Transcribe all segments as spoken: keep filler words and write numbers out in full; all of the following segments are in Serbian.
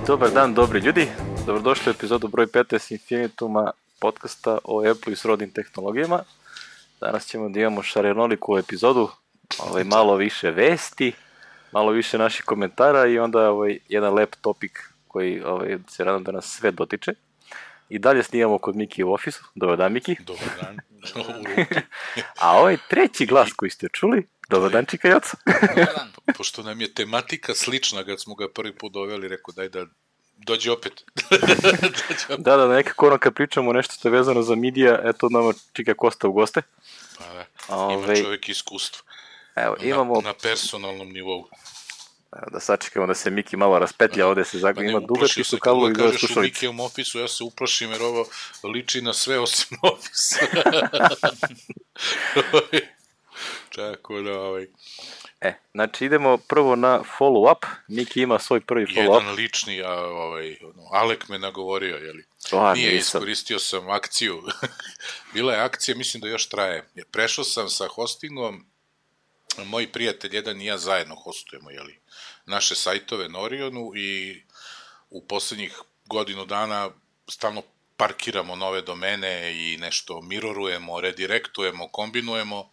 Dobar dan, dobri ljudi. Dobrodošli u epizodu broj petnaest Infinituma, podcasta o Apple i srodnim tehnologijama. Danas ćemo da imamo šarenoliku epizodu, ovaj, malo više vesti, malo više naših komentara i onda ovaj, jedan lep topik koji ovaj, se radam da nas sve dotiče. I dalje snimamo kod Miki u ofisu. Dobar dan, Miki. Dobar dan. A ovaj treći glas koji ste čuli, dobar dan, Čika Joca. Dobar dan. Pošto nam je tematika slična kad smo ga prvi put doveli, rekao daj da dođe opet. dođe opet. Da, da, nekako ono kad pričamo nešto što je vezano za midija, eto nama Čika Kosta u goste. Pa da, Ove, ima čovjek iskustvo. Evo, imamo... Na, na personalnom nivou. Da sačekamo da se Miki malo raspetlja, ovde se zagleda, ima dugački su kablovi za slušalice. Kažeš u Mikijevom ofisu, ja se uplašim jer ovo liči na sve osim ofisa. Tako da, ovaj... E, znači idemo prvo na follow-up. Miki ima svoj prvi follow-up. Jedan lični, a, ovaj, Alek me nagovorio, jeli? O, Nije, nisam. iskoristio sam akciju. Bila je akcija, mislim da još traje. Prešao sam sa hostingom, moji prijatelj jedan i ja zajedno hostujemo, jeli, naše sajtove na Orionu i u poslednjih godinu dana stalno parkiramo nove domene i nešto mirorujemo, redirektujemo, kombinujemo,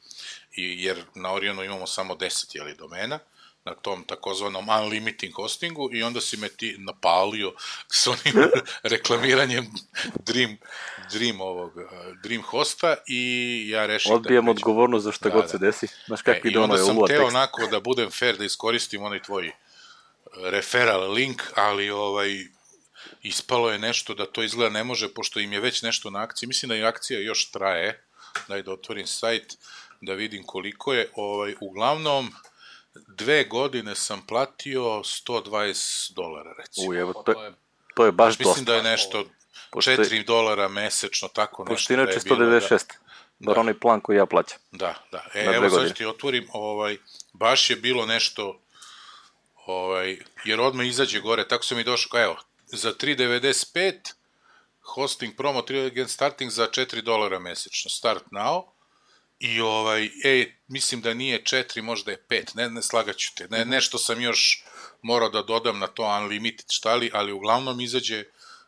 i, jer na Orionu imamo samo deset, jeli, domena, na tom takozvanom unlimited hostingu i onda si me ti napalio s onim reklamiranjem Dream, Dream, ovog, Dream hosta i ja rešim Odbijam da odgovornost za šta da, god se da. desi. Znaš kako e, ide ono je uvod tekst. I onda sam teo onako da budem fair, da iskoristim onaj tvoj referral link, ali ovaj, ispalo je nešto da to izgleda ne može, pošto im je već nešto na akciji. Mislim da i akcija još traje. Daj da otvorim sajt, da vidim koliko je. Ovaj, uglavnom, dve godine sam platio sto dvadeset dolara, recimo. Uj, evo, to je, to je baš Mislim dosta. da je nešto četiri dolara mesečno, tako nešto. Pošto inače da je sto devedeset šest, bilo, bar da. onaj plan koji ja plaćam. Da, da. E, Na evo godine. sad ti otvorim, ovaj, baš je bilo nešto, ovaj, jer odmah izađe gore, tako sam i došao, kao evo, za tri devedeset pet, hosting promo, tri starting za četiri dolara mesečno, start now, i ovaj, e, mislim da nije četiri, možda je pet, ne, ne slagaću te, ne, nešto sam još morao da dodam na to unlimited štali, ali uglavnom izađe,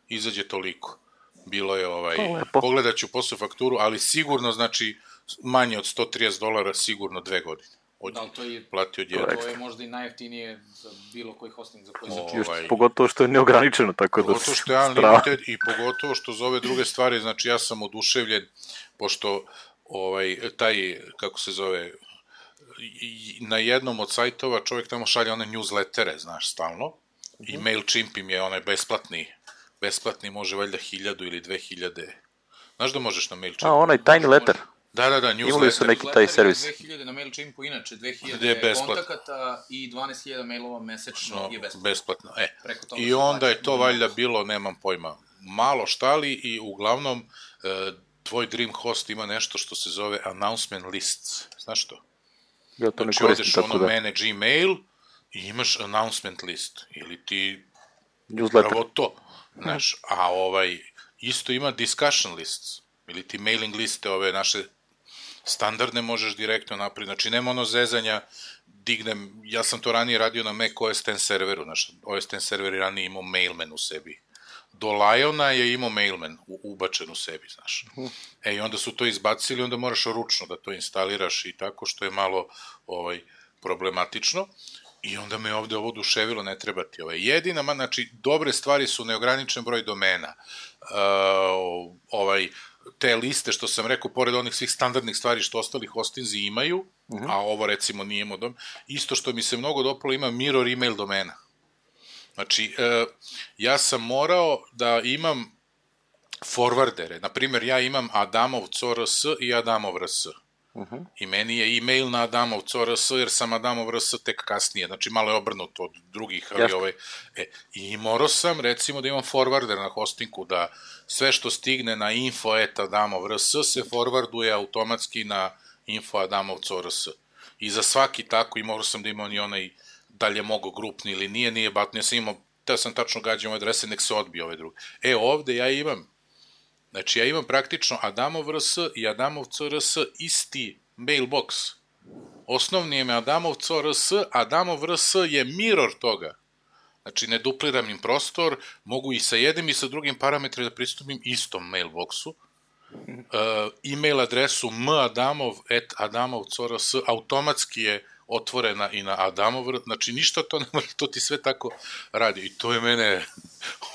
izađe toliko. Bilo je, ovaj, pogledat ću posle fakturu, ali sigurno, znači, manje od sto trideset dolara, sigurno dve godine. Od, da, to je, platio jedan. to je možda i najjeftinije za bilo koji hosting za koji O, se ovaj, Pogotovo što je neograničeno, tako da... Pogotovo što je unlimited i pogotovo što za ove druge stvari, znači ja sam oduševljen, pošto ovaj, taj, kako se zove, na jednom od sajtova čovjek tamo šalje one newslettere, znaš, stalno, i MailChimp im je onaj besplatni, besplatni može valjda hiljadu ili dve hiljade. Znaš da možeš na MailChimp? A, onaj tiny letter. Da, da, da, newsletter. Imali su neki taj servis. dve hiljade na MailChimpu, inače dve Gde hiljade je besplatno. kontakata i dvanaest hiljada mailova mesečno No, je besplatno. besplatno. E. Preko toga I se onda plaća je to valjda bilo, nemam pojma, malo štali i uglavnom e, tvoj Dream host ima nešto što se zove announcement lists. Znaš što? Ja to ne Znači koristim odeš tako ono da. manage email i imaš announcement list. Ili ti Newsletter. pravo to. Znaš, a ovaj isto ima discussion lists. Ili ti mailing liste ove naše standardne možeš direktno napraviti. Znači nema ono zezanja, dignem, ja sam to ranije radio na Mac O S X serveru, znaš, O S X server je ranije imao mailman u sebi. Do Liona je imao mailman u, ubačen u sebi, znaš. E, i onda su to izbacili, onda moraš ručno da to instaliraš i tako, što je malo ovaj, problematično. I onda me ovde ovo oduševilo, ne treba ti ovaj. Jedina, ma, znači, dobre stvari su neograničen broj domena. Uh, ovaj, te liste, što sam rekao, pored onih svih standardnih stvari što ostali hostinzi imaju, uh-huh. a ovo recimo nije modom, isto što mi se mnogo dopalo, ima mirror email domena. Znači, uh, ja sam morao da imam forwardere. Naprimjer, ja imam Adamov C R S i Adamov R S. Uh-huh. I meni je e-mail na Adamov C R S, jer sam Adamov R S tek kasnije, znači malo je obrnuto od drugih, ali ovaj, e, i morao sam, recimo, da imam forwarder na hostingu, da sve što stigne na info at Adamov R S se forwarduje automatski na info Adamov C R S. I za svaki tako, i morao sam da imam i onaj, da li je mogo grupni ili nije, nije batno, ja sam imao, teo sam tačno gađam ove adrese, nek se odbije ove druge. E, ovde ja imam, znači ja imam praktično Adamov R S i Adamov C R S isti mailbox. Osnovni je me Adamov C R S, Adamov R S je mirror toga. Znači, ne dupliram im prostor, mogu i sa jednim i sa drugim parametrima da pristupim istom mailboxu. Uh, e-mail adresu madamov at adamov punto c r s automatski je otvorena i na Adamov, znači ništa to ne može, to ti sve tako radi. I to je mene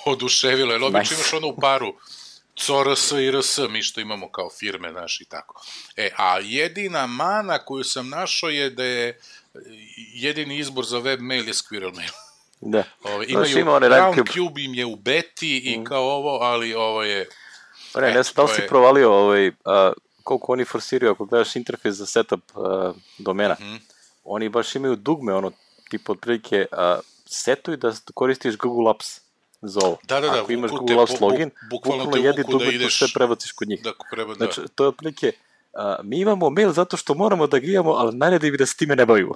oduševilo, jer obično imaš ono u paru C R S i R S, mi što imamo kao firme, znaš, i tako. E, a jedina mana koju sam našao je da je jedini izbor za web mail je Squirrel Mail. Da. Ove, imaju, ima Roundcube im je u beti i mm. kao ovo, ali ovo je... Pa ne, ne znam da li si je... provalio ovaj, a, koliko oni forsiraju, ako gledaš interfejs za setup a, domena, mm-hmm. oni baš imaju dugme, ono, tipa otprilike, a, setuj da koristiš Google Apps za ovo. Da, da, da. Ako imaš Google Apps login, bukvalno jedi dugme, da ideš, sve prebaciš kod njih. Da, preba, da. Znači, to je otprilike, a, mi imamo mail zato što moramo da ga imamo, ali najredi bi da se time ne bavimo.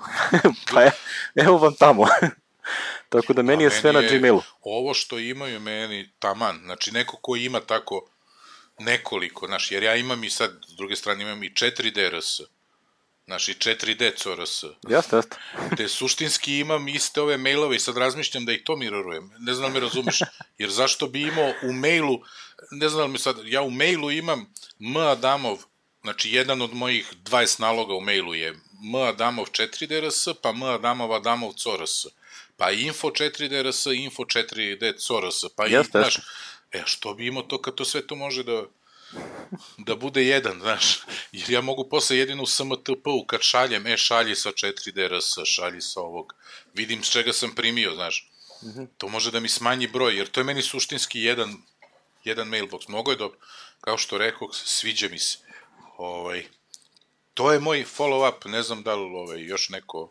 Pa je, evo vam tamo. Tako da meni je sve meni na Gmailu. Ovo što imaju meni taman, znači neko ko ima tako nekoliko, znaš, jer ja imam i sad, s druge strane imam i četiri D R S, znaš, i četiri D C R S. Jasno, jasno. Te suštinski imam iste ove mailove i sad razmišljam da ih to mirarujem. Ne znam da me razumeš, jer zašto bi imao u mailu, ne znam da mi sad, ja u mailu imam M. Adamov, znači jedan od mojih dvadeset naloga u mailu je M. Adamov četiri D R S, pa M. Adamov Adamov C R S, pa info četiri D R S, info četiri D C R S, pa i, znaš, e, što bi imao to kad to sve to može da da bude jedan, znaš, jer ja mogu posle jedino u S M T P-u kad šaljem, e, šalji sa četiri D R S, šalji sa ovog, vidim s čega sam primio, znaš, mm-hmm. to može da mi smanji broj, jer to je meni suštinski jedan, jedan mailbox, mnogo je dobro, kao što rekao, sviđa mi se, ovaj, to je moj follow-up, ne znam da li ovaj, još neko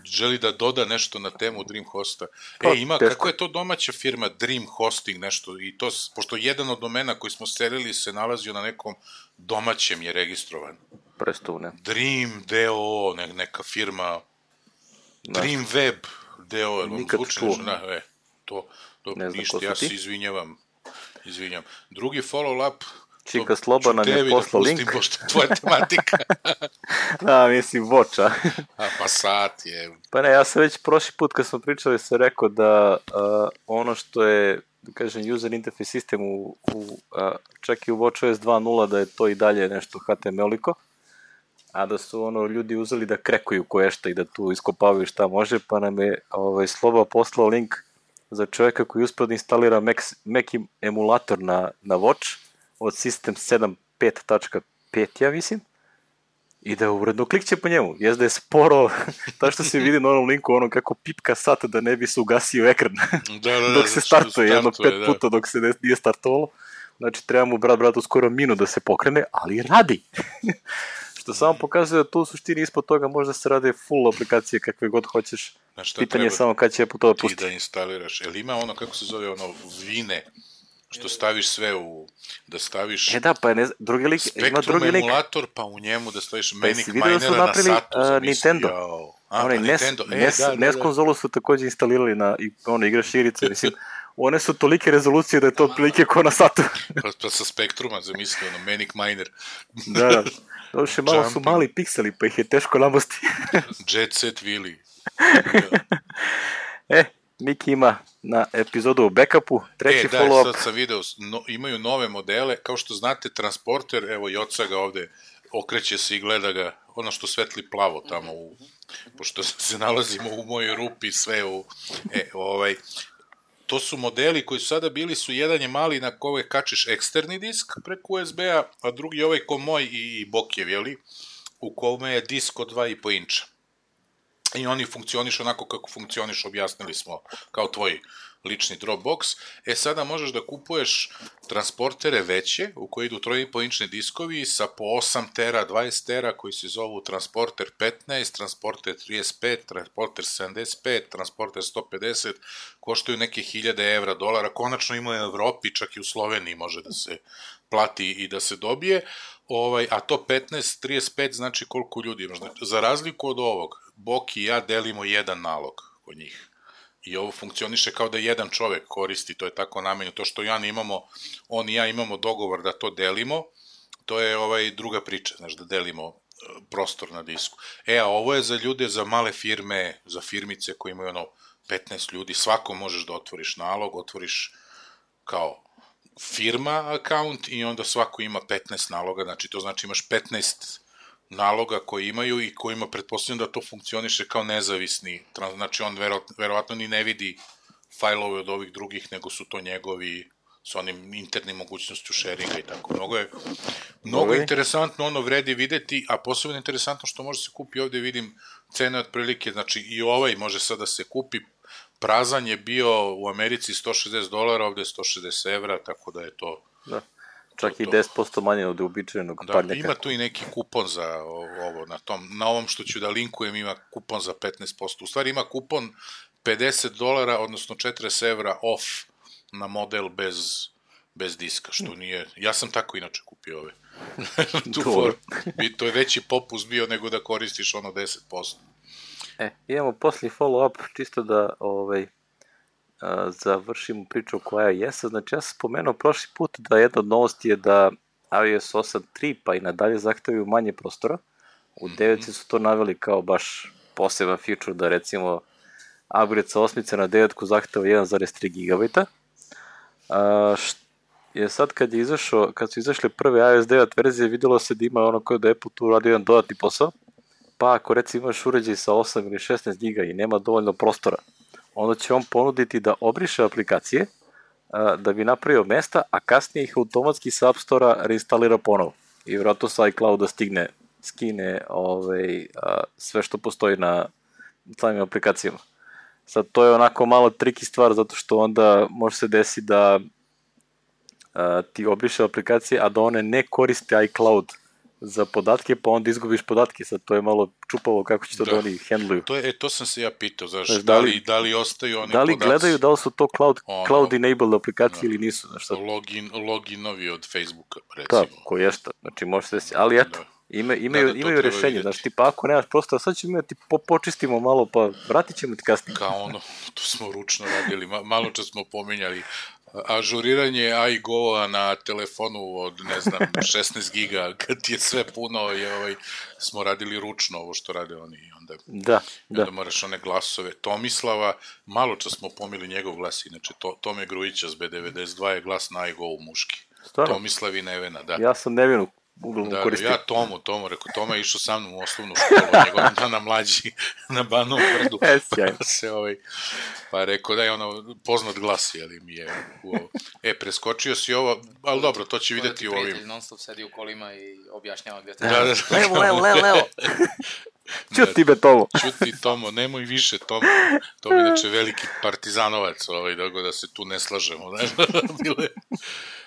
želi da doda nešto na temu DreamHosta. E, ima, kako je to domaća firma Dream Hosting, nešto, i to, pošto jedan od domena koji smo selili se nalazio na nekom domaćem je registrovan. Prestune. Dream D O O, ne, neka firma, da. Dream Web D O O, nikad čuo. Da, e, to, to ništa, ja se izvinjavam, izvinjam. Drugi follow-up, Čika Sloba nam je poslao link. Pustim, pošto tvoja tematika. Da, mislim, voča. A, pa sat je. Pa ne, ja sam već prošli put kad smo pričali se rekao da uh, ono što je, da kažem, user interface sistem u, u uh, čak i u WatchOS dva nula da je to i dalje nešto H T M L-iko, a da su ono ljudi uzeli da krekuju koješta i da tu iskopavaju šta može, pa nam je ovaj, Sloba poslao link za čovjeka koji uspio da instalira Mac, Mac emulator na, na Watch od System sedam pet tačka pet, ja mislim, i da uredno klikće po njemu. Jes da je sporo, ta što se vidi na onom linku, ono kako pipka sat da ne bi se ugasio ekran da, da, da, dok se startuje, jedno pet da. puta dok se nije startovalo. Znači, treba mu brat bratu skoro minu da se pokrene, ali radi. Što samo pokazuje da tu u suštini ispod toga možda se rade full aplikacije kakve god hoćeš. Pitanje je samo kad će Apple to pustiti. Ti da instaliraš. Jel ima ono, kako se zove, ono, Vine, što staviš sve u, da staviš e da, pa ne, drugi lik, ima drugi lik. Emulator, pa u njemu da staviš Manic Minera na satu. Uh, Nintendo. A, Onaj, pa Nes, Nintendo. E, Nes, da, da, Nes da. konzolu su također instalirali na, i ono, igraš igrice, mislim, one su tolike rezolucije da je to otprilike ko na satu. pa, pa sa Spektruma zamislio, ono, Manic Miner. da, da. Doduše, malo su mali pikseli, pa ih je teško namosti. Jet Set Willy. e, Miki ima na epizodu o backupu, treći e, da, follow-up. sad sam video, no, imaju nove modele, kao što znate, transporter, evo Joca ga ovde okreće se i gleda ga, ono što svetli plavo tamo, u, pošto se nalazimo u mojoj rupi, sve u, e, ovaj, to su modeli koji su sada bili, su jedan je mali na kojeg kačiš eksterni disk preko U S B-a, a drugi je ovaj ko moj i, i Bokjev, jeli, u kome je disk od dva i po inča. I oni funkcioniš onako kako funkcioniš, objasnili smo, kao tvoj lični Dropbox. E, sada možeš da kupuješ transportere veće, u koji idu tri i po inčni diskovi sa po osam tera, dvadeset tera, koji se zovu transporter petnaest, transporter trideset pet, transporter sedamdeset pet, transporter sto pedeset, koštaju neke hiljade evra, dolara, konačno ima u Evropi, čak i u Sloveniji može da se plati i da se dobije, ovaj, a to petnaest, trideset pet znači koliko ljudi imaš. Za razliku od ovog, Boki i ja delimo jedan nalog kod njih. I ovo funkcioniše kao da jedan čovek koristi, to je tako namenjeno. To što Jan imamo, on i ja imamo dogovor da to delimo, to je ovaj druga priča, znaš, da delimo prostor na disku. E, a ovo je za ljude, za male firme, za firmice koji imaju ono petnaest ljudi, svako možeš da otvoriš nalog, otvoriš kao firma account i onda svako ima petnaest naloga, znači to znači imaš petnaest naloga koji imaju i kojima pretpostavljam da to funkcioniše kao nezavisni, znači on vero, verovatno ni ne vidi fajlove od ovih drugih, nego su to njegovi s onim internim mogućnošću sharinga i tako. Mnogo je, mnogo je interesantno, ono vredi videti, a posebno interesantno što može se kupi ovde, vidim cene otprilike, znači i ovaj može sad da se kupi, prazan je bio u Americi sto šezdeset dolara, ovde je sto šezdeset evra, tako da je to... Da. Čak to, i deset posto manje od uobičajenog da, parnjaka. Ima tu i neki kupon za ovo, na tom, na ovom što ću da linkujem ima kupon za petnaest posto. U stvari ima kupon pedeset dolara, odnosno četrdeset evra off na model bez, bez diska, što nije... Ja sam tako inače kupio ove. tu for, to je veći popust bio nego da koristiš ono deset posto. E, imamo poslije follow-up, čisto da ovaj, a, završimo priču koja je jesa. Znači, ja sam spomenuo prošli put da jedna od novosti je da iOS osam tri pa i nadalje zahtevaju manje prostora. U devetci su to naveli kao baš poseban feature da recimo upgrade sa osmice na devetku zahteva jedan zarez tri gigabajta. A, št, je sad kad je izašao, kad su izašle prve iOS devet verzije, videlo se da ima ono kao da Apple tu radi jedan dodatni posao. Pa ako recimo imaš uređaj sa osam ili šesnaest giga i nema dovoljno prostora, onda će on ponuditi da obriše aplikacije a, da bi napravio mesta, a kasnije ih automatski sa App Store-a reinstalira ponovo. I vjerojatno sa iCloud-a stigne, skine ovaj, a, sve što postoji na samim aplikacijama. Sad to je onako malo triki stvar, zato što onda može se desiti da a, ti obriše aplikacije, a da one ne koriste iCloud za podatke, pa onda izgubiš podatke. Sad to je malo čupavo kako će to da, da oni handluju. To, je, e, to sam se ja pitao, znaš, znaš da, li, da li ostaju oni da li podaci? Gledaju da li su to cloud, ono, cloud enabled aplikacije da, ili nisu. Znaš, sad... login, loginovi od Facebooka, recimo. Da, ko je šta. Znači, može se desiti. Ali eto, da. ima, imaju, da, da, imaju rešenje. Vidjeti. Znači, tipa, ako nemaš prostora, sad ćemo imati, po, počistimo malo, pa vratit ćemo ti kasnije. Kao ono, to smo ručno radili. Malo čas smo pominjali ažuriranje iGo-a na telefonu od, ne znam, šesnaest giga, kad ti je sve puno, je, ovaj, smo radili ručno ovo što rade oni i onda, da, onda da. moraš one glasove. Tomislava, malo čas smo pomili njegov glas, inače to, Tome Grujića s B devedeset dva je glas na iGo-u muški. Stvarno? Tomislav i Nevena, da. Ja sam Nevenu uglavnom da, koristio. Ja Tomu, Tomu, rekao, Toma je išao sa mnom u osnovnu školu, njegov dana mlađi na Banovom brdu. E, pa se ovaj, pa rekao da je ono poznat glas, jeli mi je u ovo. E, preskočio si ovo, ali dobro, to će videti u ovim. Prijatelj non stop sedi u kolima i objašnjava gde te... Da, da, levo, levo, levo, levo. Čuti me, Tomo. Čuti, Tomo, nemoj više, Tomo. To je inače veliki partizanovac, ovaj, da, da se tu ne slažemo. Ne?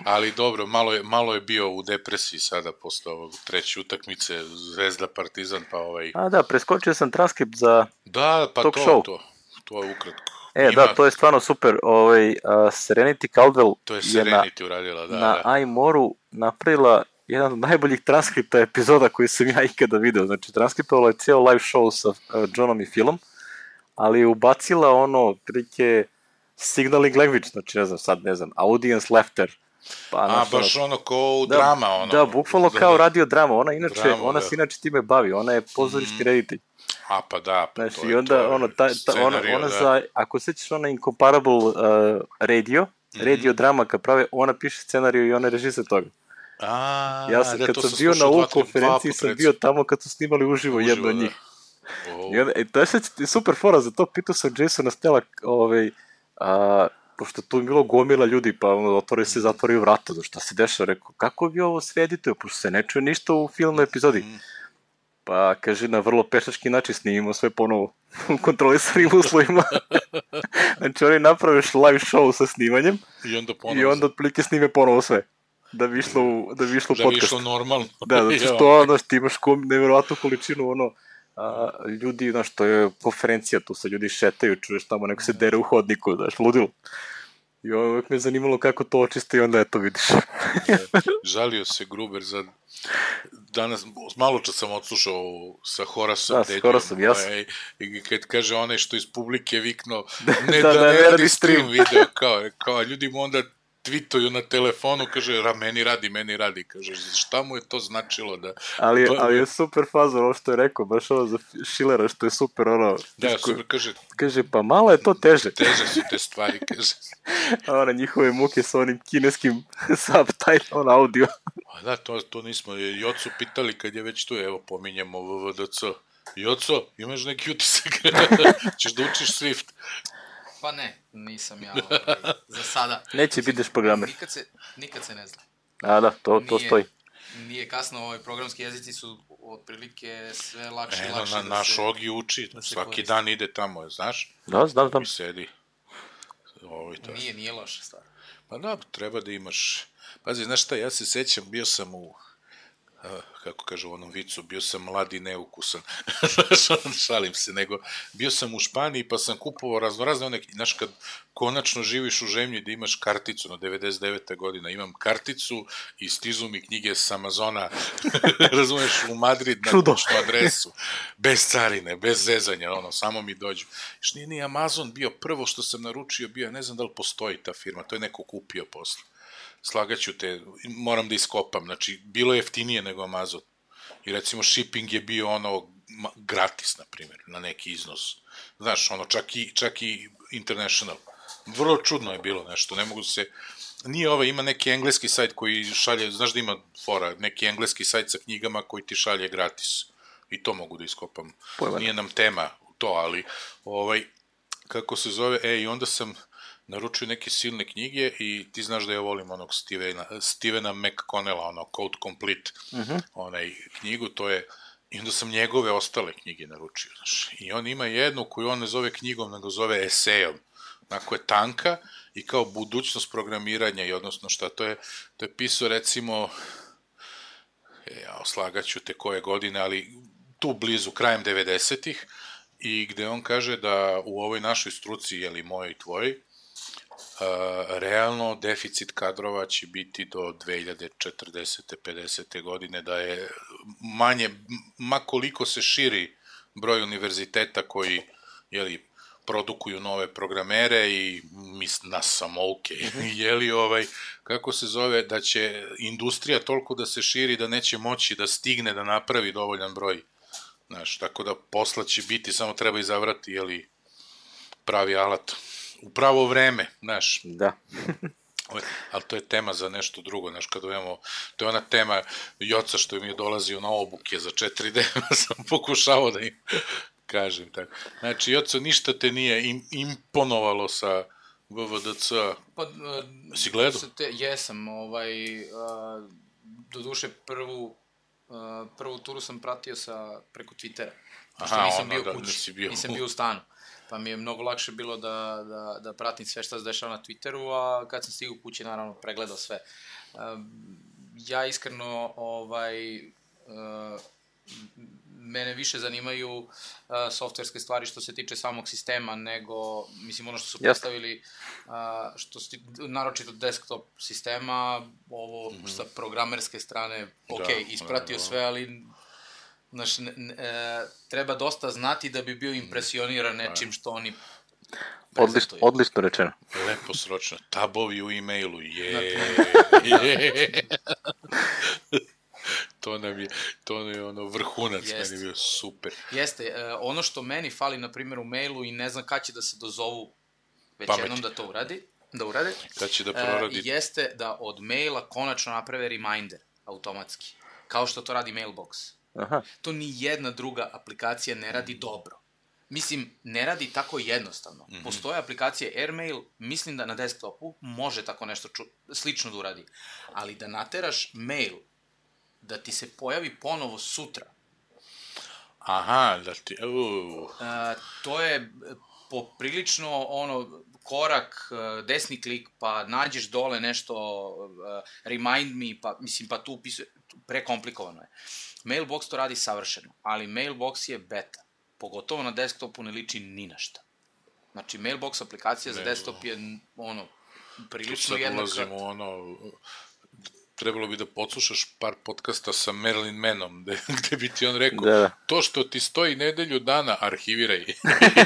Ali dobro, malo je, malo je bio u depresiji sada posle ovog treće utakmice Zvezda Partizan, pa ovaj... A da, preskočio sam transkript za da, pa talk to, show. To, to je ukratko. E, Ima... da, to je stvarno super. Ovaj, uh, Serenity Caldwell to je Serenity je na, uradila, da, na da. iMore-u napravila jedan od najboljih transkripta epizoda koji sam ja ikada video. Znači, transkriptovala je cijelo live show sa uh, Johnom i Philom, ali je ubacila ono, prilike signaling language, znači, ne znam, sad ne znam, audience laughter. Pa, a, naš, baš ono, ono ko u da, drama, ono. Da, bukvalno da, kao radio drama. Ona, inače, drama, ona da. se inače time bavi, ona je pozorišni mm. reditelj. A, pa da, pa znači, to je, i onda, to je ono, ta, ta, scenario, ona, ona da. za, ako sećaš ona Incomparable uh, radio, mm-hmm. radio drama kad prave, ona piše scenariju i ona režise toga. A, ja sam, da, kad sam sam bio na ovu konferenciji, dva, sam bio tamo kad su snimali uživo, uživo jedno od njih. Oh. I onda, e, to je super fora, za to pitao sam Jasona Stella, ovaj, a, pošto tu je bilo gomila ljudi, pa ono, otvoraju se, zatvoraju vrata, šta se dešava, rekao, kako bi ovo sve edituje, pošto se ne čuje ništa u filmu epizodi. Mm. Pa, kaže, na vrlo pešački način snimimo sve ponovo u kontrolisanim uslovima. Znači, oni napraviš live show sa snimanjem i onda, ponovo i onda otprilike snime ponovo sve. Da bi išlo u, da bi išlo da podcast. Da bi išlo normalno. Da, znači što, ono, ti imaš nevjerovatnu količinu, ono, a, ljudi, znaš, to je konferencija, tu se ljudi šetaju, čuješ tamo, neko se dere u hodniku, znaš, ludilo. I ovo uvijek me zanimalo kako to očiste i onda eto vidiš. Žalio se Gruber za... Danas, malo čas sam odslušao sa Horasom. Da, s Horasom, jasno. I kad kaže onaj što iz publike vikno, ne da, da, da ne radi radi stream stream video, kao, kao ljudi mu onda tweetuju na telefonu, kaže, ra, meni radi, meni radi, kaže, šta mu je to značilo da... Ali, ba, ali je super faza ono što je rekao, baš ono za Schillera što je super ono... Da, tiško, super, kaže... Kaže, pa malo je to teže. Teže su te stvari, kaže. A ona njihove muke sa onim kineskim subtitle audio. A da, to, to nismo, Jocu pitali kad je već tu, evo, pominjemo V V D C. Joco, imaš neki utisak? Ćeš da učiš Swift? Pa ne, nisam ja ovaj, za sada. Neće bideš programer. Nikad se, nikad se ne zna. A da, to, to Nije, stoji. Nije kasno, ovaj, programski jezici su otprilike sve lakše i Eno, lakše na, da naš se... Ogi uči, da se svaki koristi. dan ide tamo, znaš? Da, znam, znam. I sedi. Ovo i to. Nije, nije loša stvar. Pa da, treba da imaš... Pazi, znaš šta, ja se sećam, bio sam u... A, kako kažu u onom vicu, bio sam mlad i neukusan. Šalim se, nego bio sam u Španiji pa sam kupovao raznorazne one, znaš, kad konačno živiš u zemlji da imaš karticu, na devedeset deveta godina imam karticu i stižu mi knjige s Amazona, razumeš, u Madrid na kućnu adresu, bez carine, bez zezanja, ono, samo mi dođu. Još nije ni Amazon bio prvo što sam naručio, bio, ne znam da li postoji ta firma, to je neko kupio posle. Slagaću te, moram da iskopam, znači, bilo je jeftinije nego Amazon. I recimo, shipping je bio ono gratis, na primjer, na neki iznos. Znaš, ono, čak i, čak i international. Vrlo čudno je bilo nešto, ne mogu se... Nije ovaj, ima neki engleski sajt koji šalje, znaš da ima fora, neki engleski sajt sa knjigama koji ti šalje gratis. I to mogu da iskopam. Pojma. Nije nam tema to, ali, ovaj, kako se zove, e, i onda sam... naručio neke silne knjige i ti znaš da ja volim onog Stevena, Stevena McConnella, ono Code Complete, uh-huh. onaj knjigu, to je, i onda sam njegove ostale knjige naručio, znaš, i on ima jednu koju on ne zove knjigom, nego zove esejom, onako je tanka i kao budućnost programiranja i odnosno šta, to je, to je pisao recimo, ja oslagaću te koje godine, ali tu blizu, krajem devedesetih, i gde on kaže da u ovoj našoj struci, jeli mojoj i tvojoj, Uh, realno deficit kadrova će biti do dve hiljade četrdesete pedesete godine, da je manje, makoliko se širi broj univerziteta koji, jeli, produkuju nove programere i mis, nas samouke, jeli, ovaj, kako se zove, da će industrija toliko da se širi da neće moći da stigne da napravi dovoljan broj, znaš, tako da posla će biti, samo treba izabrati, jeli, pravi alat. U pravo vreme, znaš. Da. Ali to je tema za nešto drugo, znaš, kada imamo, to je ona tema Joca što mi je dolazio na obuke za četiri D, sam pokušao da im kažem tako. Znači, Joco, ništa te nije im, imponovalo sa V V D C. Pa, uh, si gledao? Te, jesam, ovaj, uh, do duše prvu, uh, prvu turu sam pratio sa, preko Twittera. Aha, nisam ono, bio da, kući, nisi bio. nisam bio u stanu. Pa mi je mnogo lakše bilo da, da, da pratim sve šta se dešava na Twitteru, a kad sam stigao kući, naravno, pregledao sve. Uh, ja iskreno, ovaj, uh, mene više zanimaju uh, softverske stvari što se tiče samog sistema, nego, mislim, ono što su postavili, uh, što su, naročito desktop sistema, ovo mm-hmm. sa programerske strane, ok, da, ispratio da, da. sve, ali... Znaš, ne, ne, e, treba dosta znati da bi bio impresioniran nečim što oni prezentuju. Odlično, odlično rečeno. Lepo sročno. Tabovi u e-mailu, je, je. To nam je, to nam je ono vrhunac, Jest. Meni je bio super. Jeste, e, ono što meni fali, na primjer, u mailu i ne znam kad će da se dozovu već Pameti. jednom da to uradi, da urade, kad će da proradi. E, jeste da od maila konačno naprave reminder automatski, kao što to radi Mailbox. Aha. To ni jedna druga aplikacija ne radi dobro. Mislim, ne radi tako jednostavno. Mm-hmm. Postoje aplikacije Airmail, mislim da na desktopu može tako nešto ču- slično da uradi. Ali da nateraš mail, da ti se pojavi ponovo sutra. Aha, da ti... Uh. A, to je poprilično ono, korak, desni klik, pa nađeš dole nešto, uh, remind me, pa, mislim, pa tu upisuje, prekomplikovano je. Mailbox to radi savršeno, ali Mailbox je beta. Pogotovo na desktopu ne liči ni na šta. Znači, Mailbox aplikacija za desktop je, ono, prilično jednaka. Tu sad ulazimo, ono, trebalo bi da podslušaš par podcasta sa Marilyn Manom, gde, gde bi ti on rekao, Da. to što ti stoji nedelju dana, arhiviraj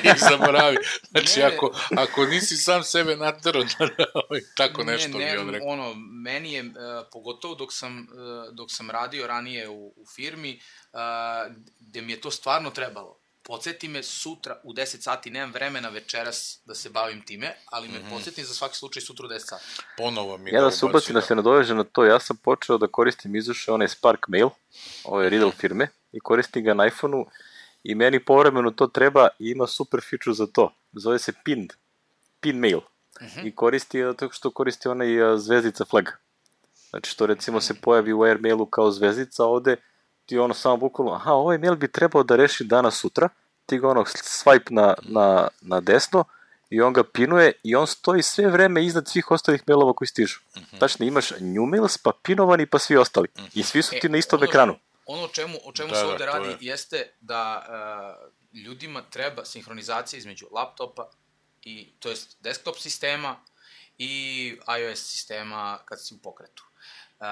i zaboravi. Znači, Ne, ako, ako nisi sam sebe naterao, tako nešto ne, ne, bi on rekao. ono, meni je, uh, pogotovo dok sam, uh, dok sam radio ranije u, u firmi, uh, gde mi je to stvarno trebalo. Podsjeti me sutra u deset sati, nemam vremena večeras da se bavim time, ali me mm-hmm. podsjeti za svaki slučaj sutra u deset sati. Ponovo mi Ja ga da se ubacim da se nadoveže na to, ja sam počeo da koristim izuše onaj Spark Mail, ove Riddle firme, i koristim ga na iPhone-u i meni povremeno to treba i ima super feature za to. Zove se Pinned, Pin Mail. Mm-hmm. I koristi, tako što koristi onaj uh, zvezdica flag. Znači što recimo se pojavi u Airmailu kao zvezdica ovde, ti ono samo bukvalno, aha, ovaj mail bi trebao da reši danas sutra, ti ga ono swipe na, na, na desno i on ga pinuje i on stoji sve vreme iznad svih ostalih mailova koji stižu. Mm-hmm. Tačno, imaš new mails, pa pinovani, pa svi ostali. Mm-hmm. I svi su ti e, na istom ono, ekranu. Ono o čemu, o čemu da, se da, ovde radi je. jeste da uh, ljudima treba sinhronizacija između laptopa i, to jest desktop sistema i iOS sistema kad si u pokretu. Uh,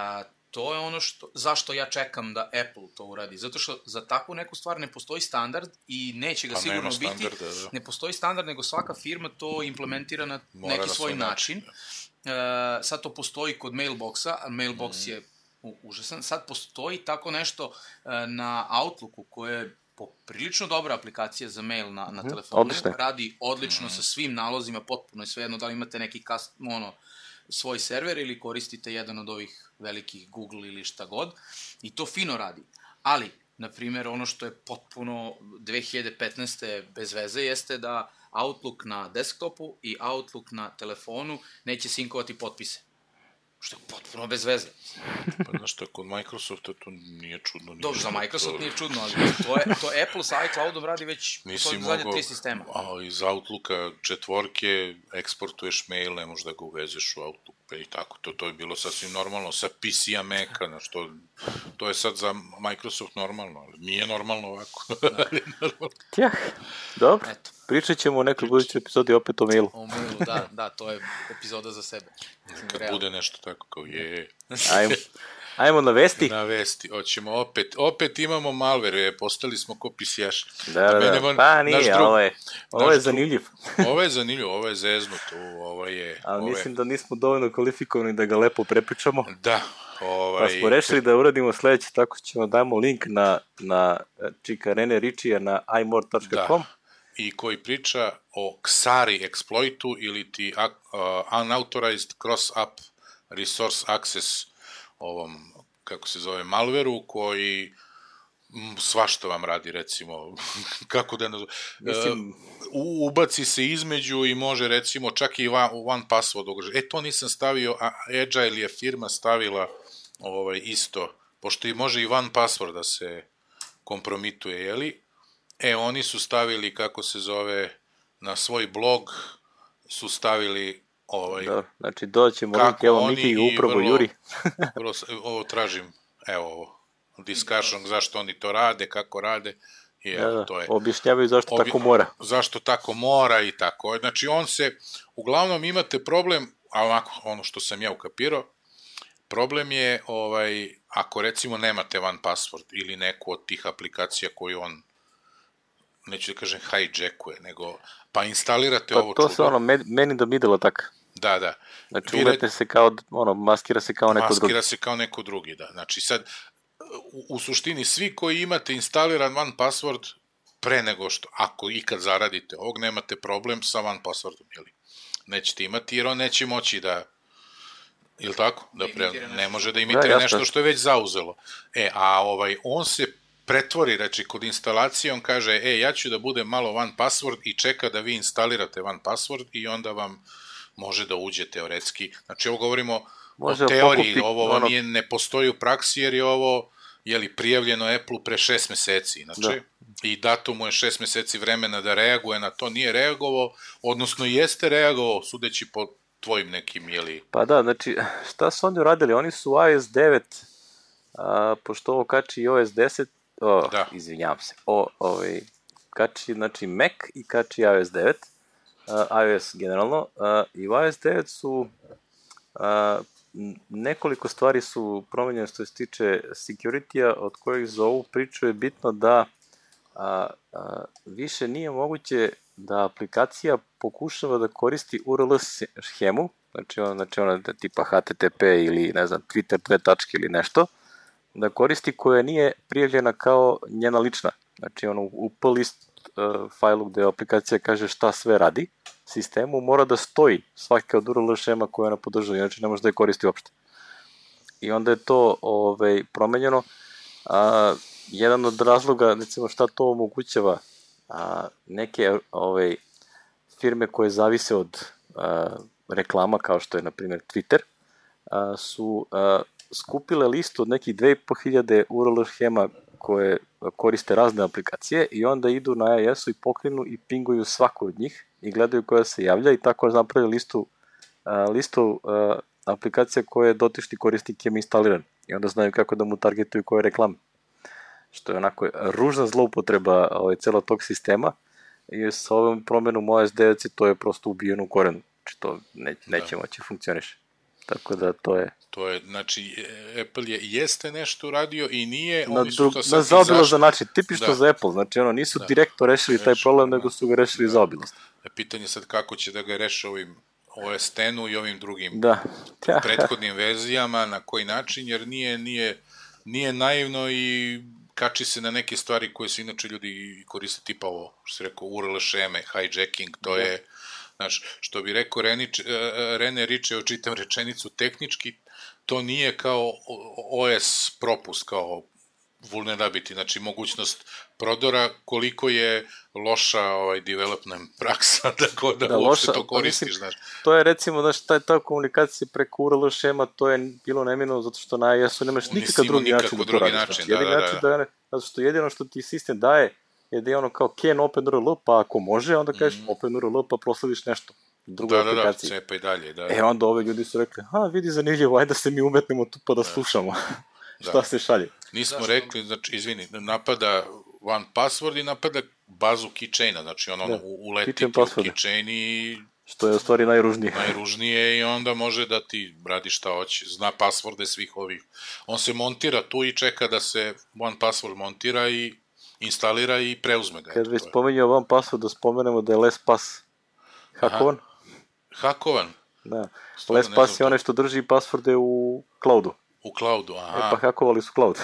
to je ono što, zašto ja čekam da Apple to uradi. Zato što za takvu neku stvar ne postoji standard i neće ga pa sigurno biti. Da. Ne postoji standard, nego svaka firma to implementira na Mora neki svoj način. način. Uh, sad to postoji kod Mailboxa, a Mailbox mm. je u, užasan. Sad postoji tako nešto uh, na Outlooku koje je poprilično dobra aplikacija za mail na, na mm. telefonu. Odlično. Radi odlično mm. sa svim nalozima, potpuno je svejedno da li imate neki cast, ono, svoj server ili koristite jedan od ovih velikih Google ili šta god, i to fino radi. Ali, na primjer, ono što je potpuno dve hiljade petnaeste bez veze jeste da Outlook na desktopu i Outlook na telefonu neće sinkovati potpise. Što je potpuno bez veze. Pa znaš što, kod Microsofta to nije čudno. Dobro, za Microsoft nije čudno, ali to, je, to Apple sa iCloudom radi već u zadnje tri sistema. A iz Outlooka četvorke eksportuješ mail, ne možeš da ga uvezeš u Outlook i tako. To, to je bilo sasvim normalno. Sa P C-a Maca, na što, to je sad za Microsoft normalno, ali nije normalno ovako. Tjah, dobro. Eto. Pričat ćemo u nekoj budućoj epizodi opet o mailu. O mailu, da, da, to je epizoda za sebe. Kad realno bude nešto tako kao je. Ajmo, ajmo na vesti. Na vesti, hoćemo opet. Opet imamo malware, postali smo ko pisijaš. Da, da, da. Pa nije, drug, ovo je, ovo je zanimljiv. Ovo je zanimljiv, ovo je zeznut, ovo je... Ali ovo mislim da nismo dovoljno kvalifikovani da ga lepo prepričamo. Da. Ovaj... Pa smo rešili da uradimo sledeće, tako ćemo dajemo link na, na Čika Rene Ričija na i more dot com. Da. I koji priča o Xari exploitu ili ti uh, unauthorized cross-app resource access ovom, kako se zove, malveru, koji m, svašta vam radi, recimo, kako da nazove, Mislim... uh, ubaci se između i može, recimo, čak i one, one password ugrožiti. E, to nisam stavio, a Agile je firma stavila ovaj, isto, pošto i može i one password da se kompromituje, jeli? E, oni su stavili, kako se zove, na svoj blog su stavili ovaj... Da, znači doćemo link, evo Miki upravo Juri. vrlo, ovo tražim, evo ovo, discussion, zašto oni to rade, kako rade, i evo, da, to je... Objašnjavaju zašto obje, tako mora. Zašto tako mora i tako. Znači, on se, uglavnom imate problem, a onako, ono što sam ja ukapirao, problem je, ovaj, ako recimo nemate one password ili neku od tih aplikacija koju on, neću da kažem hijackuje, nego, pa instalirate pa ovo to čudo. se ono, man in the middle atak. Da, da. Znači, uvete se kao, ono, maskira se kao neko maskira drugi. Maskira se kao neko drugi, da. Znači, sad, u, u suštini, svi koji imate instaliran one password, pre nego što, ako ikad zaradite ovog, nemate problem sa one passwordom, jeli? Nećete imati, jer on neće moći da, ili tako? Da pre, ne može da imitira da, nešto što je već zauzelo. E, a ovaj, on se pretvori, reći, kod instalacije, on kaže, e, ja ću da budem malo one password i čeka da vi instalirate one password i onda vam može da uđe teoretski. Znači, ovo govorimo može o teoriji, pokupi, ovo ono... nije, ne postoji u praksi, jer je ovo, jeli, prijavljeno Apple-u pre šest meseci, inače, da. I dato mu je šest meseci vremena da reaguje na to, nije reagovao, odnosno jeste reagovao, sudeći po tvojim nekim, jeli... Pa da, znači, šta su oni uradili? Oni su i O S devet, a, pošto ovo kači i O S deset, o, da. izvinjavam se, o, ovaj, kači, znači, Mac i kači i O S devet, uh, iOS generalno, uh, i u i O S devet su uh, nekoliko stvari su promenjene što se tiče security-a, od kojih za ovu priču je bitno da a, a, više nije moguće da aplikacija pokušava da koristi U R L schemu, znači ona, znači ona tipa H T T P ili ne znam, Twitter dve tačke ili nešto, da koristi koja nije prijavljena kao njena lična. Znači ono u P list uh, failu gde aplikacija kaže šta sve radi, sistemu mora da stoji svaka od U R L schema koju ona podržava, inače ne može da je koristi uopšte. I onda je to ovaj, promenjeno. A, jedan od razloga, recimo šta to omogućava, a, neke ovaj, firme koje zavise od a, reklama, kao što je na primjer Twitter, a, su a, skupile listu od nekih dve i po hiljade U R L schema koje koriste razne aplikacije i onda idu na I S-u i pokrinu i pinguju svaku od njih i gledaju koja se javlja i tako napravili listu, a, listu a, aplikacija koje dotični korisnik ima instaliran i onda znaju kako da mu targetuju koje reklame. Što je onako ružna zloupotreba ovaj, celo tog sistema i sa ovom promenom O S devet to je prosto ubijeno u korenu. Znači to ne, neće moći funkcioniše. Tako da to je... To je, znači, Apple je jeste nešto uradio i nije... Na, oni su drug, to sad na zaobilazan izašli. način, tipično Da. za Apple, znači ono, nisu Da. direktno rešili taj Rešili, problem, da. nego su ga rešili Da. zaobilazno. Pitanje sad kako će da ga reše ovim O S X-u i ovim drugim Da. prethodnim verzijama, na koji način, jer nije, nije, nije naivno i kači se na neke stvari koje su inače ljudi koriste, tipa ovo, što se rekao, U R L šeme, hijacking, to Da. je, znaš, što bi rekao Renič, Rene Riče, očitam rečenicu tehnički, to nije kao O S propust, kao vulnerability, znači mogućnost prodora, koliko je loša ovaj development praksa, tako da, Da, uopšte loša, to pa koristiš, mislim, znaš. To je recimo, znaš, ta, ta komunikacija preko U R L šema, to je bilo neminovno zato što na I S-u nemaš Nisi nikakav imao drugi nikako način da to drugi radiš. način, Znači, da, jedini da, način da. da, zato što jedino što ti sistem daje je da je ono kao can open U R L, pa ako može, onda kažeš mm. open U R L, pa proslediš nešto u drugoj Da, da, da, aplikaciji. cepa i dalje, da. E onda ove ljudi su rekli, ha, vidi zanimljivo, ajde da se mi umetnemo tu pa da slušamo šta Da. se šalje. Nismo Zašto? rekli, znači, izvini, napada one password i napada bazu keychaina, znači ono, Da. uletiti u Keychain password. keychain i Što je u stvari najružnije. najružnije i onda može da ti radi šta hoće, zna pasvorde svih ovih. On se montira tu i čeka da se one password montira i instalira i preuzme ga. Kad Eto, već to je. spomenio vam password, da spomenemo da je LastPass hakovan. Hakovan Da. Stvarno ne LastPass je znam onaj što drži passworde u cloudu. u cloudu, E aha. pa hakovali su cloud.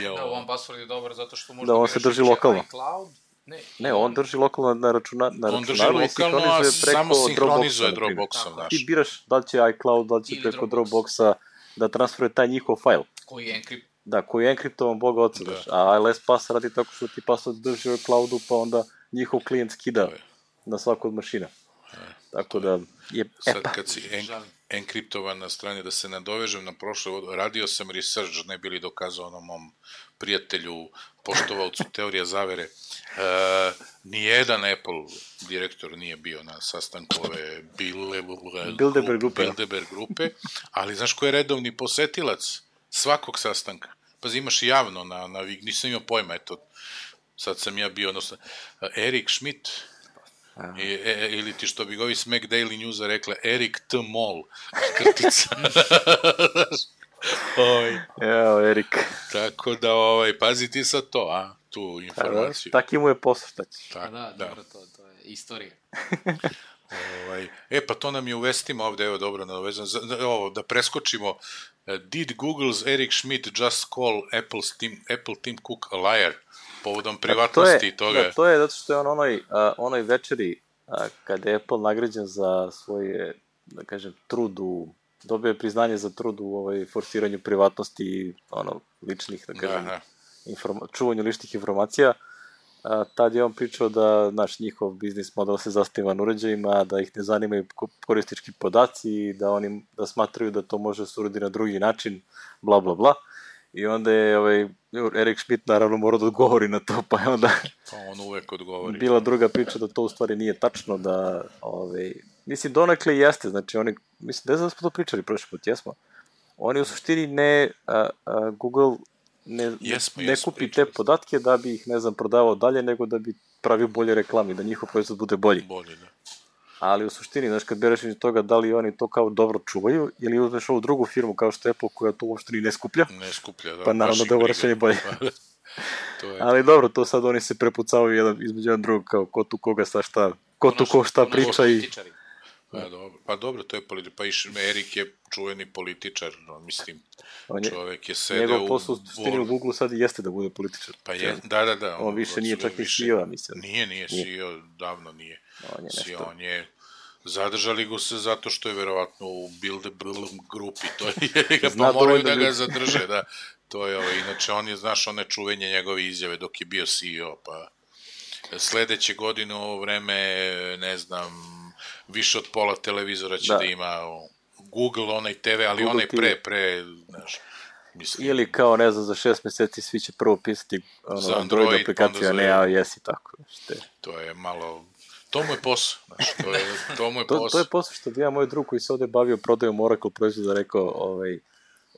Jo. Da, one password je dobar zato što možda Da, on biraš se drži više lokalno. iCloud. Ne, Ne, on drži lokalno na, računa, na On drži računaru i lokalno, a sinhronizuje preko samo sinhronizuje Dropboxa, na primjer. Dropboxom, Tako. znaš. Ti biraš da li će iCloud, da li će Ili preko Dropbox. Dropboxa da transferuje taj njihov fajl. koji je encrypt. Da, koji je enkriptovan, boga oca, Da. daš. A LastPass radi tako što ti password drži u cloudu, pa onda njihov klijent skida To je. na svaku od mašina. Tako da je... E Sad pa, kad si en, Žalim. enkriptovan na strani, da se nadovežem na prošle, radio sam research, ne bili dokazao onom mom prijatelju, poštovalcu teorija zavere. E, nijedan Apple direktor nije bio na sastanku ove Bilderberg, Bilderberg grupe. Bilderberg grupe, ali znaš ko je redovni posetilac svakog sastanka? Pazi, imaš javno na, na nisam imao pojma, eto, sad sam ja bio, odnosno, Erik Schmidt, I, e, ili ti što bi ga ovi Smack Daily Newsa rekla, Erik T. Moll, krtica. Oj, evo, Erik. tako da, ovaj, pazi ti sad to, a, tu Da, informaciju. taki mu je posao, šta ćeš. Pa Tak, da, da. dobro, to, to je istorija. Ovaj, e, pa to nam je u vestima ovde, evo dobro, nadovezano, za- da, ovo, da preskočimo. Uh, Did Google's Eric Schmidt just call Apple's Tim, Apple Tim Cook a liar? Povodom privatnosti to je, i toga. Da, to je zato što je on onoj, a, onoj večeri a, kada je Apple nagrađen za svoje, da kažem, trud u, dobio je priznanje za trud u ovaj, forsiranju privatnosti i ono, ličnih, da kažem, Da, da. informa, čuvanju ličnih informacija. A, tad je on pričao da naš njihov biznis model se zasniva na uređajima, da ih ne zanimaju ko- korisnički podaci, da oni da smatraju da to može se uraditi na drugi način, bla bla bla. I onda je ovaj, Erik Schmidt naravno morao da odgovori na to, pa je onda Pa on uvek odgovori. bila druga priča da to u stvari nije tačno, da, ovaj, mislim, donekle jeste, znači oni, mislim, ne znam da smo to pričali prošli put, jesmo. Oni u suštini ne, a, a, Google ne, Jesmo, ne jesmo, kupi te pričali smo. podatke da bi ih, ne znam, prodavao dalje, nego da bi pravio bolje reklame, da njihov proizvod bude bolji. Bolje, da. Ali u suštini, znaš, kad bereš iz toga da li oni to kao dobro čuvaju, ili uzmeš ovu drugu firmu kao što je Apple koja to uopšte ni ne skuplja. Ne skuplja, da. Pa naravno da je ovo rešenje bolje. To je... Ali dobro, to sad oni se prepucavaju jedan, između jedan drugog, kao ko tu koga sa šta, ko tu ko šta priča i... Pa dobro, pa dobro, to je političar, pa iš, Erik je čuveni političar, no, mislim, je, čovek je sedeo u... Njegov posao u suštini u Google sad i jeste da bude političar. Pa je, da, da, da. On, on više nije čak ni C E O, mislim. Nije, nije, C E O, davno nije. On je C E O, nešto... on je... Zadržali go se zato što je verovatno u Bilderberg grupi, to je, pa moraju da ga zadrže, da. To je ovo, inače on je, znaš, one čuvenje njegove izjave dok je bio C E O, pa sledeće godine u ovo vreme, ne znam, više od pola televizora će da, da ima Google, onaj T V, ali Google onaj pre, pre, znaš, mislim. Ili kao, ne znam, za šest meseci svi će prvo pisati ono, za Android, Android aplikacija, a ne iOS i tako. Šte. To je malo, to mu je posao, znaš, to je, to mu je to, posao. To je posao što bi ja moj drug koji se ovde bavio prodajom Oracle proizvoda rekao, ovaj,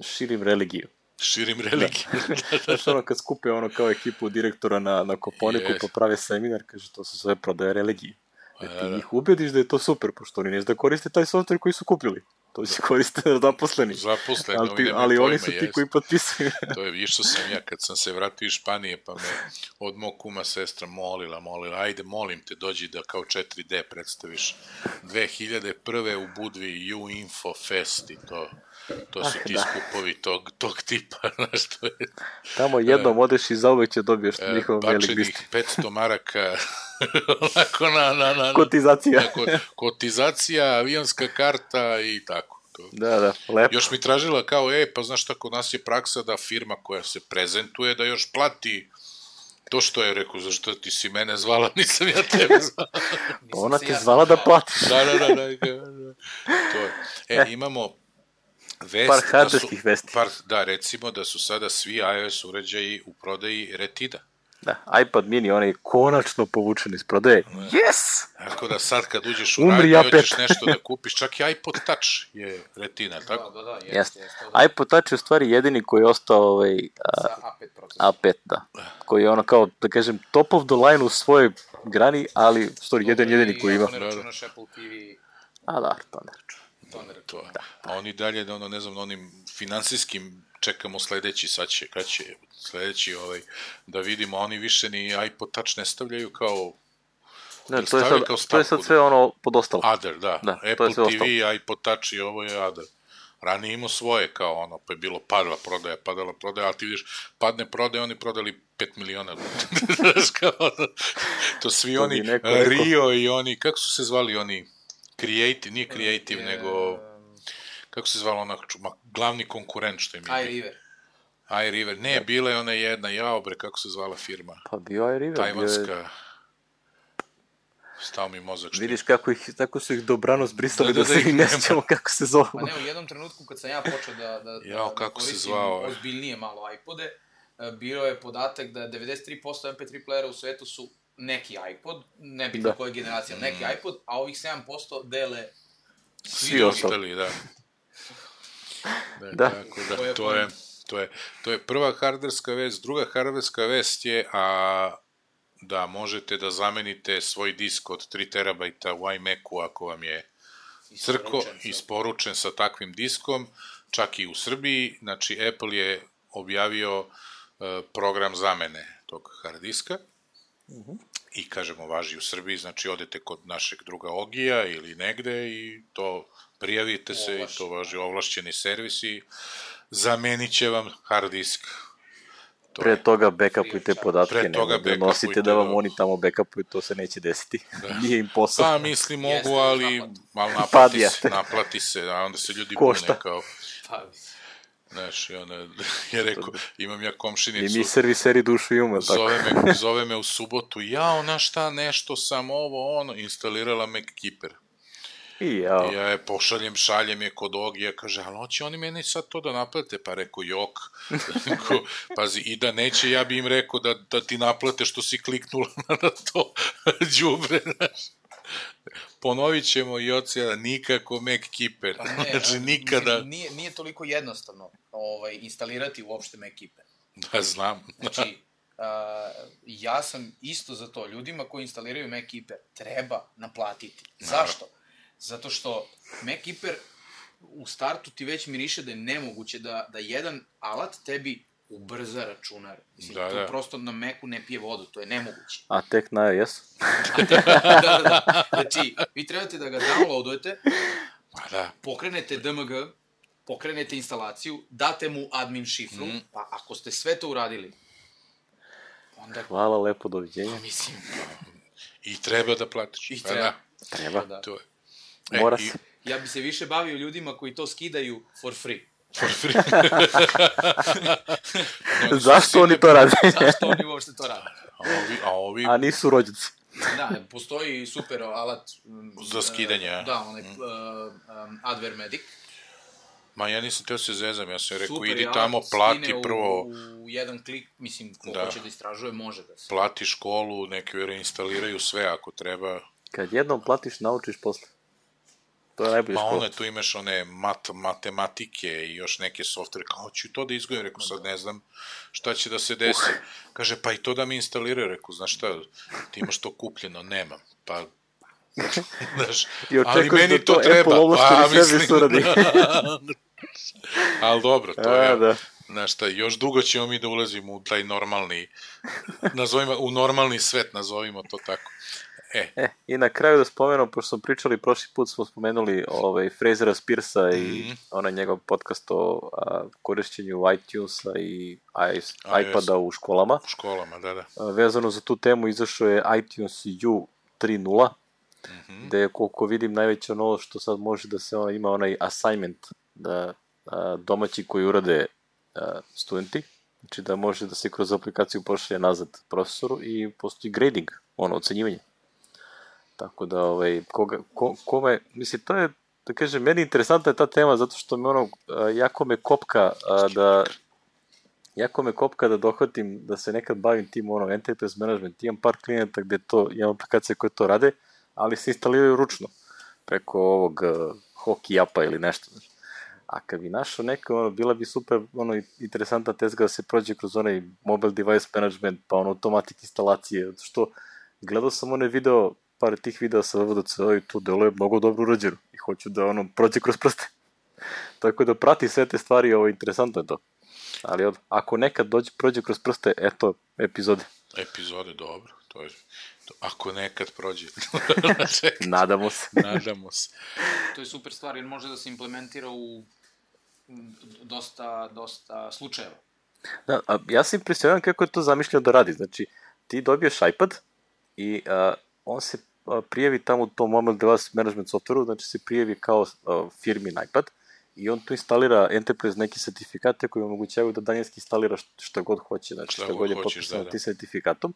širim religiju. Širim religiju. Da. Znaš, ono, kad skupe ono kao ekipu direktora na, na Koponiku, yes, pa prave seminar, kaže, to su sve prodaje religije. E, ti njih ubediš da je to super, pošto oni neće da koriste taj software koji su kupili. To će koriste zaposleni. Zaposleni, ali, ti, ali pojma, oni su ti jest. Koji potpisuju. To je, išao sam ja kad sam se vratio iz Španije, pa me od mog kuma sestra molila, molila, ajde, molim te, dođi da kao četiri D predstaviš dve hiljade prve u Budvi U Info Fest i to... To su ah, ti da. skupovi tog, tog tipa, znaš, to je... Tamo jednom odeš i zauvek će dobiješ e, njihov mailing list. Bačenih petsto maraka, onako na... na, na kotizacija. Na, ko, kotizacija, avionska karta i tako. To. Da, da, lepo. Još mi tražila kao, e, pa znaš šta, kod nas je praksa da firma koja se prezentuje, da još plati to što je, rekao, zašto ti si mene zvala, nisam ja tebe zvala. Pa ona te zvala da platiš. Da, da, da, da, da. To je. E, imamo... Vest, par hardverskih da vesti. Par, da, recimo da su sada svi iOS uređaji u prodaji Retida. Da, iPad mini, on je konačno povučen iz prodaje. Ne. Yes! Tako da sad kad uđeš u radnju i hoćeš nešto da kupiš, čak i iPod Touch je Retina, tako? Da, da, da, jest, jest. jest, da. iPod Touch je u stvari jedini koji je ostao ovaj, a, A pet procesor. A pet, da. Koji je ono kao, da kažem, top of the line u svojoj grani, ali u stvari jedan jedini koji ima. Ako ne računaš Apple T V... A da, to ne računaš. To. Da. A oni dalje, da ono, ne znam, onim finansijskim čekamo sledeći, sad će, kad će sledeći, ovaj, da vidimo, oni više ni iPod Touch ne stavljaju kao... Ne, to je, sad, to je sad sve ono podostalo. Other, da. da Apple T V, iPod Touch i ovo je Other. Ranije imao svoje, kao ono, pa je bilo padala prodaja, padala prodaja, ali ti vidiš, padne prodaja, oni prodali pet miliona. To svi to oni, neko, Rio i oni, kako su se zvali oni... Creative, nije Creative, je, nego... Kako se zvala ona, glavni konkurent što im je... iRiver. iRiver, ne, bila je ona jedna, jao bre, kako se zvala firma? Pa bio iRiver. Tajvanska... Je... Stao mi mozak. Što vidiš kako, ih, tako su ih dobrano zbrisali da, da, da, da se i ne sjećamo kako se zove. Pa ne, u jednom trenutku kad sam ja počeo da, da, jao, da, kako da se zvao, ozbiljnije malo iPode, bio je podatak da devedeset tri posto em pe tri playera u svetu su neki iPod, ne bitno da. Koja generacija, neki mm. iPod, a ovih sedam posto dele svi, svi ostali, da. Da, da. Tako da, to je, to je, to je, to je prva hardverska vest. Druga hardverska vest je a, da možete da zamenite svoj disk od tri terabajta u iMacu ako vam je crko isporučen sa takvim diskom, čak i u Srbiji. Znači, Apple je objavio uh, program zamene tog hard diska. Uh-huh. I kažemo važi u Srbiji, znači odete kod našeg druga Ogija ili negde i to prijavite se Ovlaš. I to važi ovlašćeni servis i zamenit će vam hard disk. To pre toga backupujte podatke, ne da nosite da vam oni tamo backupuju, to se neće desiti. Da. Nije im posao. Pa misli mogu, ali malo naplati se, naplati se, a onda se ljudi bune kao... Znaš, i ona je rekao, imam ja komšinicu... I mi serviseri dušu imamo, tako. Zove me, zove me u subotu, jao, na šta, nešto sam ovo, ono, instalirala MacKeeper. I jao. I ja je pošaljem, šaljem je kod Ogija, kaže, ali hoće oni meni sad to da naplate? Pa rekao, jok. Rekao, pazi, i da neće, ja bi im rekao da, da ti naplate što si kliknula na to đubre, znaš. Ponovit ćemo i od sada, nikako MacKeeper. Pa ne, znači, nikada... Nije, nije toliko jednostavno ovaj, instalirati uopšte MacKeeper. Da, znam. Znači, uh, ja sam isto za to. Ljudima koji instaliraju MacKeeper treba naplatiti. Zašto? Zato što MacKeeper u startu ti već miriše da je nemoguće da, da jedan alat tebi ubrza računar. Mislim, da, to da. prosto na Macu ne pije vodu, to je nemoguće. A tek na iOS? da, da, da. Znači, vi trebate da ga downloadujete, Pa da. pokrenete D M G, pokrenete instalaciju, date mu admin šifru, mm. pa ako ste sve to uradili, onda... Hvala, lepo, doviđenja. Pa mislim... I treba da platiš. I Pa treba. da. Treba. Da. To je. Mora i- se. Ja bi se više bavio ljudima koji to skidaju for free. For free. Oni su Zašto svi oni ne- to rade? Zašto oni uopšte to rade? A ovi, a ovi A nisu rođaci. Da, postoji super alat... mm, Za skidanje, a? Da, onaj mm. uh, um, Adware Medic. Ma ja nisam teo se zezam, ja sam rekao, Super idi je tamo, alat, plati skine prvo, U, u jedan klik, mislim, ko Da. hoće da istražuje, može da se... plati školu, neki reinstaliraju sve ako treba. Kad jednom platiš, naučiš posle. To je najbolje Ma škola. one, tu imaš one mat, matematike i još neke softvere, kao ću to da izgledam, rekao, sad ne znam šta će da se desi. Kaže, pa i to da mi instaliraju, rekao, znaš šta, ti imaš to kupljeno, nemam, pa... Znaš, I ali očekuješ meni da to to treba, Apple ovlašteni pa servis mislim, uradi. da. Ali dobro, to A, je, da. znaš šta, još dugo ćemo mi da ulazimo u taj normalni, nazovimo, u normalni svet, nazovimo to tako. E, E, i na kraju da spomenem, pošto smo pričali, prošli put smo spomenuli ovaj, Frasera Spearsa i Mhm. onaj njegov podcast o a, korišćenju iTunesa i i, iPada u školama. u školama, da, da. A, vezano za tu temu izašao je iTunes U tri nula, Mhm. gde je, koliko vidim, najveća novost što sad može da se ima onaj assignment, da a, domaći koji urade a, studenti, znači da može da se kroz aplikaciju pošalje nazad profesoru i postoji grading, ono, ocenjivanje. Tako da, ovaj, koga, ko, kome, mislim, to je, da kažem, meni interesantna je ta tema, zato što me ono, a, jako me kopka a, da, jako me kopka da dohvatim, da se nekad bavim tim, ono, enterprise management, imam par klijenata gde to, imam aplikacije koje to rade, ali se instaliraju ručno, preko ovog uh, Hockey apa ili nešto, znaš. A kad bi našao neka, ono, bila bi super, ono, interesantna tezga da se prođe kroz onaj mobile device management, pa ono, automatik instalacije, zato što gledao sam onaj video, par tih videa sa W W D C i to delo je mnogo dobro urađeno i hoću da, ono, prođe kroz prste. Tako da prati sve te stvari, ovo, interesantno je to. Ali od, ako nekad dođe, prođe kroz prste, eto, epizode. Epizode, dobro, to je, to, ako nekad prođe. Nadamo se. Nadamo se. To je super stvar jer može da se implementira u m, dosta, dosta slučajeva. Da, a ja sam impresioniran kako je to zamišljeno da radi. Znači, ti dobiješ iPad i a, on se a, prijavi tamo u tom mobile device management softwareu, znači se prijavi kao a, firmin iPad i on tu instalira Enterprise neke sertifikate koji omogućavaju da daljinski instalira šta god hoće, znači šta, Šta god god je hoćeš, potpisano da, da. tim sertifikatom,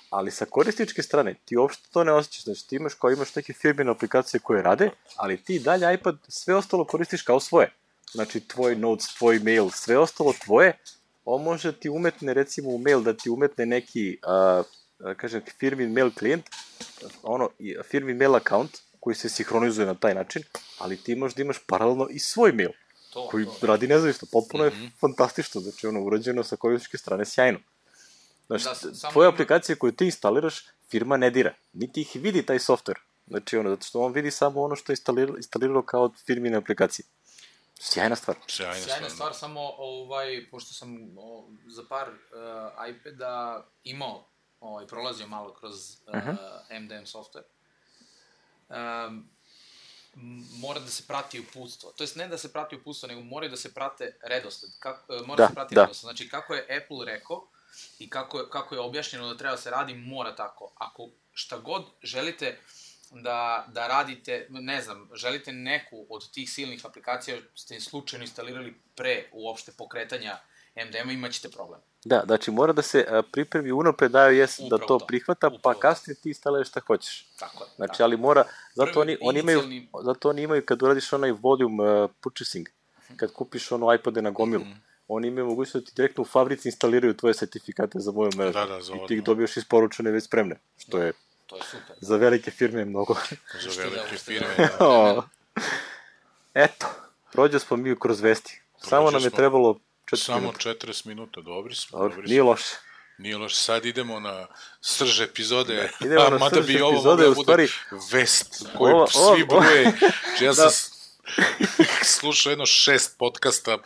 ali sa korisničke strane ti uopšte to ne osjećaš, znači ti imaš kao imaš neke firmine aplikacije koje rade, ali ti dalje iPad sve ostalo koristiš kao svoje, znači tvoj notes, tvoj mail, sve ostalo tvoje, on može ti umetne recimo u mail da ti umetne neki a, a, kažem firmin mail klijent, ono i- firmin mail account koji se sinhronizuje na taj način, ali ti možeš da imaš paralelno i svoj mail To, koji to. radi nezavisno, potpuno Mhm. je fantastično, znači ono urađeno sa korisničke strane sjajno. Znači, Da, s- samo tvoje ima- aplikacije koje ti instaliraš, firma ne dira, niti ih vidi taj software, znači ono, zato što on vidi samo ono što je instaliralo, instaliralo kao od firmine aplikacije. Sjajna stvar. Sjajna, Sjajna stvar. stvar, samo ovaj, pošto sam o, za par uh, iPada imao, ovaj, prolazio malo kroz uh, Mhm. M D M software, um, m- mora da se prati uputstvo. To jest ne da se prati uputstvo, nego mora da se prate redosled. Kako, uh, mora Da, da se prati da. redosled. Znači, kako je Apple rekao i kako je, kako je objašnjeno da treba da se radi, mora tako. Ako šta god želite da, da radite, ne znam, želite neku od tih silnih aplikacija, ste slučajno instalirali pre uopšte pokretanja M D M-a, imaćete problem. Da, znači mora da se a, pripremi unapred iOS da Upravo to to. prihvata, Upravo pa to. kasnije ti instaliraš šta hoćeš. Tako je. Znači, tako. ali mora, zato Prvi oni, oni imaju, inicijalni- zato oni imaju kad uradiš onaj volume uh, purchasing, kad kupiš ono iPade na gomilu, Mhm. oni imaju mogućnost da ti direktno u fabrici instaliraju tvoje sertifikate za moju mrežu. Da, da, za I ti ih odmah. dobiješ isporučene već spremne, što je To je super. za velike firme mnogo. Za Što da, velike što firme. da. Da. O, eto, prođe smo mi kroz vesti. Samo nam je smo. trebalo četiri Samo minuta. četrdeset minuta, dobri smo. Dobro, dobri nije smo. loše. Nije loš, sad idemo na srž epizode, da, idemo a na mada srž bi ovo epizode, mogla u stvari, bude vest koju ova, svi ova, bruje. Ja sam da. slušao jedno šest podcasta svi o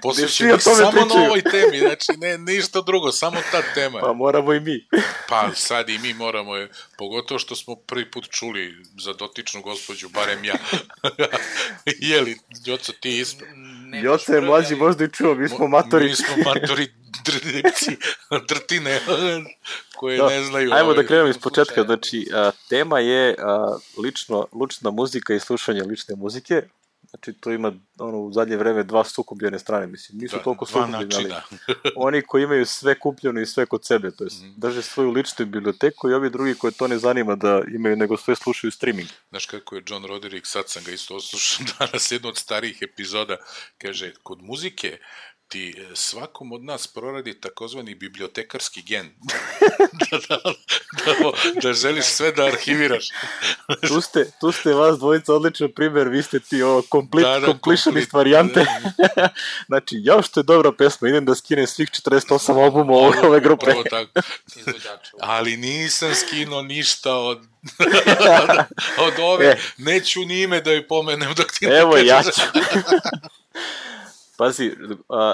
posvećenih tome samo pričaju. na ovoj temi, znači ne, ništa drugo, samo ta tema. Pa moramo i mi. Pa sad i mi moramo je, pogotovo što smo prvi put čuli za dotičnu gospođu, barem ja. Jeli, Joco, ti isto? Joca je mlađi, možda i čuo, mi smo matori. Mi smo matori dripci, drtine, koje da. ne znaju. Ajmo ovaj, da krenemo iz početka, znači a, tema je a, lično, lična muzika i slušanje lične muzike. Znači, to ima ono, u zadnje vreme dva sukobljene strane, mislim, nisu da, toliko sukobljene, ali načina. oni koji imaju sve kupljeno i sve kod sebe, to jest mm. drže svoju ličnu biblioteku i ovi drugi koji to ne zanima da imaju, nego sve slušaju streaming. Znaš kako je John Roderick, sad sam ga isto oslušao danas, jedno od starijih epizoda, kaže, kod muzike ti svakom od nas proradi takozvani bibliotekarski gen. da, da, da, da želiš sve da arhiviraš. tu, ste, tu ste vas dvojica odličan primjer, vi ste ti ovo complete, da, da, completionist complete, varijante. Znači, ja što je dobra pesma, idem da skinem svih četrdeset osam albuma ove, ove grupe. Ali nisam skinuo ništa od od ove, e. neću ni ime da joj pomenem dok ti ne Evo, kažeš. ja ću. Pazi, a,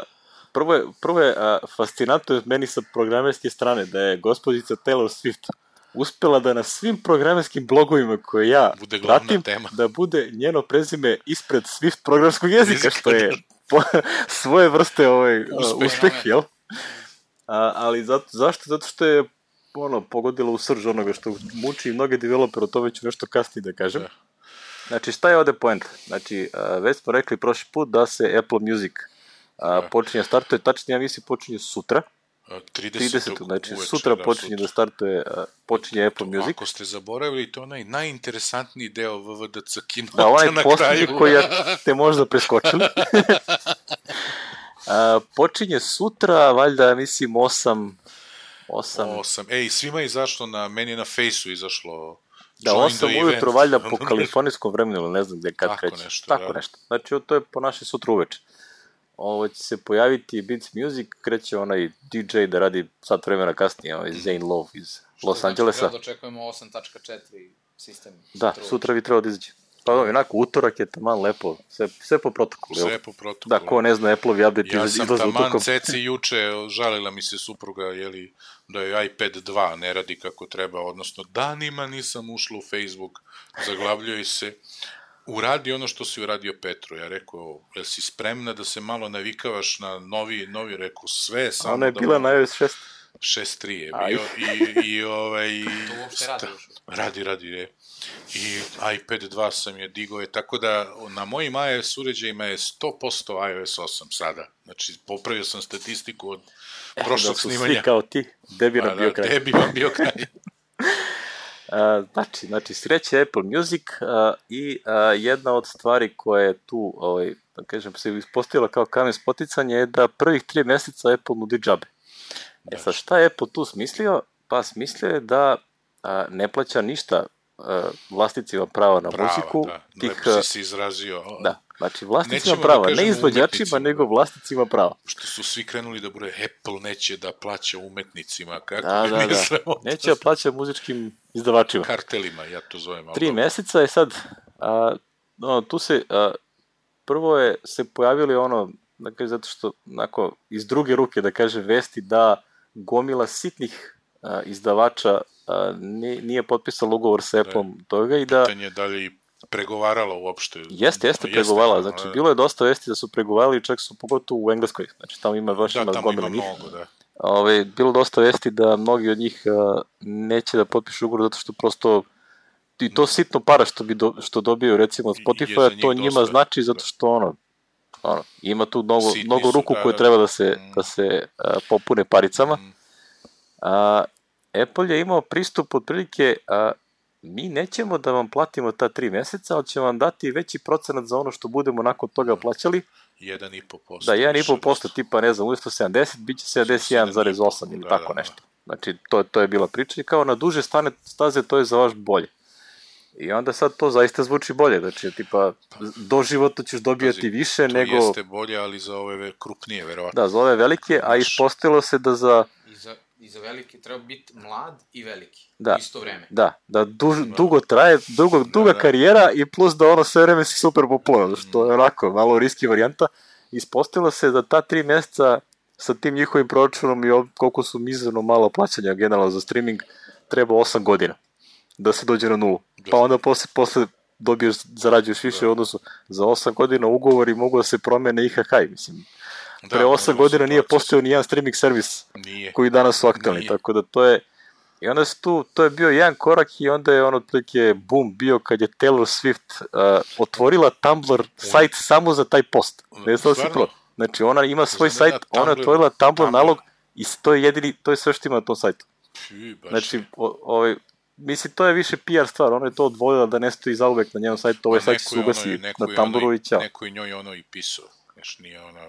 prvo je, prvo je a, fascinantno meni sa programerske strane da je gospođica Taylor Swift uspela da na svim programerskim blogovima koje ja bude pratim, tema. Da bude njeno prezime ispred Swift programskog jezika, što je po, svoje vrste ovaj, uspeh, uspeh jel? A, ali zato, zašto? Zato što je ono, pogodilo u srž onoga što muči mnoge developere, o tome ću nešto kasnije da kažem. Da. Znači, šta je ovde poenta? Znači, uh, već smo rekli prošli put da se Apple Music uh, počinje, startuje, tačnije, ja mislim, počinje sutra. tridesetog Znači, uveče, sutra da, počinje sutra. da startuje, uh, počinje Apple to, Music. Ako ste zaboravili, to je onaj najinteresantniji deo V V D C kinota da, onaj na posljednji kraju. koji ste možda preskočili. uh, počinje sutra, valjda, mislim, osam... osam... osam. Ej, svima je izašlo na, meni je na Fejsu izašlo... Da, osam ujutro, valjda po kalifornijskom vremenu, ili ne znam gde kad kreće. Nešto, Tako da. nešto. Znači, to je po naše sutra uveče. Ovo će se pojaviti Beats Music, kreće onaj D J da radi sat vremena kasnije, ovaj Zane Love iz Los Angelesa. Što znači da očekujemo osam tačka četiri sistem. Da, sutra, sutra bi trebao da izađe. Pa onako, utorak je taman lepo, sve, sve po protokolu. Sve po protokolu. Da, ko ne zna, Apple-ovi update ja izlaze utokom. Ja sam taman ceci juče, žalila mi se supruga, jeli, da je iPad dva ne radi kako treba, odnosno danima nisam ušla u Facebook, zaglavljuje se, uradi ono što si uradio Petru. Ja rekao, jel si spremna da se malo navikavaš na novi, novi rekao, sve samo... Ona je da bila na iOS šest. šest tri je bio i, i ovaj... To uopšte radi još. Radi, radi, je. I iPad dva sam je digao je, tako da na mojim iOS uređajima je sto posto iOS osam sada. Znači, popravio sam statistiku od prošlog da su snimanja. Svi kao ti, debi nam bio kraj. Debi vam bio kraj. Uh, znači, znači, sreće Apple Music uh, i uh, jedna od stvari koja je tu, ovaj, da kažem, se ispostavila kao kamen spoticanja je da prvih tri meseca Apple nudi džabe. E sad, šta je Apple tu smislio? Pa smislio je da uh, ne plaća ništa uh, vlasnicima prava na prava, muziku. Da, tih, lepo si se izrazio. Da, znači vlasnicima prava, da ne izvođačima, nego vlasnicima prava. Što su svi krenuli da bude Apple neće da plaća umetnicima, kako da, da, da. Neće da plaća muzičkim izdavačima. Kartelima, ja to zovem. Tri dobro. Meseca je sad, a, no, tu se, a, prvo je se pojavili ono, da kaže, zato što, onako, iz druge ruke, da kaže, vesti da gomila sitnih a, izdavača a, nije, nije potpisala ugovor sa Apple-om da, toga i da... Pitanje je da li pregovarala uopšte. Jeste, jeste pregovarala, znači da, bilo je dosta vesti da su pregovarali, čak su pogotovo u Engleskoj, znači tamo ima baš da, ima gomila njih. Mnogo, da. Ove, bilo dosta vesti da mnogi od njih a, neće da potpišu ugovor zato što prosto i to sitno para što, bi do, što dobiju recimo od Spotify, to njima dosta, znači zato što ono, ono ima tu mnogo, mnogo ruku da, koje treba da se, mm. da se a, popune paricama. Mm. A, Apple je imao pristup otprilike, a, mi nećemo da vam platimo ta tri meseca, ali ćemo vam dati veći procenat za ono što budemo nakon toga plaćali. jedan i po posto. Da, jedan i po posto, tipa, ne znam, umjesto sedamdeset, bit će sedamdeset jedan zarez osam ili da, tako nešto. Znači, to, to je bila priča i kao na duže stane staze, to je za vaš bolje. I onda sad to zaista zvuči bolje, znači, tipa, doživotno ćeš dobijati Pazi, više to nego... To jeste bolje, ali za ove krupnije, verovatno. Da, za ove velike, a ispostavilo se da za... I za, i za veliki treba biti mlad i veliki. Da. U isto vreme. Da, da duž, dugo traje, dugo, duga da, da. karijera i plus da ono sve vreme si super popularan, što je onako malo riski varijanta. Ispostavilo se da ta tri mjeseca sa tim njihovim proračunom i koliko su mizerno malo plaćanja generalno za streaming, treba osam godina da se dođe na nulu. Pa onda posle, posle dobiješ, zarađuješ više u odnosu. Za osam godina ugovori mogu da se promene i kakaj, mislim. Pre osam godina nije postojao ni jedan streaming servis nije. Koji danas su aktualni, tako da to je. I onda se tu, to je bio jedan korak i onda je on otprilike boom bio kad je Taylor Swift uh, otvorila Tumblr sajt samo za taj post. Ne znam da si pro. Znači ona ima svoj sajt, ona je otvorila Tumblr nalog i to je jedini, to je sve što ima na tom sajtu. Znači, o, ovaj, mislim, to je više P R stvar, ona je to odvojila da ne stoji zauvek na njenom sajtu, ovaj sajt se ugasi na Tumblru i ćao. Neko je njoj ono i pisao, znaš, nije ona...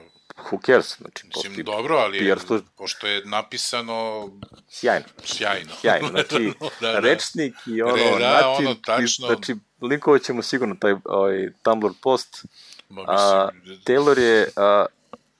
Who cares? Znači, mislim, dobro, ali je, pošto je napisano... Sjajno. Sjajno. Sjajno, znači, da, da. Rečnik i ono, Re, da, način, ono tačno... znači, linkovat ćemo sigurno taj ovaj, Tumblr post. Ma, a, Taylor je a,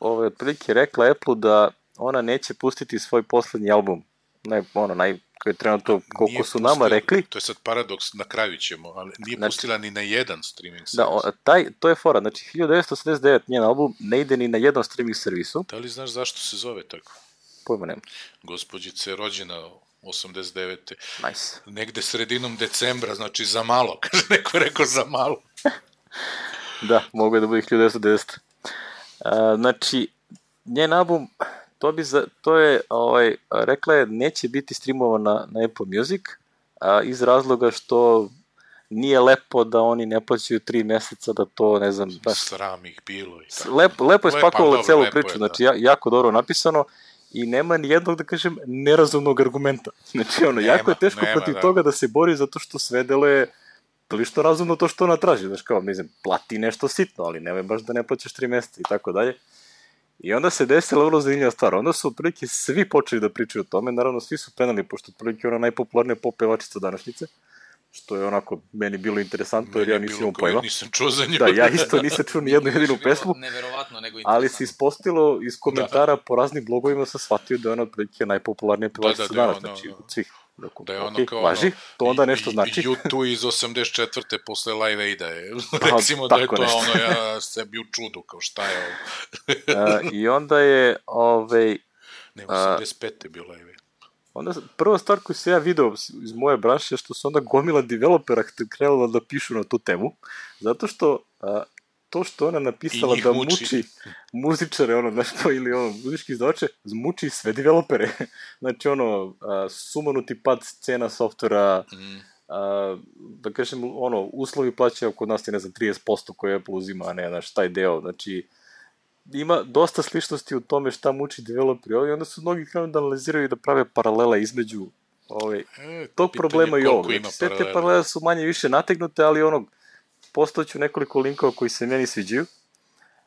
ovaj, otprilike rekla Apple da ona neće pustiti svoj poslednji album. Ne, ono, naj, koji je trenutno, koliko nije su pustila, nama rekli. To je sad paradoks, na kraju ćemo, ali nije znači, pustila ni na jedan streaming servis. Da, o, taj, to je fora, znači hiljadu devetsto osamdeset devet njen album ne ide ni na jednom streaming servisu. Da li znaš zašto se zove tako? Pojma nema. Gospođica je rođena osamdeset devete Nice. Negde sredinom decembra, znači za malo, kaže neko je rekao za malo. Da, mogu je da bude hiljadu devetsto devedesete Uh, znači, njen album, to, bi za, to je, ovaj, rekla je, neće biti streamovan na, na Apple Music, a, iz razloga što nije lepo da oni ne plaćaju tri meseca, da to, ne znam... Da, sram ih bilo. I tako. Lepo, lepo je spakovala celu priču, je, znači, ja, jako dobro napisano i nema ni jednog, da kažem, nerazumnog argumenta. Znači, ono, nema, jako je teško nema, protiv da. toga da se bori zato što sve deluje lično razumno to što ona traži, znaš kao, mislim, plati nešto sitno, ali nemoj baš da ne plaćaš tri meseca i tako dalje. I onda se desila vrlo zanimljiva stvar. Onda su otprilike svi počeli da pričaju o tome, naravno svi su penali, pošto otprilike ona najpopularnija pop pevačica današnjice, što je onako meni bilo interesantno, jer ja nisam imao pojma. Nisam čuo za nju. Da, ja isto nisam čuo ni jednu jedinu pesmu, neverovatno, nego ali se ispostavilo iz komentara da. po raznim blogovima sam shvatio da je ona otprilike najpopularnija pevačica da, da, danas, ono, znači od svih. Dok, da je ono okay, kao važi, ono, to onda nešto znači. U dva iz osamdeset četvrte posle Live Aida je, recimo da je to nešto. Ono, ja sebi u čudu, kao šta je ovo. uh, I onda je, ovaj... Ne, osamdeset pete je bio Live Aid. Onda, prva stvar koju se ja video iz moje branše je što su onda gomila developera krenula da pišu na tu temu, zato što uh, to što ona napisala da muči, muči muzičare, ono, znaš to, ili ono, muzički izdavače, muči sve developere. Znači, ono, uh, sumanuti pad cena softvera, mm. uh, da kažem, ono, uslovi plaćaju kod nas je, ne znam, trideset posto koje Apple uzima, a ne, znaš, taj deo, znači, ima dosta sličnosti u tome šta muči developeri ovdje, onda su mnogi krenuli da analiziraju i da prave paralele između ovaj, e, tog problema i ovog. Znači, sve te paralele su manje više nategnute, ali onog, postoću nekoliko linkova koji se meni sviđaju,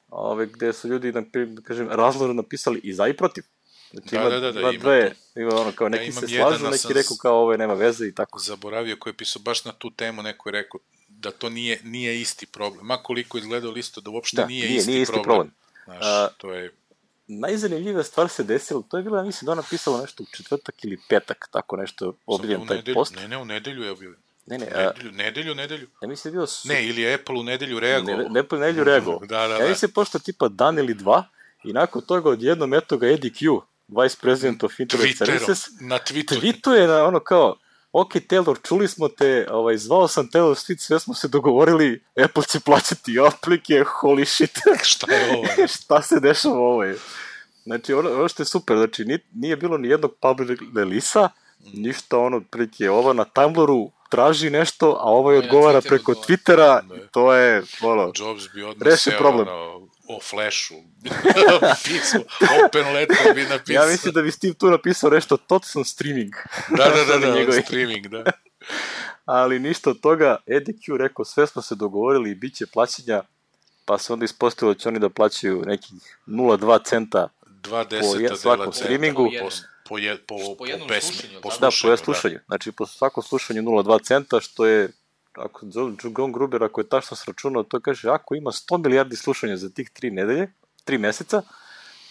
ove, gde su ljudi, da kažem, razlorno napisali i za i protiv. Znači, da, ima, da, da, da, ima dve, ima ono, kao neki ja se slažu, neki sam rekao kao ovo nema veze i tako. Zaboravio koji je pisao baš na tu temu, neko je rekao da to nije, nije isti problem. Ma koliko izgledao listo da uopšte da, nije, nije, isti, nije isti problem. problem. Znaš, A, to je... Najzanimljivija stvar se desila, to je bila, mislim da ona pisala nešto u četvrtak ili petak, tako nešto objavljen taj nedelju, post. Ne, ne, u nedelju je objavljen. Ne, ne, nedelju, nedelju, nedelju. Ja mislim da bio su... Ne, ili je Apple u nedelju reagovao. Ne, Apple u nedelju reagovao. da, da, ja mislim pošto tipa dan ili dva, i nakon toga odjednom eto ga Eddie Q, Vice President of Internet Services, na Twitteru. Tweetuje na ono kao, ok, Taylor, čuli smo te, ovaj, zvao sam Taylor Swift, sve smo se dogovorili, Apple će plaćati aplike, holy shit. Šta je ovo? Šta se dešava ovo je? Znači, ono, ono što je super, znači, nije, nije bilo ni jednog public release-a, ništa ono, prilike, ova na Tumblru traži nešto, a ovaj odgovara preko Twittera, i to je, ono, Jobs bi odmah seo, problem. Ono, o Flashu, pismo, open letter bi napisao. Ja mislim da bi Steve tu napisao nešto, točno streaming. Da, da, da, da, da streaming, da. Ali ništa od toga, Eddie Q rekao, sve smo se dogovorili i bit će plaćanja, pa se onda ispostavilo da će oni da plaćaju nekih nula zarez dva centa po svakom streamingu. Po, po, je, po, po, po pesmi, slušanju, po slušanju. Da, po jednom slušanju. Znači, po svakom slušanju nula zarez dva centa, što je, ako John Gruber, ako je tačno sračunao, to kaže, ako ima sto milijardi slušanja za tih tri nedelje, tri meseca,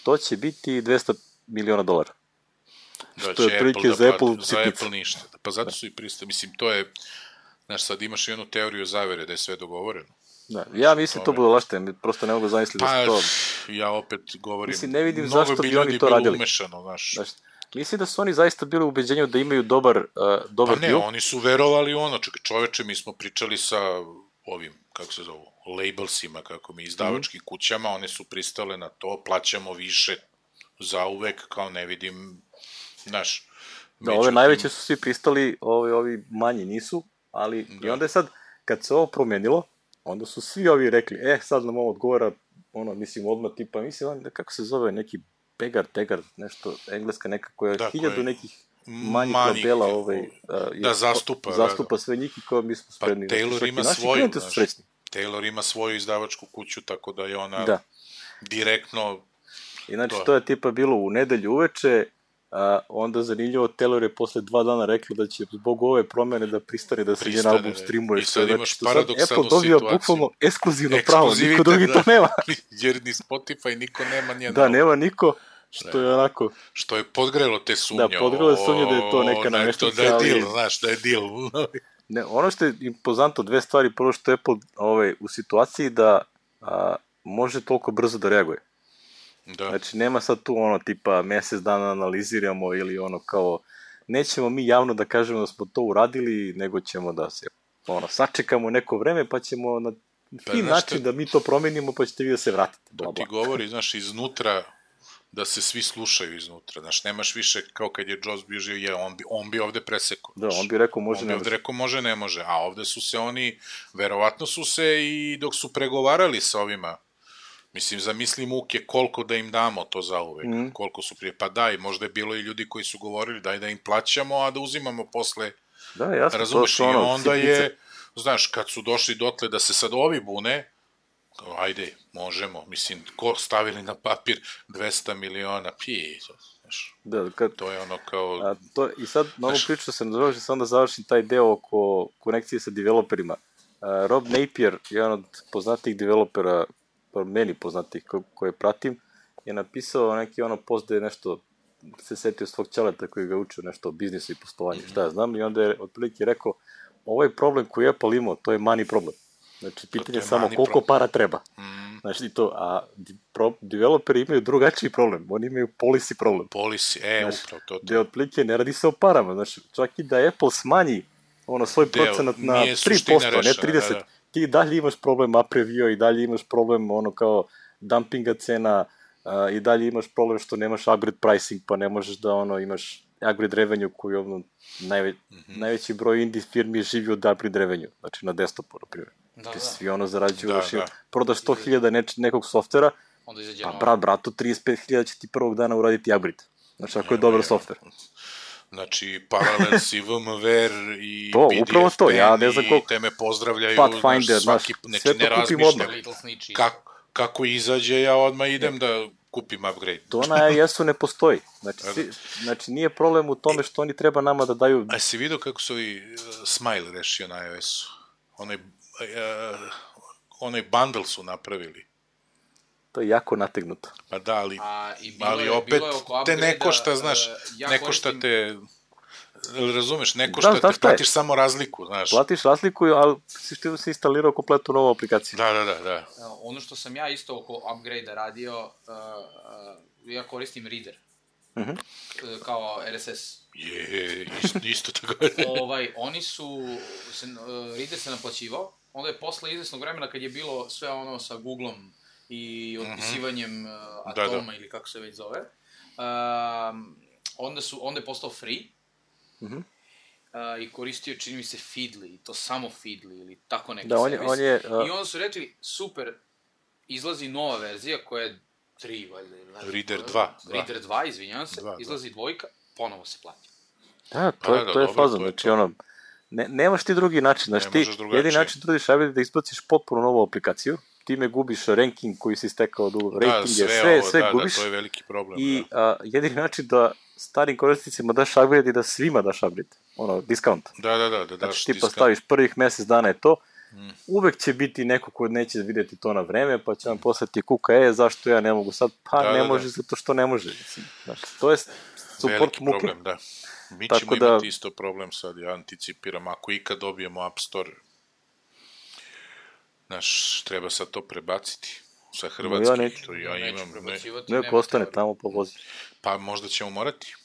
to će biti dvesta miliona dolara. Da što je će otprilike Apple za da Apple plati, za sitnica. Apple ništa. Pa zato su i pristali. Mislim, to je, znaš, sad imaš jednu teoriju zavere da je sve dogovoreno. Da, ja mislim to bude lašte, prosto ne mogu zamisliti da Pa, se to... ja opet govorim, Mislim, ne vidim mnogo zašto bi bi oni ljudi to bilo radili. umešano, znaš. Znaš, mislim da su oni zaista bili u ubeđenju da imaju dobar, uh, dobar Pa ne, deal. oni su verovali ono, čekaj, čoveče, mi smo pričali sa ovim, kako se zovu, labelsima, kako mi, izdavačkim mm. kućama, one su pristale na to, plaćamo više za uvek, kao ne vidim, znaš. Da, ove najveće su svi pristali, ovi, ovi manji nisu, ali da. I onda je sad, kad se ovo promenilo, onda su svi ovi rekli, e, sad nam ovo odgovara, ono, mislim, odmah tipa, mislim, kako se zove, neki Pegar, Tegar, nešto, engleska neka koja da, hiljadu koje... nekih manjih labela ovaj, uh, da zastupa, zastupa da, sve njih i kao mi smo spremni. Pa Taylor ima svoju, znaš, Taylor ima svoju izdavačku kuću, tako da je ona da. direktno... I znači, to, to je tipa bilo u nedelju uveče, a onda zanimljivo, Taylor je posle dva dana rekla da će zbog ove promene da pristane da se njen album streamuje. I sad imaš znači, paradoksalnu Apple dobio bukvalno ekskluzivno pravo, niko drugi da. to nema. Jer ni Spotify niko nema njen Da, album. nema niko, što je onako... Što je podgrelo te sumnje. Da, podgrelo je sumnje da je to neka nameštica. Da je deal, znaš, da je deal. Ne, ono što je impozantno, dve stvari, prvo što je Apple ovaj, u situaciji da a, može toliko brzo da reaguje. Da. Znači, nema sad tu ono tipa mesec dana analiziramo ili ono kao nećemo mi javno da kažemo da smo to uradili, nego ćemo da se ono, sačekamo neko vreme pa ćemo na pa, fin način šta... da mi to promenimo pa ćete vi da se vratite. Bla, bla. To ti govori, znaš, iznutra da se svi slušaju iznutra. Znaš, nemaš više kao kad je Jobs bio živ, je, on, bi, on bi ovde presekao. Da, on bi rekao može, on ne bi ovde rekao može, ne može. A ovde su se oni, verovatno su se i dok su pregovarali sa ovima, mislim, zamisli muke koliko da im damo to za uvek, mm. koliko su prije, pa daj, možda je bilo i ljudi koji su govorili daj da im plaćamo, a da uzimamo posle, da, jasno, razumeš, i ono, onda sitnice. Je, znaš, kad su došli dotle da se sad ovi bune, kao, ajde, možemo, mislim, ko stavili na papir dvesta miliona, pije, znaš, da, kad, to je ono kao... A, to, I sad, na ovu priču sam završio, sam onda završim taj deo oko konekcije sa developerima. Uh, Rob Napier, jedan od poznatih developera, meni poznatih ko, koje pratim, je napisao neki ono post da je nešto se setio svog ćeleta koji ga učio nešto o biznisu i poslovanju, mm-hmm. šta ja znam, i onda je otprilike rekao, ovaj problem koji je Apple imao, to je money problem. Znači, pitanje je samo koliko problem. Para treba. Mm. Znači, to, a pro, developeri imaju drugačiji problem, oni imaju policy problem. Policy, e, znači, upravo to. to. Gde otprilike ne radi se o parama, znači, čak i da Apple smanji ono svoj Deo, procenat na tri posto, rešena, ne trideset posto, da, da. Ti dalje imaš problem Aprevio i dalje imaš problem ono kao dumpinga cena uh, i dalje imaš problem što nemaš upgrade pricing, pa ne možeš da ono imaš upgrade revenue koji ono najve, mm-hmm. najveći broj indie firmi živi od upgrade revenue, znači na desktopu, na primjer. Da, da. Svi ono zarađuju, da, da. prodaš sto hiljada neč, nekog softvera, pa brat, bratu, trideset pet hiljada će ti prvog dana uraditi upgrade. Znači, ako je dobar ja, softver. Znači, Parallels i V M W R i to, P D F upravo to, ja ne znam koliko... te me pozdravljaju, Pathfinder, znaš, svaki, znaš, sve to kupim odmah. Kako, kako izađe, ja odmah idem da kupim upgrade. To na I S-u ne postoji. Znači, si, znači, nije problem u tome što oni treba nama da daju... A si vidio kako su ovi uh, Smile rešio na iOS-u? Onaj, uh, onaj bundle su napravili. To je jako nategnuto. Pa da, ali, A, ali je, opet te ne košta, znaš, uh, ja ne košta koristim... te, razumeš, ne košta da, te, platiš samo razliku, znaš. Platiš razliku, ali si što si instalirao kompletnu novu aplikaciju. Da, da, da. da. Ono što sam ja isto oko upgrade-a radio, uh, uh, ja koristim Reader, uh-huh. uh, kao R S S. Je, isto, isto tako. ovaj, oni su, se, uh, Reader se naplaćivao, onda je posle izvesnog vremena kad je bilo sve ono sa Googlom i otpisivanjem uh, Atoma da, da. ili kako se već zove, uh, onda, su, onda je postao free uh-huh. uh, i koristio, čini mi se, Feedly, to samo Feedly ili tako neki da, on servis. On je, uh... I onda su rekli, super, izlazi nova verzija koja je tri, valjda. Reader dva. Reader dva, izvinjavam se, dva, izlazi dva. dvojka, ponovo se plati. Da, to, je, to je fazon, znači ono, ne, nemaš ti drugi način, znači ti jedini način trudiš da izbaciš potpuno novu aplikaciju, time gubiš ranking koji si stekao od rating, da, sve, sve, ovo, sve da, gubiš. Da, to je veliki problem. I da. a, jedini način da starim korisnicima daš upgrade i da svima daš upgrade, ono, discount. Da, da, da. da znači daš ti discount. postaviš prvih mesec dana je to, mm. uvek će biti neko ko neće vidjeti to na vreme, pa će vam poslati kuka, e, zašto ja ne mogu sad? Pa da, ne da, može, da. zato što ne može. Znaš, to je support veliki muke. Problem, da. Mi Tako ćemo da... imati isto problem sad, ja anticipiram, ako ikad dobijemo App Store, znaš, treba sad to prebaciti sa hrvatski. No, ja neću. To ja imam, ne, ne, ko ostane tamo po vozi. Pa možda ćemo morati.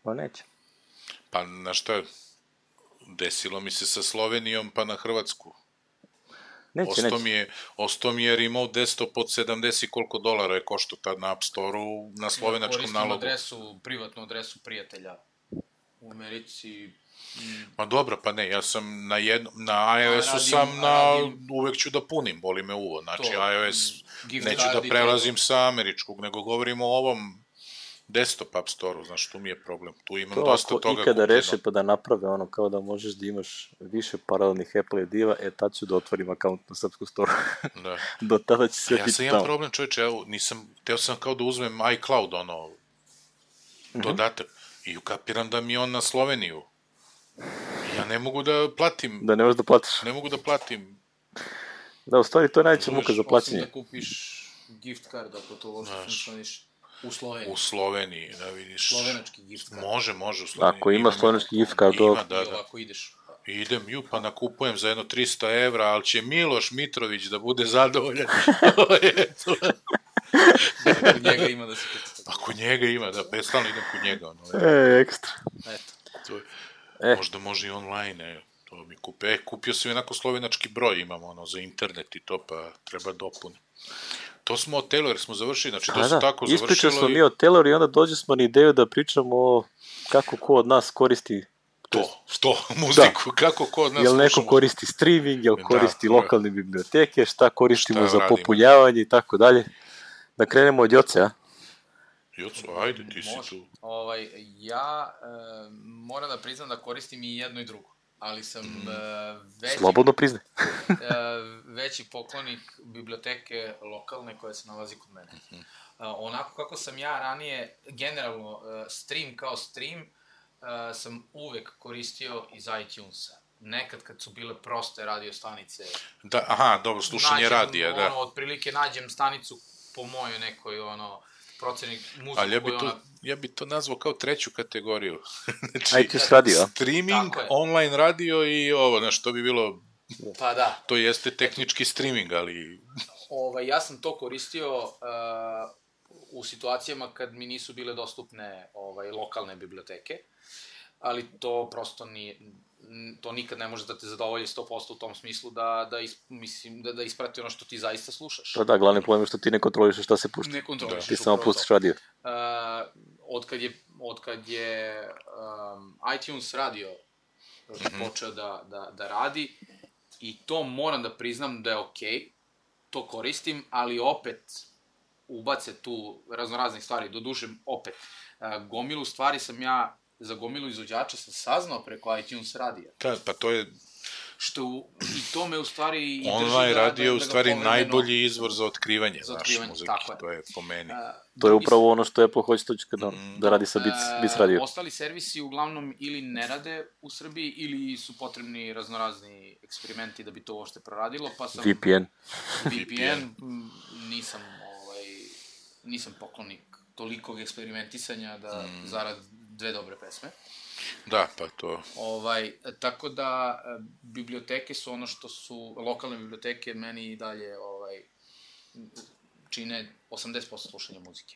Pa neće. Pa, znaš šta, desilo mi se sa Slovenijom, pa na Hrvatsku. Neće, osto neće. Mi je, osto mi je remote desktop od sedamdeset koliko dolara je košto tad na App Store-u na slovenačkom ja, nalogu. Adresu, privatnu adresu prijatelja u Americi. Ma dobro, pa ne, ja sam na jednom, na iOS-u sam na, radim, uvek ću da punim, boli me uvo, znači to, iOS, neću da prelazim sa američkog, nego govorimo o ovom desktop App Store-u, znaš, tu mi je problem, tu imam to, dosta toga kupljeno. To ako ikada reše pa da naprave ono kao da možeš da imaš više paralelnih Apple diva, e tad ću da otvorim akaunt na srpsku store. Da. Do tada će sve ja biti tamo. Ja sam imam problem, čovječe, evo, nisam, teo sam kao da uzmem iCloud, ono, dodatak, mm-hmm. i ukapiram da mi on na Sloveniju. Ja ne mogu da platim. Da ne možeš da platiš. Ne mogu da platim. Da, u stvari to je najveća muka za plaćanje. Osim da kupiš gift card, ako to uopšte funkcioniš u Sloveniji. U Sloveniji, da vidiš. Slovenački gift card. Može, može u Sloveniji. Ako ima slovenački gift card, ima, da, da. I ovako ideš. Idem, ju, pa nakupujem za jedno tristo evra, ali će Miloš Mitrović da bude zadovoljan. Kod njega ima da se kupi. Ako njega ima, da, pestalno idem kod njega. Ono, e, ekstra. Eto. To je, e. Možda može i online, e, to mi kupe. E, kupio sam jednako slovenački broj, imam ono, za internet i to, pa treba dopuni. To smo od Taylor smo završili, znači to A, su da. tako završilo. Ispričali smo i... mi od Taylor i onda dođe smo na ideju da pričamo o kako ko od nas koristi to, što, muziku, da. Kako ko od nas jel neko koristi streaming, jel koristi da, lokalne biblioteke, šta koristimo šta za radimo. Popunjavanje i tako dalje. Da krenemo od Joce, a? Joco, ajde, ti si tu. Ovaj, ja e, moram da priznam da koristim i jedno i drugo, ali sam mm. e, veći, slobodno priznaj. e, veći poklonik biblioteke lokalne koja se nalazi kod mene. Mm-hmm. E, onako kako sam ja ranije, generalno, e, stream kao stream, e, sam uvek koristio iz iTunesa. Nekad kad su bile proste radio stanice. Da, aha, dobro, slušanje radija, da. Ono, otprilike nađem stanicu po mojoj nekoj, ono, procenik muziku. Ali ja bi, to, ona... ja bi to nazvao kao treću kategoriju. znači, iTunes radio. Streaming, online radio i ovo, znaš, to bi bilo... Pa da. To jeste tehnički streaming, ali... Ovaj, ja sam to koristio uh, u situacijama kad mi nisu bile dostupne ovaj, lokalne biblioteke, ali to prosto nije... to nikad ne može da te zadovolji sto posto u tom smislu da, da, is, mislim, da, da isprati ono što ti zaista slušaš. Pa da, glavni problem je što ti ne kontroliš šta se pušta. Ne kontroliš. Ti samo pustiš radio. Uh, odkad je, odkad je um, iTunes radio mm-hmm. počeo da, da, da radi, i to moram da priznam da je okej, okay, to koristim, ali opet ubace tu raznoraznih stvari, doduše opet. Uh, gomilu stvari sam ja za gomilu izvođača sam saznao preko iTunes radija. Da, pa to je... Što u, i to me u stvari... I online da, radio je da, u da stvari najbolji izvor za otkrivanje, za otkrivanje naše muzike, tako to je po meni. A, to je upravo ono što Apple hoće toći kada mm. da radi sa Beats, Beats radio. Ostali servisi uglavnom ili ne rade u Srbiji, ili su potrebni raznorazni eksperimenti da bi to uopšte proradilo, pa sam... V P N. V P N, nisam, ovaj, nisam poklonik tolikog eksperimentisanja da mm. zarad dve dobre pesme. Da, pa to... Ovaj, tako da, biblioteke su ono što su, lokalne biblioteke meni i dalje ovaj, čine osamdeset posto slušanja muzike.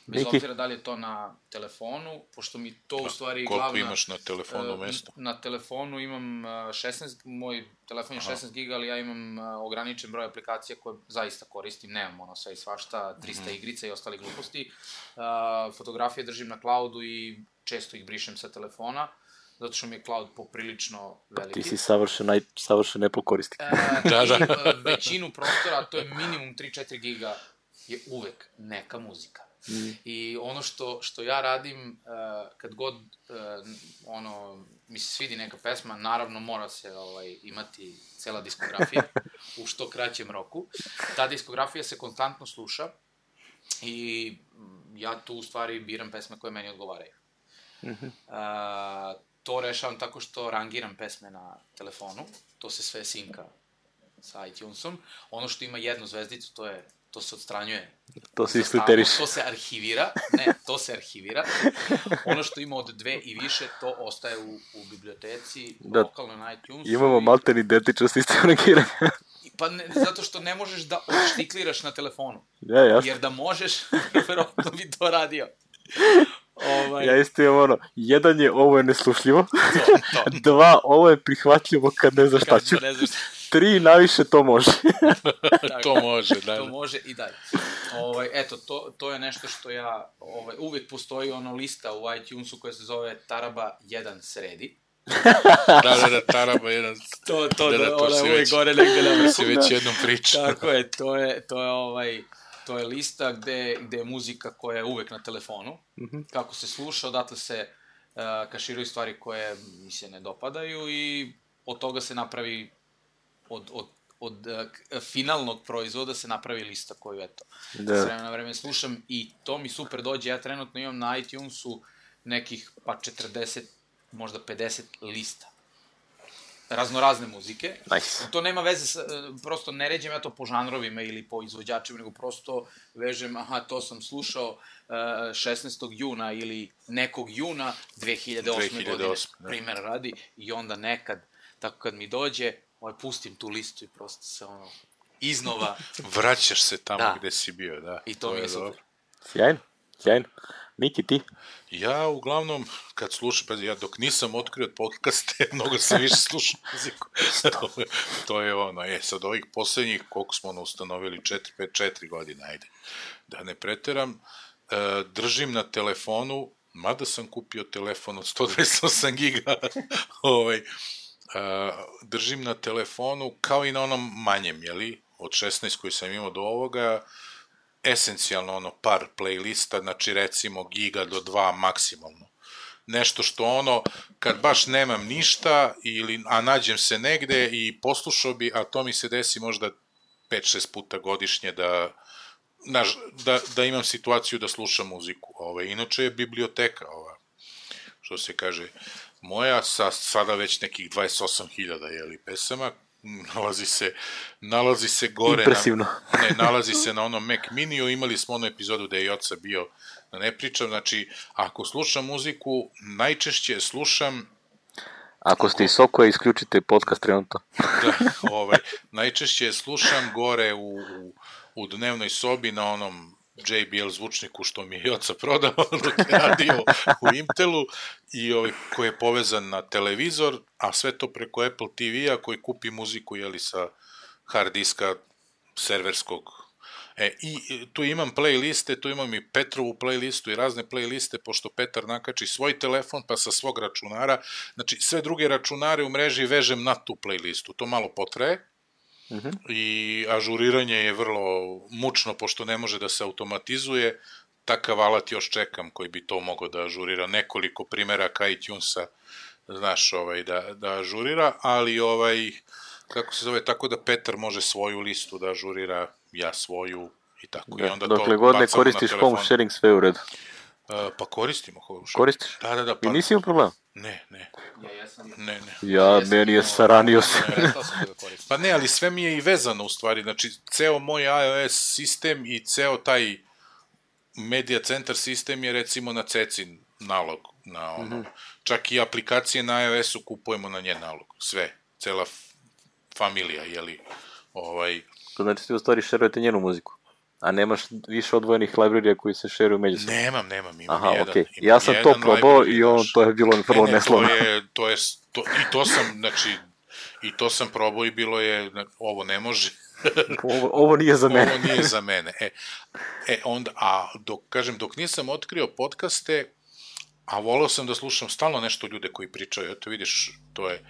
Bez Neki... obzira da li je to na telefonu, pošto mi to u stvari koliko glavna... Koliko imaš na telefonu mesta? Na, na telefonu imam šesnaest, moj telefon je šesnaest giga, ali ja imam ograničen broj aplikacija koje zaista koristim, nemam ono sve i svašta, trista mm-hmm. igrica i ostali gluposti. Uh, fotografije držim na cloudu i često ih brišem sa telefona, zato što mi je cloud poprilično veliki. Ti si savršen, naj, savršen Apple korisnik. E, da, da. I većinu prostora, to je minimum tri do četiri giga, je uvek neka muzika. Mm. I ono što, što ja radim, uh, kad god uh, ono, mi se svidi neka pesma, naravno mora se ovaj, imati cela diskografija u što kraćem roku. Ta diskografija se konstantno sluša i ja tu u stvari biram pesme koje meni odgovaraju. Mm-hmm. Uh, to rešavam tako što rangiram pesme na telefonu, to se sve sinka sa iTunesom. Ono što ima jednu zvezdicu, to je to se odstranjuje. To se isliteriš. To se arhivira. Ne, to se arhivira. Ono što ima od dve i više, to ostaje u, u biblioteci, da, lokalno na iTunesu. Imamo malten identičan sistem rangiranja. Pa ne, zato što ne možeš da odštikliraš na telefonu. Ja, jasno. Jer da možeš, verovatno bi to radio. Ovaj... Ja isto imam ono, jedan je ovo je neslušljivo, to, to. Dva, ovo je prihvatljivo kad ne znaš šta ću. Ne znaš šta. Tri, najviše to može. To može, da. To može i dalje. Ovaj, eto, to, to je nešto što ja, ovaj, uvijek postoji ono lista u iTunesu koja se zove Taraba jedan sredi. Da, da, da, Taraba jedan. To, to, da, da, to ona uvijek gore negde na vrhu. Si već jednom pričao. Tako je, to je, to je ovaj... To je lista gde, gde je muzika koja je uvek na telefonu, mm-hmm. kako se sluša, odatle se uh, kaširaju stvari koje mi se ne dopadaju i od toga se napravi, od, od, od uh, finalnog proizvoda se napravi lista koju, eto, da. S vremena na vreme slušam i to mi super dođe. Ja trenutno imam na iTunesu nekih pa četrdeset, možda pedeset lista. Raznorazne muzike. Nice. To nema veze sa, prosto ne ređem ja to po žanrovima ili po izvođačima, nego prosto vežem, aha, to sam slušao uh, šesnaestog juna ili nekog juna dve hiljade osme godine, da. Primer radi, i onda nekad, tako kad mi dođe, ovaj, pustim tu listu i prosto se ono, iznova... Vraćaš se tamo da. Gde si bio, da. I to, to mi je super. Sjajno, sjajno. Miki, ti? Ja, uglavnom, kad slušam, pa ja dok nisam otkrio podcaste, mnogo sam više slušao muziku. To je ono, je, sad ovih poslednjih, koliko smo ono ustanovili, četiri, pet, četiri godine, ajde, da ne preteram, e, držim na telefonu, mada sam kupio telefon od sto dvadeset osam giga, ovaj, e, držim na telefonu, kao i na onom manjem, jeli, od šesnaest koji sam imao do ovoga, esencijalno ono par playlista, znači recimo giga do dva maksimalno. Nešto što ono, kad baš nemam ništa, ili, a nađem se negde i poslušao bi, a to mi se desi možda pet šest puta godišnje da, naž, da, da imam situaciju da slušam muziku. Ove, inače je biblioteka, ova, što se kaže, moja sa sada već nekih dvadeset osam hiljada jeli pesama, nalazi se, nalazi se gore... Impresivno. Na, ne, nalazi se na onom Mac Miniju, imali smo onu epizodu gde je Joca bio, da ne pričam, znači, ako slušam muziku, najčešće slušam... Ako ste iz Sokoja, isključite podcast trenutno. Da, ovaj, najčešće slušam gore u, u, u dnevnoj sobi na onom J B L zvučniku što mi je Joca prodao dok je radio u Intelu i ovaj, koji je povezan na televizor, a sve to preko Apple T V-a koji kupi muziku jeli, sa hard diska serverskog. E, i tu imam playliste, tu imam i Petrovu playlistu i razne playliste, pošto Petar nakači svoj telefon pa sa svog računara, znači sve druge računare u mreži vežem na tu playlistu, to malo potraje. Uh-huh. I ažuriranje je vrlo mučno, pošto ne može da se automatizuje, takav alat još čekam koji bi to mogao da ažurira, nekoliko primeraka iTunesa, znaš, ovaj, da, da ažurira, ali ovaj, kako se zove, tako da Petar može svoju listu da ažurira, ja svoju i tako. Da, i onda dokle god ne koristiš home sharing, sve u redu. Uh, pa koristimo home sharing. Koristiš? Da, da, da. Pa... I nisi imao problema? Ne, ne. Ja, ja sam... Ne, ne. Ja, ja meni je saranio se. Pa ne, ali sve mi je i vezano u stvari, znači, ceo moj iOS sistem i ceo taj Media Center sistem je recimo na Cecin nalog, na ono, mm-hmm. čak i aplikacije na iOS-u kupujemo na njen nalog, sve, cela f- familija, jeli, ovaj... To znači ti u stvari šerujete njenu muziku? A nemaš više odvojenih librarija koji se šeruju međusobno? Nemam, nemam, imam Aha, jedan. Okay. Imam ja sam to probao i on, to je bilo vrlo ne, ne, neslovno. To je, to je, to, i to sam, znači, i to sam probao i bilo je, ovo ne može. ovo, ovo nije za mene. Ovo nije za mene. E, e onda, a dok, kažem, dok nisam otkrio podcaste, a volao sam da slušam stalno nešto ljude koji pričaju, eto vidiš, to je,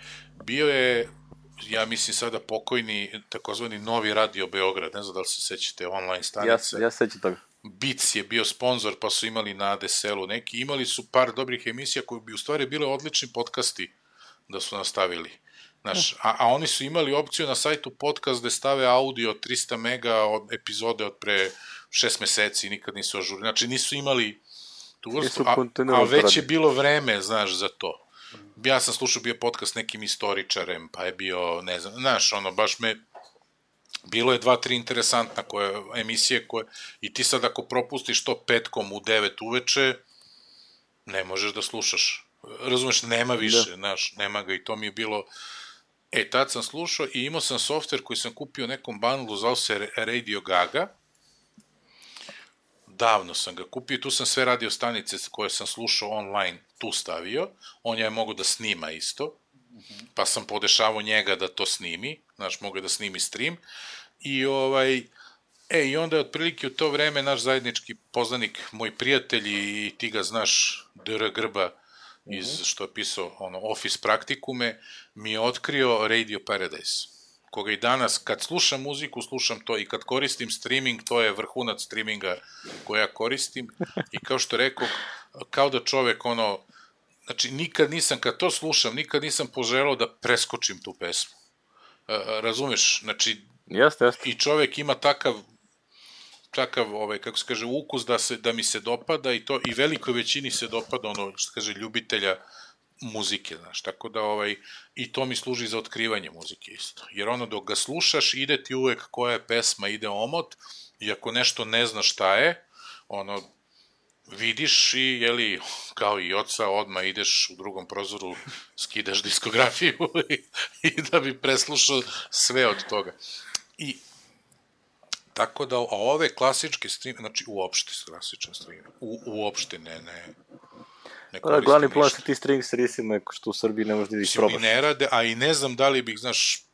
bio je, ja mislim sada pokojni, takozvani Novi Radio Beograd, ne znam da li se sećate online stanice. Ja, ja sećam toga. Beats je bio sponsor, pa su imali na A D S L-u neki, imali su par dobrih emisija koji bi u stvari bile odlični podcasti da su nastavili. Znaš, a, a oni su imali opciju na sajtu podcast da stave audio trista mega od epizode od pre šest meseci, nikad nisu ažurili. Znači nisu imali tu vrstu, a, a već je bilo vreme, znaš, za to. Ja sam slušao bio podcast nekim istoričarem, pa je bio, ne znam, znaš, ono, baš me bilo je dva, tri interesantna koje, emisije koje, i ti sad ako propustiš to petkom u devet uveče, ne možeš da slušaš. Razumeš, nema više, da. Znaš, nema ga i to mi je bilo... E, tad sam slušao i imao sam softver koji sam kupio u nekom bundlu, zvao se Radio Gaga. Davno sam ga kupio, tu sam sve radio stanice koje sam slušao online tu stavio. On je mogo da snima isto, pa sam podešavao njega da to snimi, znaš, mogo da snimi stream. I ovaj... E, i onda je otprilike u to vreme naš zajednički poznanik, moj prijatelj i ti ga znaš, D R Grba, iz, što je pisao ono, Office Praktikume, mi je otkrio Radio Paradise, koga i danas, kad slušam muziku, slušam to i kad koristim streaming, to je vrhunac streaminga koja ja koristim i kao što rekao, kao da čovek, ono, znači, nikad nisam, kad to slušam, nikad nisam poželao da preskočim tu pesmu. Razumeš? Znači, jeste, jeste. I čovek ima takav takav, ovaj, kako se kaže, ukus da, se, da mi se dopada i to, i velikoj većini se dopada ono, što kaže, ljubitelja muzike, znaš, tako da, ovaj, i to mi služi za otkrivanje muzike isto, jer ono, dok ga slušaš, ide ti uvek koja je pesma, ide omot, i ako nešto ne znaš šta je, ono, vidiš i, jeli, kao i oca, odmah ideš u drugom prozoru, skidaš diskografiju i, i da bi preslušao sve od toga. I tako da, a ove klasičke stream, znači uopšte klasičan stream, u, uopšte ne, ne, ne koristim ništa. Glavni plan sa ti stream servisima je što u Srbiji ne možeš da ih probaš. Ne rade, a i ne znam da li bih, znaš,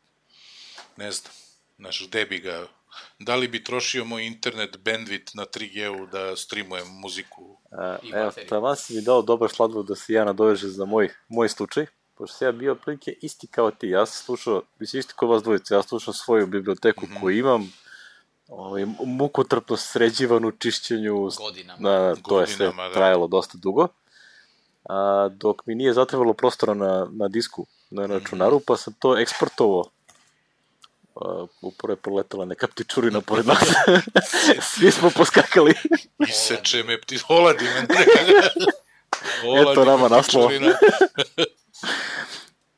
ne znam, znaš, gde bi ga, da li bi trošio moj internet bandwidth na tri G-u da streamujem muziku. A, evo, taman si mi dao dobar sladvor da se ja nadoveže za moj, moj slučaj, pošto sam ja bio prilike isti kao ti, ja sam slušao, mislim isti kao vas dvojice, ja slušao svoju biblioteku mm-hmm. koju imam, ovaj, mukotrpno sređivanu čišćenju, godinama, na, to godinama, je sve da. Trajalo dosta dugo, a, dok mi nije zatrebalo prostora na, na disku, na računaru, mm-hmm. pa sam to eksportovao. Uh, upravo je proletala neka ptičurina pored nas. Svi smo poskakali. Iseče me pti... Oladi me. Eto nama naslova.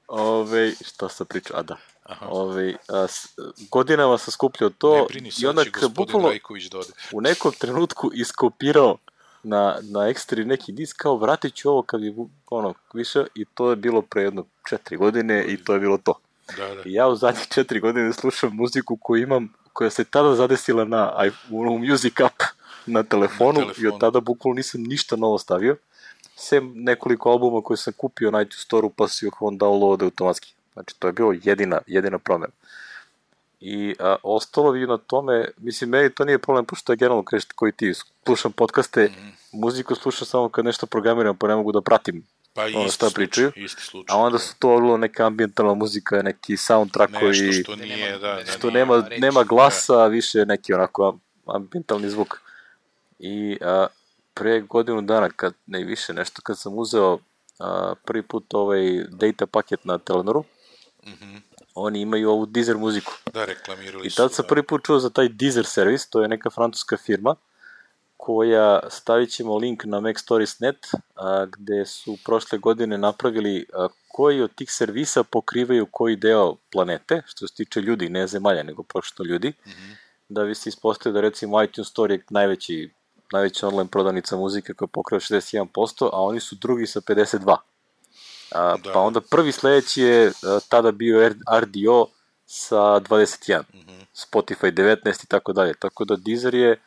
Ove, šta sam pričao? A da. Ove, a, s, godinama sam skupljao to. Ne brini, sad će gospodin Rajković da ode. U nekom trenutku iskopirao na, na ekstri neki disk, kao vratit ću ovo kad je ono više, i to je bilo pre jedno četiri godine i to je bilo to. Da, da. I ja u zadnjih četiri godine slušam muziku koju imam, koja se tada zadesila na u Music App na telefonu, na telefonu i od tada bukvalno nisam ništa novo stavio, sem nekoliko albuma koje sam kupio na iTunes Store-u pa si ih on downloade automatski. Znači to je bilo jedina, jedina promjena. I a, ostalo vi na tome, mislim, meni to nije problem, pošto je generalno krešta koji ti slušam podcaste, mm-hmm. muziku slušam samo kad nešto programiram, pa ne mogu da pratim. Pa ono isti slučaj, isti slučaj. A onda su to bilo neka ambijentalna muzika, neki soundtrack koji... Nešto što nije, da, da, što nema, nema, nema glasa, da. Više neki onako ambijentalni zvuk. I a, pre godinu dana, kad ne više nešto, kad sam uzeo a, prvi put ovaj data paket na Telenoru, mm-hmm. oni imaju ovu Deezer muziku. Da, reklamirali su. I tad sam prvi put čuo za taj Deezer servis, to je neka francuska firma, koja, stavit ćemo link na Mac Stories dot net, a, gde su prošle godine napravili a, koji od tih servisa pokrivaju koji deo planete, što se tiče ljudi, ne zemalja, nego prošto ljudi, mm-hmm. da bi se ispostavio da recimo iTunes Store je najveći, najveća online prodavnica muzike koja pokriva šezdeset jedan posto, a oni su drugi sa pedeset dva. A, da. Pa onda prvi sledeći je a, tada bio R D O sa dvadeset jedan, mm-hmm. Spotify devetnaest i tako dalje, tako da Deezer je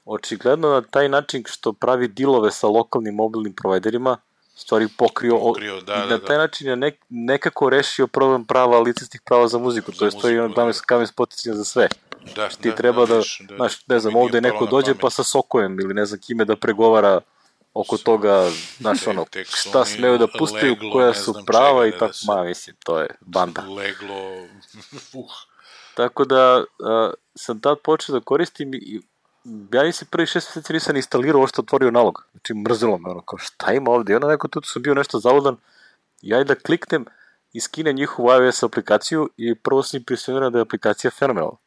očigledno na taj način što pravi dilove sa lokalnim mobilnim providerima, stvari pokrio, pokrio da, i na taj da. način je nek, nekako rešio problem prava, licenčnih prava za muziku, za to je stoji ono kamen, kamen spoticanja za sve. Da, ti da, treba da, da, da, znaš, ne znam, ovde neko dođe pa sa Sokojem ili ne znam kime da pregovara oko so, toga, znaš, ono, šta smeju da pustaju, koja su prava i tako, ma, mislim, to je banda. Leglo, uh. Tako da, a, sam tad počeo da koristim i ja nisam prvi šest mjeseci nisam instalirao ovo što otvorio nalog. Znači mrzilo me ono, kao šta ima ovde? I onda neko tu sam bio nešto zavodan, ja i da kliknem i skinem njihovu iOS aplikaciju i prvo sam impresioniran da je aplikacija fenomenalna.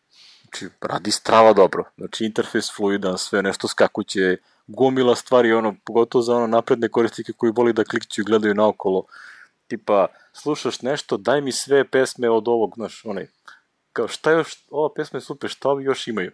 Znači radi strava dobro. Znači interfejs fluidan, sve nešto skakuće, gomila stvari, ono, pogotovo za ono napredne korisnike koji voli da klikću i gledaju naokolo. Tipa, slušaš nešto, daj mi sve pesme od ovog, znaš, onaj, kao šta još, ova pesma je super, šta ovi još imaju?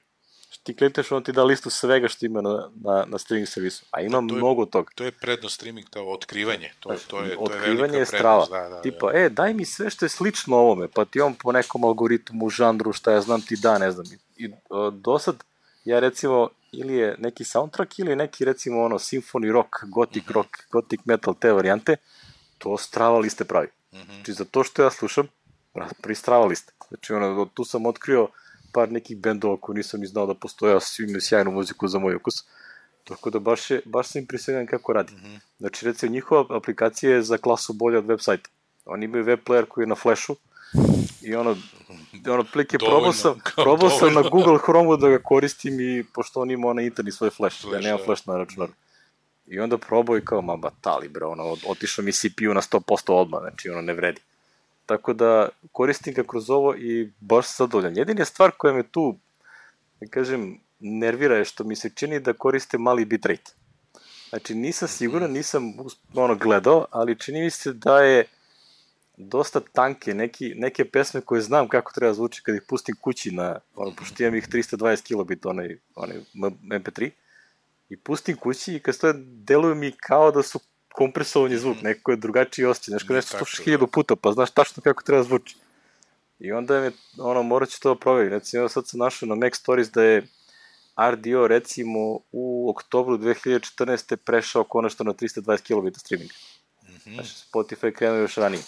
Ti klikneš, on ti da listu svega što ima na, na, na streaming servisu, a ima to je, mnogo toga. To je prednost streaming, to je otkrivanje, to, Znači, to je, to otkrivanje je velika je strava. prednost. Da, da, Tipa, da. e, daj mi sve što je slično ovome, pa ti on po nekom algoritmu, žanru, šta ja znam ti da, ne znam. I, i do sad, ja recimo, ili je neki soundtrack, ili je neki, recimo, ono, symphony rock, gothic Mm-hmm. rock, gothic metal, te varijante, to strava liste pravi. Mm-hmm. Znači, za to što ja slušam, pristrava liste. Znači, ono, tu sam otkrio par nekih bendova koji nisam ni znao da postoje, a svi imaju sjajnu muziku za moj ukus. Tako da baš, je, baš sam impresioniran kako radi. Mm-hmm. Znači, recimo, njihova aplikacija je za klasu bolja od web sajta. Oni imaju web player koji je na Flashu i ono, ono plike probao sam, probao sam na Google Chrome da ga koristim i pošto on ima onaj interni svoj Flash, Flash ja nemam ja. Flash na računaru. I onda probao i kao, ma batali bre, ono, otišao mi C P U na sto posto odmah, znači ono ne vredi. Tako da koristim ga kroz ovo i baš sam zadovoljan. Jedina stvar koja me tu, da kažem, nervira je što mi se čini da koriste mali bitrate. Znači nisam siguran, nisam ono gledao, ali čini mi se da je dosta tanke, neki, neke pesme koje znam kako treba zvuči kad ih pustim kući na, ono, pošto imam ih trista dvadeset kilobita, onaj, onaj em pe tri, i pustim kući i kad stoje, deluju mi kao da su kompresovani zvuk, mm-hmm. neko je drugačiji osjećaj, nešto nešto slušaš hiljadu puta, pa znaš tačno kako treba zvuči. I onda je, ono, morat ću to provjeriti. Recimo, sad sam našao na Mac Stories da je R D O, recimo, u oktobru dve hiljade četrnaeste prešao konačno na trista dvadeset kilobita streaminga. Mm-hmm. Znači, Spotify krenuo još ranije.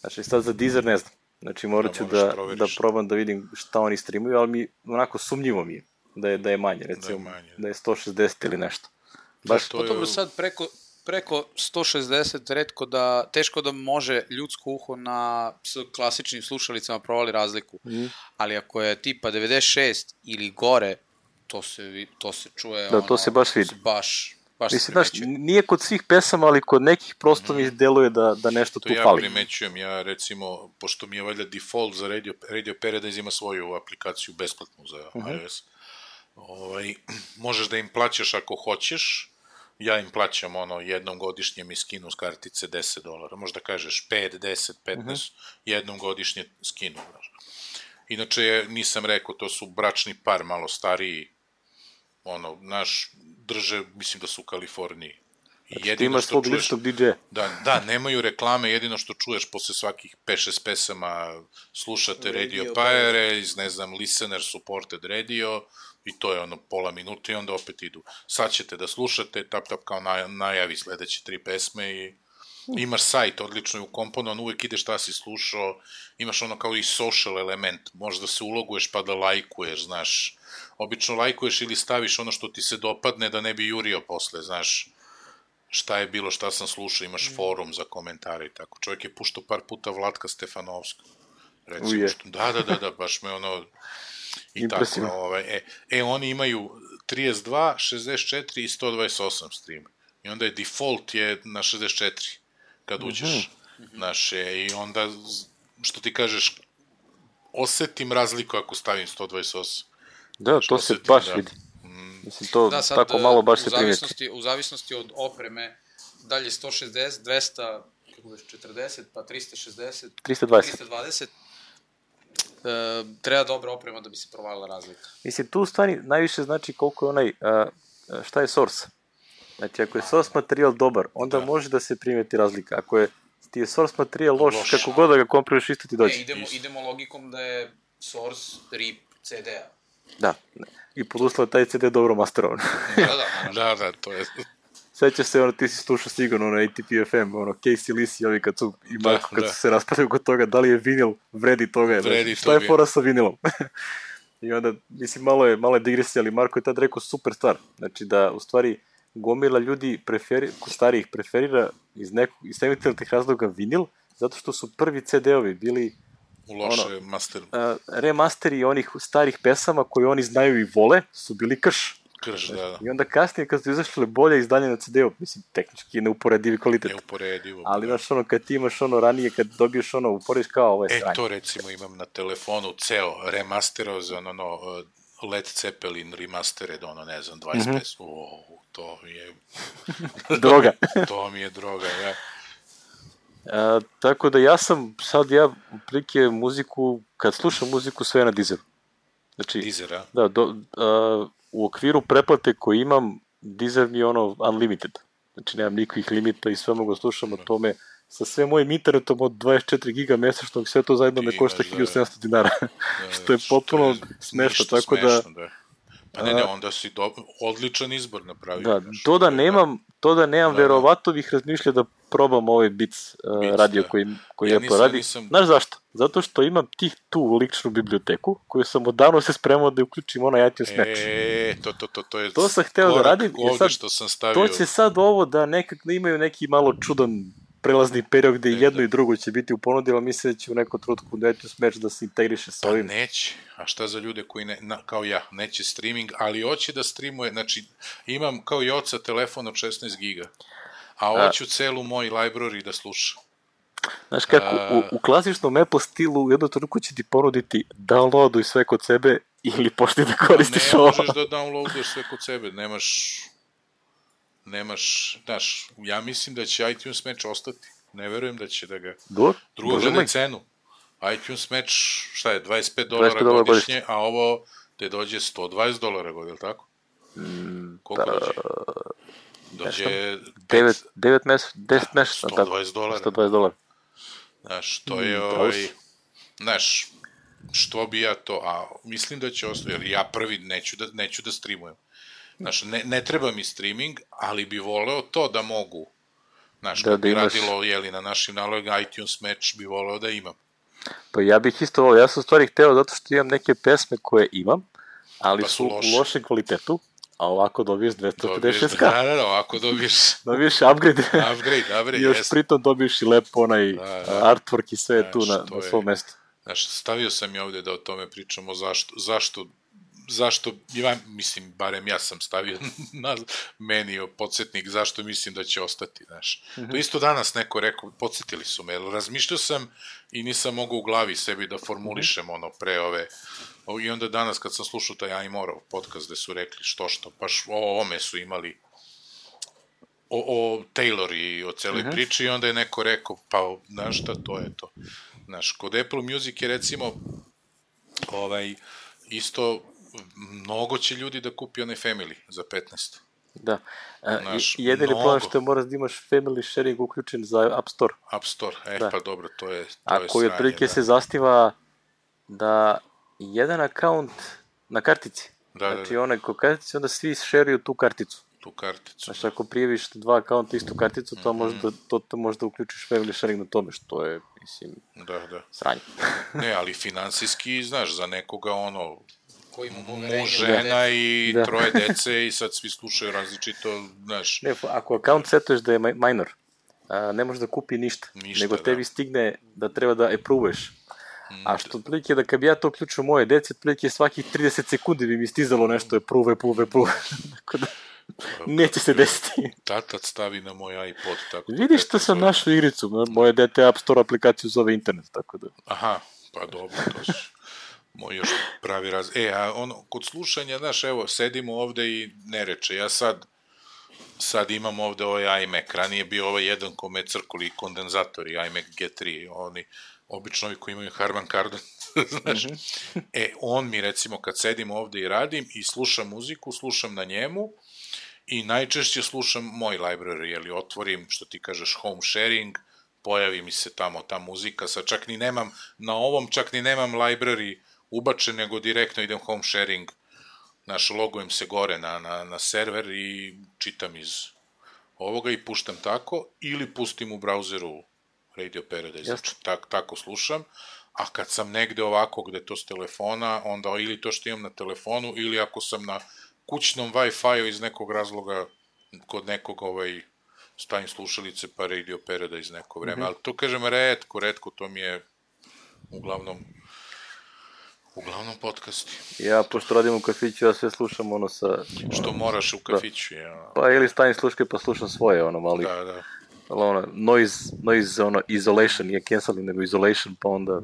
Znači, sad za Deezer ne znam. Znači, morat ću da, da, da probam da vidim šta oni streamuju, ali mi, onako, sumnjivo mi je da je, da je manje, recimo, da je, manje. Da je sto šezdeset ili nešto. Baš to je... Dobro, sad preko, preko sto šezdeset retko da, teško da može ljudsko uho na s klasičnim slušalicama provali razliku. Mm. Ali ako je tipa devedeset šest ili gore, to se, to se čuje, da, ono, to se baš vidi. Baš, baš mislim, znaš, nije kod svih pesama, ali kod nekih prosto mi deluje da, da nešto to tu ja fali. To ja primećujem, ja recimo, pošto mi je valjda default za Radio, Radio Paradise ima svoju aplikaciju besplatnu za uh-huh. iOS, ovaj, možeš da im plaćaš ako hoćeš, ja im plaćam ono, jednom godišnje mi skinu s kartice deset dolara, možda kažeš pet, deset, petnaest, uh-huh. jednom godišnje skinu. Inače, nisam rekao, to su bračni par, malo stariji, ono, naš, drže, mislim da su u Kaliforniji. Znači, ti imaš svog ličnog di džeja. Da, da, nemaju reklame, jedino što čuješ posle svakih pet šest pesama, slušate Radio, radio Paradise, ne znam, Listener Supported Radio, i to je ono pola minuta i onda opet idu. Sad ćete da slušate, tap tap kao naj, najavi sledeće tri pesme i imaš sajt, odlično je ukomponovan, uvek ideš šta si slušao, imaš ono kao i social element, možda se uloguješ pa da lajkuješ, znaš, obično lajkuješ ili staviš ono što ti se dopadne da ne bi jurio posle, znaš, šta je bilo, šta sam slušao, imaš forum za komentare i tako. Čovjek je puštao par puta Vlatka Stefanovska. Recimo, što, da, da, da, da, baš me ono, i impresivno. Tako, ovaj, e, e, oni imaju trideset dva, šezdeset četiri i sto dvadeset osam stream. I onda je default je na šezdeset četiri, kad uđeš, mm-hmm. znaš, e, i onda, što ti kažeš, osetim razliku ako stavim sto dvadeset osam. Da, to se baš da, vidi. Mislim, to da, sad, tako malo baš se primeti. U zavisnosti od opreme, dalje sto šezdeset, dvesta četrdeset, pa trista šezdeset, trista dvadeset, trista dvadeset e, treba dobra oprema da bi se provalila razlika. Mislim, tu u stvari najviše znači koliko je onaj, a, šta je source. Znači, ako je source materijal dobar, onda da. može da se primeti razlika. Ako je ti je source materijal loš, loš. kako god da ga komprimuješ, isto ti dođe. Ne, idemo, idemo logikom da je source rip ce de a. Da, i pod uslova taj ce de dobro masterovan. da, da, da, da, to je... Sećaš se, ono, ti si slušao sigurno na A T P F M, ono, Casey Lisi, ovi kad su, i Marko, kad da. su se raspadaju kod toga, da li je vinil, vredi toga, vredi znači, šta je fora sa vinilom? I onda, mislim, malo je, malo je digresija, ali Marko je tad rekao super stvar, znači da, u stvari, gomila ljudi preferi, starijih preferira iz nekog, iz semitilnih razloga vinil, zato što su prvi ce de ovi bili u loše ono, master. Uh, remasteri onih starih pesama koje oni znaju i vole su bili krš. Krš, da, da. I onda kasnije kad su izašle bolje izdanje na ce de u, mislim, tehnički je neuporedivi kvalitet. Neuporedivo. Ali znaš ono, kad ti imaš ono ranije, kad dobiješ ono, uporediš kao ovo je e, sranje. E, to recimo imam na telefonu ceo remasterovan, ono, Led Zeppelin remastered, ono, ne znam, dvadeset mm-hmm. pesma. O, to mi je... droga. to mi je droga, ja. A, tako da ja sam, sad ja prilike muziku, kad slušam muziku sve na Deezeru. Znači, Deezer, a? Da, do, a, u okviru pretplate koju imam, Deezer mi je ono unlimited. Znači, nemam nikakvih limita i sve mogu slušam o tome sa sve mojim internetom od dvadeset četiri giga mesečnog, sve to zajedno me košta hiljadu sedamsto dinara. Da, što je potpuno smešno, tako da... Smešno, da. Pa ne, ne, onda si do... odličan izbor napravio. Da, to da nemam, to da nemam da, verovato bih razmišljao da probam ovaj Beats, uh, Beats radio da. koji, koji ja Apple radi. Nisam... Znaš zašto? Zato što imam tih tu ličnu biblioteku koju sam odavno se spremao da uključim onaj iTunes Match. E, to, to, to, to je to sam hteo da radim. Sad, što sam stavio... To će sad ovo da nekak da imaju neki malo čudan prelazni period gde ne, jedno da. i drugo će biti u ponudi, ali mislim da će u nekom trenutku da iTunes Match da se integriše sa ovim. Pa neće. A šta za ljude koji, ne, na, kao ja, neće streaming, ali hoće da streamuje, znači imam kao i oca telefon od šesnaest giga, a hoću celu moj library da slušam. Znaš kako, a... u, u klasičnom Apple stilu u jednom trenutku će ti ponuditi downloaduj sve kod sebe ili pošli da koristiš ovo. Ne možeš da downloaduješ sve kod sebe, nemaš... nemaš, znaš, ja mislim da će iTunes Match ostati. Ne verujem da će da ga... Dur? Drugo, gledaj cenu. iTunes Match, šta je, dvadeset pet dolara godišnje, godišnje, a ovo te dođe sto dvadeset dolara godišnje, ili tako? Mm, Koliko da, dođe? Dođe... devet mesa, deset mesa. sto dvadeset dolara. sto dvadeset dolara. Znaš, to je, mm, ovaj... Znaš, što bi ja to... A mislim da će ostati, jer ja prvi neću da, neću da streamujem. Znaš, ne, ne treba mi streaming, ali bi voleo to da mogu. Znaš, da, kako bi imaš... radilo, jeli, na našim nalogama, iTunes Match bi voleo da imam. Pa ja bih isto voleo, ja sam stvari hteo zato što imam neke pesme koje imam, ali pa su, su loše. u lošem kvalitetu, a ovako dobiješ dvesta pedeset šest ka. Da, da, da, ovako dobiješ... dobiješ upgrade. upgrade, upgrade, još jes. Pritom dobiješ i lepo onaj da, da. artwork i sve znaš, tu na, na svom mestu. Znaš, stavio sam i ovde da o tome pričamo, zašto, zašto zašto, ja mislim, barem ja sam stavio na meni podsjetnik zašto mislim da će ostati, znaš. Mm-hmm. To isto danas neko rekao, podsjetili su me, razmišljao sam i nisam mogao u glavi sebi da formulišem mm-hmm. ono pre ove, i onda danas kad sam slušao taj Ajmorov podcast gde su rekli što što, baš o ovome su imali, o, o Taylor i o celoj mm-hmm. priči i onda je neko rekao, pa, znaš šta, to je to. Znaš, kod Apple Music je recimo, ovaj, isto, mnogo će ljudi da kupi onaj Family za petnaest. Da. Naš, jedini problem što moraš da imaš Family Sharing uključen za App Store. App Store, e da. Pa dobro, to je to a je koji otprilike da. se zasniva da jedan akaunt na kartici. Da, znači da, da. onaj ko kartici, onda svi šeruju tu karticu. Tu karticu. Znači ako prijeviš dva akaunta istu karticu, to mm-hmm. možda, to, to možda uključiš Family Sharing na tome, što je, mislim, da, da. sranje. Ne, ali finansijski, znaš, za nekoga ono, muž, žena i da. troje dece i sad svi slušaju različito, znaš. Ne, ako akaunt setuješ da je minor, a, ne možeš da kupi ništa, ništa nego tebi da. stigne da treba da appruveš. A što otprilike da kad bi ja to uključio moje dece, otprilike svakih trideset sekundi bi mi stizalo nešto approve, approve, approve. Tako da neće se desiti. Tatat stavi na moj iPod. Tako vidiš što sam našao igricu, moje dete App Store aplikaciju zove internet, tako da. Aha, pa dobro, to su moj još pravi raz... E, a ono, kod slušanja, znaš, evo, sedimo ovde i ne reče, ja sad, sad imam ovde ovaj iMac, ranije bio ovaj jedan kome crkuli kondenzatori, iMac G tri, oni, obično ovi koji imaju Harman Kardon, znaš, mm-hmm. e, on mi, recimo, kad sedim ovde i radim i slušam muziku, slušam na njemu i najčešće slušam moj library, jeli, otvorim, što ti kažeš, home sharing, pojavi mi se tamo ta muzika, sad čak ni nemam, na ovom čak ni nemam library ubačen, nego direktno idem home sharing, znaš, logujem se gore na, na, na server i čitam iz ovoga i puštam tako, ili pustim u brauzeru Radio Paradise, znači, tak, tako slušam, a kad sam negde ovako gde to s telefona, onda ili to što imam na telefonu, ili ako sam na kućnom Wi-Fi-u iz nekog razloga, kod nekog ovaj, stavim slušalice pa Radio Paradise neko vreme, mm-hmm. ali to kažem retko, retko, to mi je uglavnom uglavnom podcasti. Ja, pošto radim u kafiću, ja sve slušam ono sa... Što moraš u kafiću, da. Ja. Pa ili stavim sluške pa slušam svoje, ono mali... Da, da. Ono, noise, noise, ono, isolation, nije canceling, nego isolation, pa onda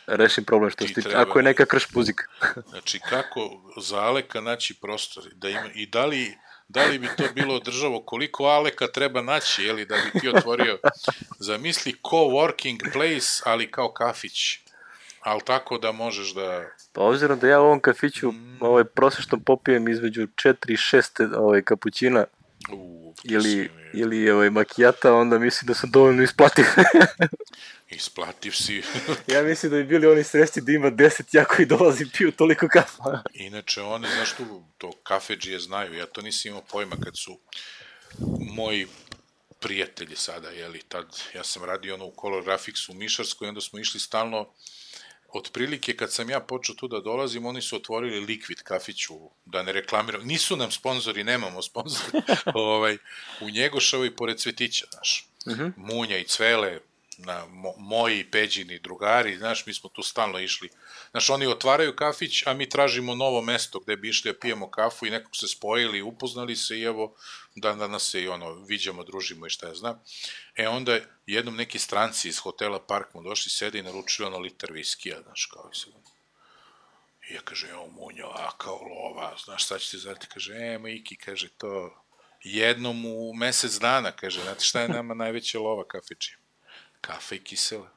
rešim problem što se tiče, ako je neka krš muzika. Znači, kako za Aleka naći prostor, da ima, i da li da li bi to bilo održavo, koliko Aleka treba naći, jeli, da bi ti otvorio, zamisli coworking place, ali kao kafić, ali tako da možeš da... Pa obzirom da ja u ovom kafiću mm. ovaj, prosječno popijem između četiri i šest ovaj, kapućina U, ili, ili ovaj, makijata, onda mislim da sam dovoljno isplativ. Isplativ si. Ja mislim da bi bili oni srećni da ima deset ja koji dolazi piju toliko kafa. Inače, oni, znaš tu, to kafedžije znaju, ja to nisam imao pojma kad su moji prijatelji sada, jeli, tad, ja sam radio ono u Color Graphics u Mišarskoj, onda smo išli stalno, otprilike kad sam ja počeo tu da dolazim, oni su otvorili Liquid kafiću, da ne reklamiram, nisu nam sponzori, nemamo sponzori, ovaj, u Njegoševoj pored Cvetića, znaš, uh-huh. Munja i Cvele, na mo, moji Peđini drugari, znaš, mi smo tu stalno išli. Znaš, oni otvaraju kafić, a mi tražimo novo mesto gde bi išli da pijemo kafu i nekog se spojili, upoznali se i evo, dan danas se i ono, viđamo, družimo i šta ja znam. E onda jednom neki stranci iz hotela Park mu došli, sede i naručili ono liter viskija, znaš, kao i se... I ja kaže, evo Munjo, a kao lova, znaš, sad ću ti zvati, kaže, e, Miki, kaže, to jednom u mesec dana, kaže, znate šta je nama najveća lova kafičija? Kafa i kisela.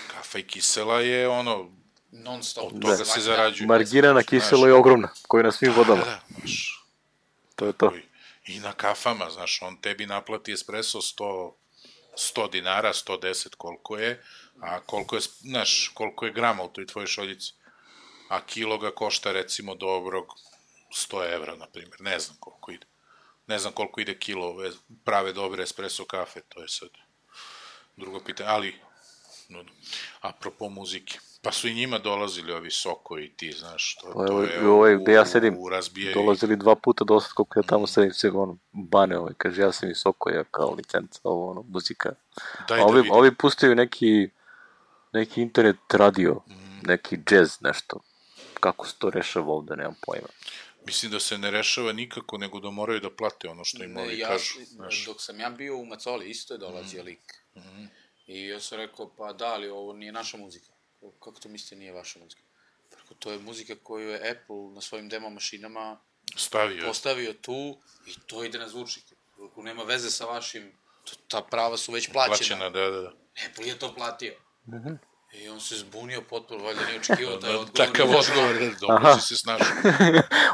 Kafa i kisela je ono, non stop, od toga da, se zarađuje. Margirana kisela je ogromna, koja je na svim vodama. Da, da, znaš. To je to. I na kafama, znaš, on tebi naplati espresso sto, sto dinara, sto deset koliko je, a koliko je, znaš, koliko je grama u toj tvojoj šoljici. A kilo ga košta, recimo, dobrog sto evra, na primjer, ne znam koliko ide. Ne znam koliko ide kilo ove prave dobre espresso kafe, to je sad drugo pitanje, ali no, apropo muzike, pa su i njima dolazili ovi Soko i ti, znaš, to, pa, to je u, ovaj, gde ja sedim, razbijaju... dolazili dva puta do sad koliko ja tamo sedim, se ono, bane ovaj, kaže ja sam i Soko, ja kao licenca, ovo ono, muzika. Daj a ovi, da ovi pustaju neki, neki internet radio, mm. neki jazz, nešto, kako se to rešava ovde, nemam pojma. Mislim da se ne rešava nikako, nego da moraju da plate ono što im ovi ja, kažu. Znaš. Dok sam ja bio u Macoli, isto je dolazio mm. lik. Mm. I ja sam rekao, pa da, ali ovo nije naša muzika. Kako to mislite nije vaša muzika? Preko, to je muzika koju je Apple na svojim demo mašinama stavio. Postavio tu i to ide na zvučnik. Ako nema veze sa vašim, to, ta prava su već plaćena. Plaćena, da, da, da. Apple je to platio. Mm-hmm. I on se zbunio potpuno, valjda nije očekivao taj odgovor. Takav odgovor, dobro si se snašao.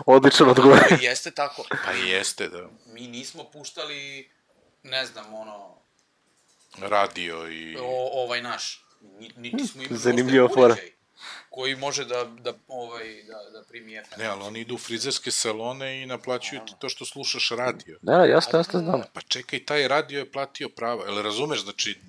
Odličan odgovor. I jeste tako. Pa jeste, da. Mi nismo puštali, ne znam, ono... radio i... O, ovaj naš. Niti smo imali zanimljiva fora. Koji može da, da, ovaj, da, da primi F M. Ne, ali oni idu u frizerske salone i naplaćuju ti to što slušaš radio. Da, jasno, jasno znam. Pa čekaj, taj radio je platio prava. Jel razumeš, znači...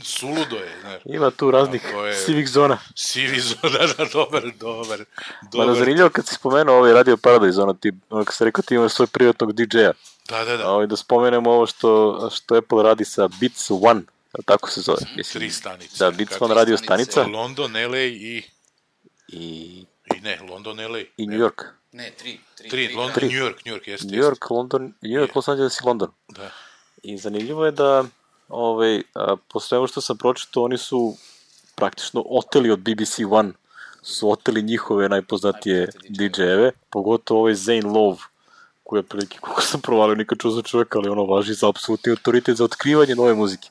Suludo je, znaš. Ima tu raznih je... sivih zona. Sivih zona, da, dobar, dobar. Ma na zanimljivo kad si spomenuo ovaj Radio Paradise, ono, ti, ono kad si rekao ti imaš svoj privatnog di džeja. Da, da, da. A ovaj, da spomenemo ovo što, što Apple radi sa Beats One, tako se zove. Mislim, tri stanice. Da, Beats One radio stanica. London, L A i... I... I ne, London, L A. I New York. Ne, tri. Tri, tri, tri London, tri. New York, New York, jeste. New York, London, New York, Los Angeles i London. Da. I zanimljivo je da... Ove, a, po svemu što sam pročitao, oni su praktično oteli od B B C One, su oteli njihove najpoznatije di džejeve, pogotovo ovaj Zane Love, koji je prilike, kako sam provalio, nikad čuo za čovjeka, ali ono važi za apsolutni autoritet za otkrivanje nove muzike.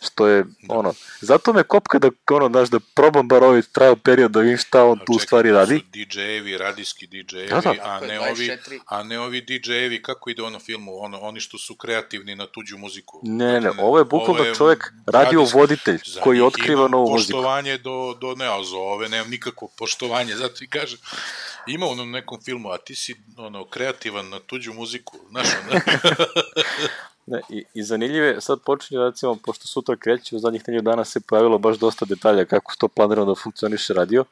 Što je, da. ono, zato me kopka da, ono, daš, da probam bar ovaj trial period da vidim šta on tu u stvari radi. di džejevi, radijski di džejevi, da, da. a ne ovi, a ne ovi di džejevi, kako ide ono filmu, ono, oni što su kreativni na tuđu muziku. Ne, ne, ovo je bukvalno čovjek radio voditelj koji otkriva novu muziku. Poštovanje do, do ne, a za ove nemam nikakvo poštovanje, zato i kažem, ima u onom nekom filmu, a ti si ono, kreativan na tuđu muziku, znaš ono. Ne, i, i zanimljive, sad počinje, recimo, pošto sutra kreće, u zadnjih nedelju dana se pojavilo baš dosta detalja kako to planirano da funkcioniše radio.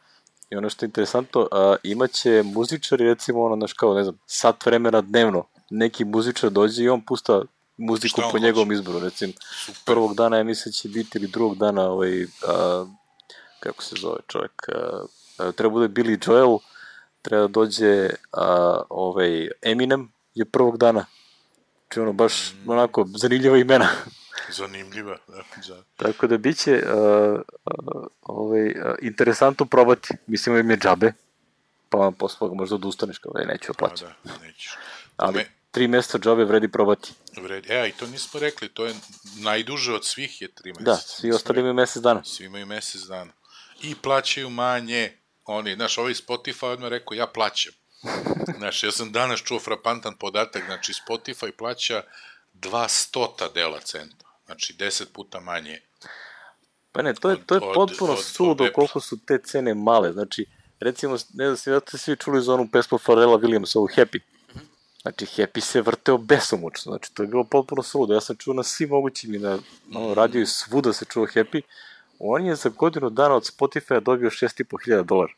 I ono što je interesantno, a, imaće muzičari, recimo, ono, znaš, kao, ne znam, sat vremena dnevno, neki muzičar dođe i on pusta muziku po njegovom izboru, recimo, super. Prvog dana, ja mislim, će biti, ili drugog dana, ovaj, a, kako se zove čovjek, a, a, treba bude Billy Joel, treba da dođe a, ovaj, Eminem je prvog dana. Či ono, baš mm. onako, zanimljiva imena. Zanimljiva, da. da. Tako da bit će uh, uh, ovaj, uh, interesantno probati. Mislim, im je džabe. pa posle toga možda odustaneš kao da neću plaćati. Da, nećeš. Ali Me... tri mjeseca džabe vredi probati. Vredi. E, i to nismo rekli, to je najduže od svih je tri mjeseca. Da, svi ostali imaju mjesec dana. Svi imaju mjesec dana. I plaćaju manje. Oni, znaš, ovaj Spotify odmah rekao, ja plaćam. Znaš, ja sam danas čuo frapantan podatak, znači Spotify plaća dva stota dela centa. Znači deset puta manje. Pa ne, to je, to je od, potpuno od, suludo od koliko su te cene male. Znači, recimo, ne znam, da ste svi čuli za onu pesmu Pharrella Williamsa, ovu Happy. Znači, Happy se vrteo besomučno. Znači, to je bilo potpuno suludo. Ja sam čuo na svim mogućim i na ono, radio i svuda se čuo Happy. On je za godinu dana od Spotify dobio šest i po hiljada dolara.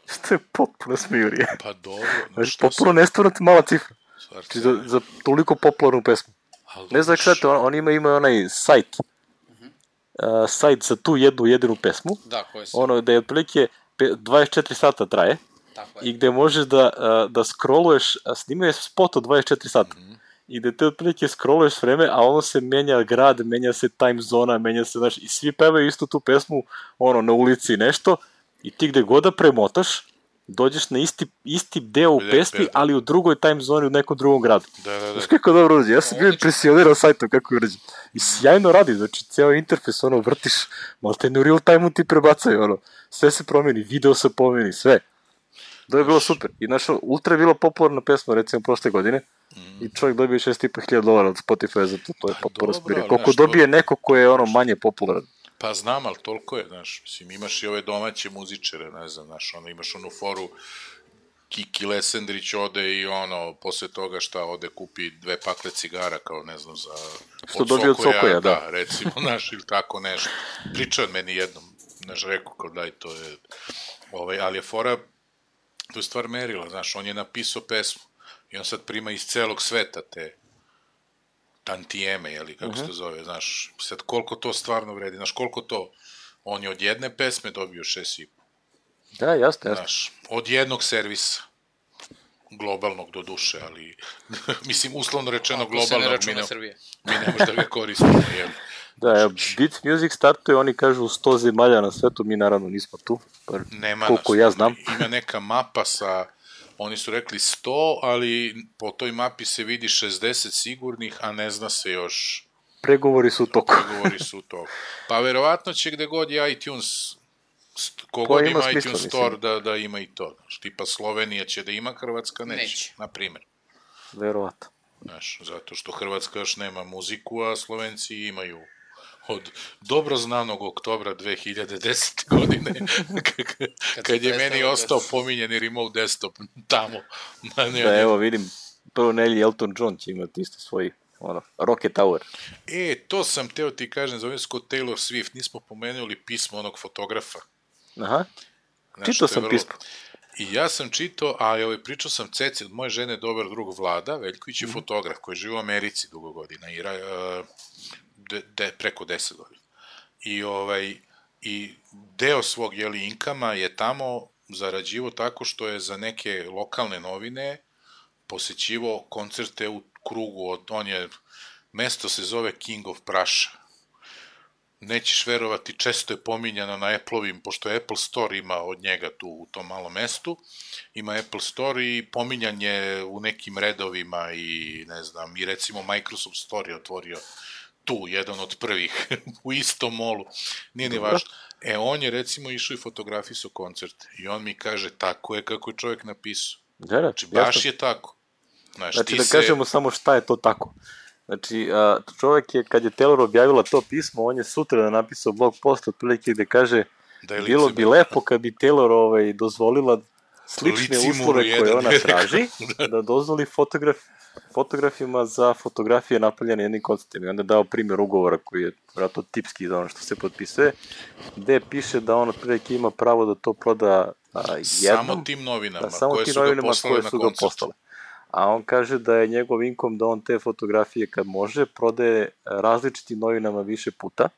Što je potpuno smijurije. Pa dobro. No, znači, potpuno sam... nestvarno mala cifra. Znači, za, za toliko popularnu pesmu. Ali ne znam kako, on, on ima, ima onaj sajt. Uh-huh. Uh, sajt za tu jednu jedinu pesmu. Da, koji se... Ono, da je otprilike dvadeset četiri sata traje. Tako je. I gde možeš da, uh, da scrolluješ, snimaju spot od dvadeset četiri sata. Mm-hmm. I gde te otprilike scrolluješ vreme, a ono se menja grad, menja se time zona, menja se, znaš, i svi pevaju istu tu pesmu, ono, na ulici nešto, i ti gde god da premotaš, dođeš na isti, isti deo u pesmi, ali u drugoj time zoni u nekom drugom gradu. Da, da, da. Znaš kako dobro urađe, ja sam bio impresionirao sajtom kako je urađe. I sjajno radi, znači, cijel interfejs, ono, vrtiš, malo te u real time-u ti prebacaju, ono, sve se promeni, video se promeni, sve. To je bilo super. I znaš, ultra je bilo popularna pesma, recimo, prošle godine, mm. i čovjek dobije šest i po hiljada dolara od Spotify za to, to je pa, potpuno spirije. Koliko znaš, dobije to... neko ko je ono manje popularan. Pa znam, ali toliko je, znaš, mislim, imaš i ove domaće muzičare, ne znam, znaš, ono, imaš onu foru, Kiki Lesendrić ode i ono, posle toga šta ode kupi dve pakle cigara, kao ne znam, za... Što od dobije od Sokoja, da. Da, recimo, znaš, ili tako nešto. Pričao meni jednom, znaš, rekao, kao daj, to je, ovaj, ali je fora, to je stvar merila, znaš, on je napisao pesmu i on sad prima iz celog sveta te tantijeme, jeli, kako uh-huh. se to zove, znaš, sad koliko to stvarno vredi, znaš, koliko to, on je od jedne pesme dobio šest i po. Da, jasno, jasno. Znaš, od jednog servisa, globalnog do duše, ali, mislim, uslovno rečeno ako globalnog, ne mi, ne, mi ne možda ga koristimo, jel? Da, evo, Beat Music startuje, oni kažu sto zemalja na svetu, mi naravno nismo tu, par, nema koliko nas, ja znam. Ima neka mapa sa, oni su rekli sto, ali po toj mapi se vidi šezdeset sigurnih, a ne zna se još... Pregovori su u toku. Pregovori su u toku. Pa verovatno će gde god je iTunes, kogod ima, ima smisla, iTunes Store da, da ima i to. Znaš, tipa Slovenija će da ima, Hrvatska neće, neće. Na primjer. Verovatno. Znaš, zato što Hrvatska još nema muziku, a Slovenci imaju od dobro znanog oktobra dve hiljade desete. godine, kad, kad je meni ostao pominjeni remote desktop tamo. Na ne, da, evo vidim, prvo nelji Elton John će imati isto svoj ono, Rocket Tower. E, to sam teo ti kažem, zovem se kod Taylor Swift, nismo pomenuli pismo onog fotografa. Aha, znaš, čitao sam vrlo... pismo. I ja sam čitao, a ovaj, pričao sam Ceci od moje žene dobar drug Vlada, Veljković je mm. fotograf koji živi u Americi dugo godina, i, uh, de, de, preko deset godina. I, ovaj, i deo svog jeli, inkama je tamo zarađivo tako što je za neke lokalne novine posećivo koncerte u krugu, od, on je, mesto se zove King of Prussia. Nećeš verovati, često je pominjano na Apple-ovim, pošto Apple Store ima od njega tu u tom malom mestu, ima Apple Store i pominjanje u nekim redovima i ne znam, i recimo Microsoft Store je otvorio tu, jedan od prvih, u istom molu, nije ni važno. E, on je recimo išao i fotografisao koncerte i on mi kaže, tako je kako je čovjek napisao. Da, znači, baš jasno. Je tako. Znaš, znači, da se... kažemo samo šta je to tako. Znači, čovjek je, kad je Taylor objavila to pismo, on je sutra napisao blog post otprilike gde kaže da bilo bi lepo kad bi Taylor ovaj, dozvolila slične uslove koje ona traži, da dozvoli fotograf, fotografima za fotografije napravljene jednim konceptom. I onda je dao primjer ugovora koji je vratno tipski za ono što se potpisuje, gde piše da on otprilike ima pravo da to proda a, jednom. Samo tim novinama, da, samo koje, tim su novinama koje su ga postale. A on kaže da je njegov inkom da on te fotografije kad može prodaje različitim novinama više puta,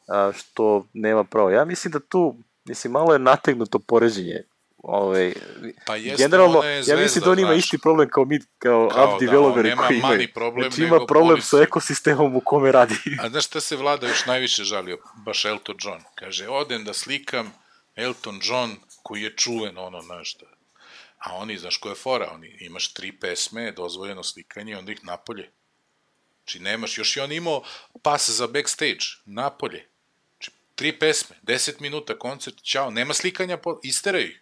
a, što nema pravo. Ja mislim da tu, mislim, malo je nategnuto poređenje. Ove, pa jeste, generalno, zvezda, ja mislim da on ima znaš, isti problem kao mi, kao, kao app developeri da, koji imaju. Problem, znači ima problem polici. Sa ekosistemom u kome radi. A znaš šta se Vlada još najviše žalio? Baš Elton John. Kaže, odem da slikam Elton John koji je čuven, ono, znaš, da. A oni, znaš ko je fora, oni, imaš tri pesme, dozvoljeno slikanje, onda ih napolje. Znači, nemaš, još i on imao pas za backstage, napolje. Znači, tri pesme, deset minuta, koncert, ćao, nema slikanja, po... isteraju ih.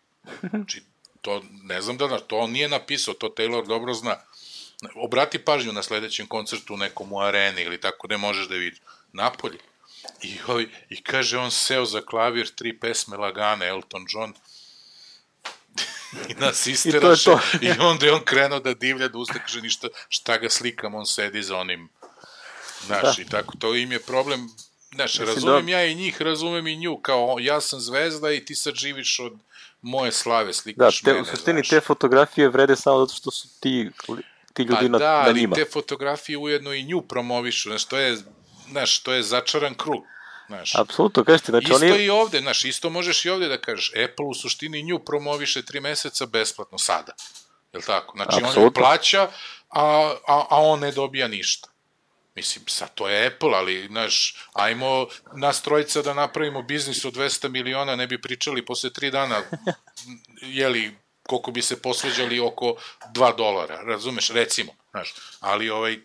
Znači, to, ne znam da, to on nije napisao, to Taylor dobro zna. Obrati pažnju na sledećem koncertu nekom u areni ili tako, ne možeš da vidiš. Napolje. I, oj, i kaže, on seo za klavir, tri pesme lagane, Elton John, i nas isteraše, i, i onda je on krenuo da divlja, da usta, kaže, ništa, šta ga slikam, on sedi za onim, znaš, da. I tako, to im je problem, znaš, razumem da... ja i njih, razumem i nju, kao, ja sam zvezda i ti sad živiš od moje slave, slikaš da, te, mene, u suštini, znaš. Te fotografije vrede samo zato što su ti, ti ljudi na, da, na njima. Da, ali te fotografije ujedno i nju promovišu, znaš, to je, znaš, to je začaran krug. Znaš, apsolutno, kažete, znači isto oni... i ovde, znaš, isto možeš i ovde da kažeš, Apple u suštini nju promoviše tri meseca besplatno sada, je li tako? Znači, apsolutno. On ju plaća, a, a, a on ne dobija ništa. Mislim, sad to je Apple, ali, znaš, ajmo nas trojica da napravimo biznis od dvesta miliona, ne bi pričali posle tri dana, jeli, koliko bi se posveđali oko dva dolara, razumeš, recimo, znaš, ali ovaj...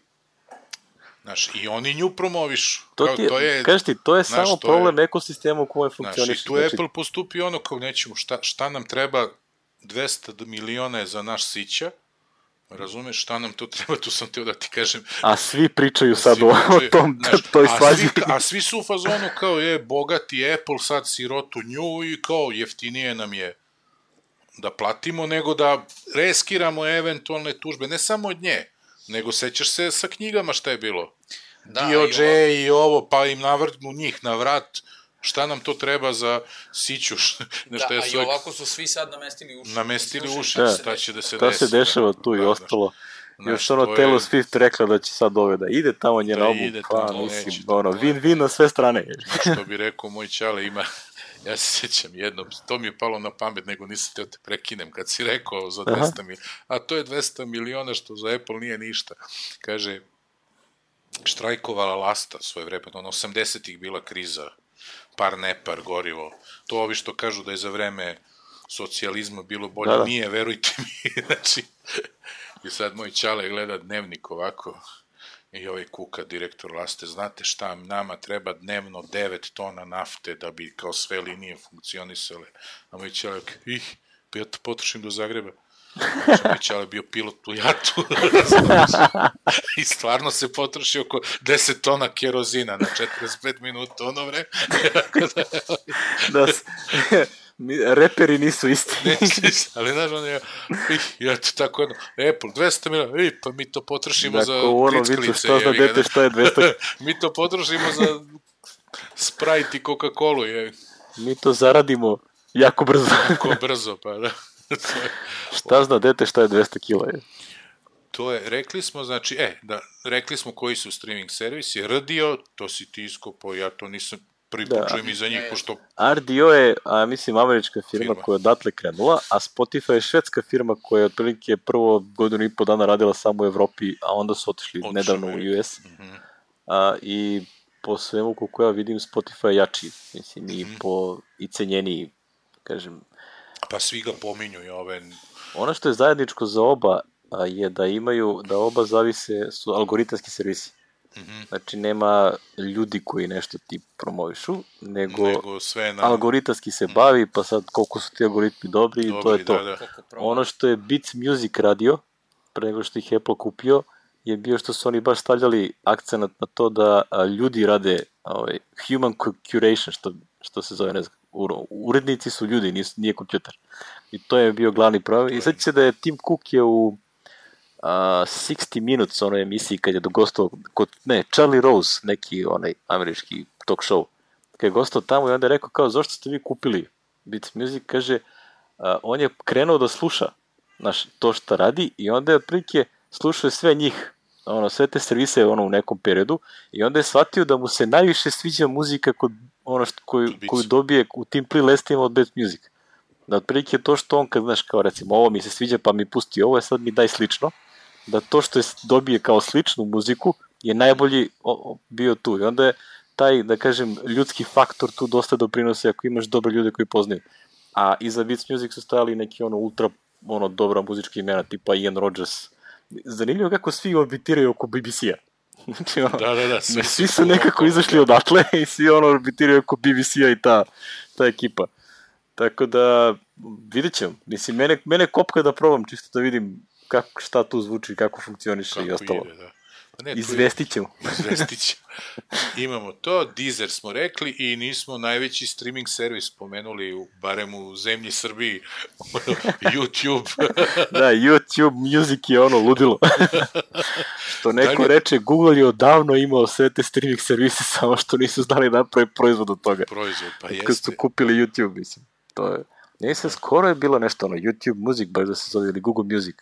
Znaš, i oni nju promovišu. To ti je, to je, kažeš ti, to je znaš, samo to problem je, ekosistema u kojem funkcioniš. Znaš, i tu znači... Apple postupi ono kao nećemo, šta, šta nam treba, dvesta miliona je za naš sića, razumeš, šta nam to treba, tu sam teo da ti kažem. A svi pričaju sad svi o, pričaju, o tom, znaš, toj svađi. A, a svi su u fazonu kao je, bogati Apple sad sirotu nju i kao jeftinije nam je da platimo, nego da reskiramo eventualne tužbe, ne samo od nje, nego sećaš se sa knjigama šta je bilo. Da, D O J i, i ovo, pa im navrtnu njih na vrat, šta nam to treba za siću. Da, a i ovako su svi sad namestili uši. Namestili uši, da, šta će da se desi. Šta se dešava tu da, i ostalo. Znaš, još ono Taylor je... Swift rekla da će sad ove da ide tamo njena album, pa mislim, ono, win-win na sve strane. Što bi rekao moj čale, ima... Ja se sjećam jednom, to mi je palo na pamet, nego nisam teo te prekinem, kad si rekao za dvesta miliona, a to je dvesta miliona što za Apple nije ništa. Kaže, štrajkovala Lasta svoje vreme, ono osamdesetih bila kriza, par nepar, gorivo. To ovi što kažu da je za vreme socijalizma bilo bolje, da, da. Nije, verujte mi. Znači, i sad moj čale gleda dnevnik ovako, i ovaj kuka, direktor Laste, znate šta, nama treba dnevno devet tona nafte da bi kao sve linije funkcionisale. A moj čale, ih, pa ja to potrošim do Zagreba. Znači, moj čale bio pilot u jatu. I stvarno se potroši oko deset tona kerozina na četrdeset pet minuta, ono vreme. Da, reperi nisu isti. Ne, ali znaš, on je, ja to tako jedno, Apple, dvesta miliona, i, pa mi to potrošimo dakle, za klicklice. Šta zna dete, šta je dvesta? Mi to potrošimo za Sprite i Coca-Cola. Je. Mi to zaradimo jako brzo. Jako brzo, pa da. Šta zna dete, šta je dvesta kila? Je. To je, rekli smo, znači, e, da, rekli smo koji su streaming servisi, R D O, to si ti iskopao, ja to nisam prvi da, počujem i za njih, pošto... R D O je, a, mislim, američka firma, firma koja je odatle krenula, a Spotify je švedska firma koja je otprilike prvo godinu i po dana radila samo u Evropi, a onda su otišli Otišli nedavno u U S. Mm-hmm. A, I po svemu koliko ja vidim, Spotify je jači, mislim, mm-hmm. i po i cenjeniji, kažem. Pa svi ga pominju i ove... Ono što je zajedničko za oba a, je da imaju, da oba zavise, su algoritamski servisi. Mm-hmm. Znači nema ljudi koji nešto ti promovišu, nego, nego sve na... algoritamski se bavi, pa sad koliko su ti algoritmi dobri, dobri to je to. Da, da. Ono što je Beats Music radio, pre nego što ih Apple kupio, je bio što su oni baš stavljali akcenat na to da a, ljudi rade ovaj, human curation, što, što se zove, ne znam, urednici su ljudi, nisu, nije kompjuter. I to je bio glavni problem. I sad će se da je Tim Cook je u Uh, sixty minutes onoj emisiji kad je dogostao kod, ne, Charlie Rose, neki onaj američki talk show, kad je gostao tamo i onda je rekao kao, zašto ste vi kupili Beats Music, kaže, uh, on je krenuo da sluša znaš, to što radi i onda je otprilike slušao sve njih, ono, sve te servise ono, u nekom periodu i onda je shvatio da mu se najviše sviđa muzika kod ono što, koju, koju dobije u tim playlistima od Beats Music. Da otprilike to što on kad, znaš, kao recimo, ovo mi se sviđa pa mi pusti ovo, sad mi daj slično, da to što je dobije kao sličnu muziku je najbolji o, o, bio tu. I onda je taj, da kažem, ljudski faktor tu dosta doprinosi ako imaš dobre ljude koji poznaju. a iza Beats Music su stajali neki ono ultra ono dobra muzička imena, tipa Ian Rogers. Zanimljivo kako svi orbitiraju oko B B C-a. Znači, ono, da, da, da, svi, svi su nekako izašli odatle i svi ono orbitiraju oko B B C-a i ta, ta ekipa. Tako da, vidjet ćemo. Mislim, mene, mene kopka da probam, čisto da vidim kako, šta tu zvuči, kako funkcioniše kako i ostalo. Ide, da. Pa ne, izvestit ćemo. Izvestit ćemo. Imamo to, Deezer smo rekli i nismo najveći streaming servis pomenuli, u, barem u zemlji Srbiji, YouTube. Da, YouTube Music je ono ludilo. Što neko Dalje... reče, Google je odavno imao sve te streaming servise, samo što nisu znali napraviti proizvod od toga. Proizvod, pa jeste. Kad su kupili YouTube, mislim. To je... Ne se skoro je bilo nešto ono, YouTube Music, baš da se zove, ili Google Music.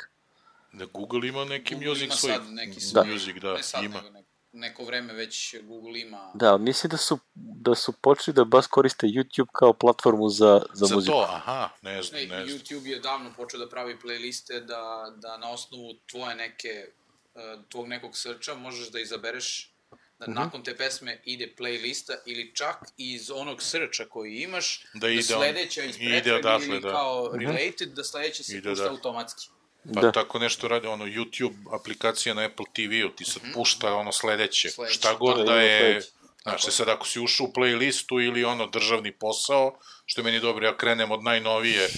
Da Google ima neki Google music ima svoj. Sad neki svoj da. Music, da, ne sad, ima. Nego, neko vreme već Google ima... Da, mislim da su, da su počeli da baš koriste YouTube kao platformu za, za, za muziku. Za to, aha, ne znam, ne, ne znam. YouTube je davno počeo da pravi playliste da, da na osnovu tvoje neke, tvog nekog searcha možeš da izabereš da mm-hmm. nakon te pesme ide playlista ili čak iz onog searcha koji imaš, da, da sledeća iz pretrage ili da. kao mm-hmm. related, da sledeća se pušta da. automatski. Pa da. Tako nešto radi, ono, YouTube aplikacija na Apple T V-u, ti sad mm-hmm. pušta ono sledeće, sledeće. šta god da, da je, znači sad ako si ušao u playlistu ili ono državni posao, što je meni dobro, ja krenem od najnovije,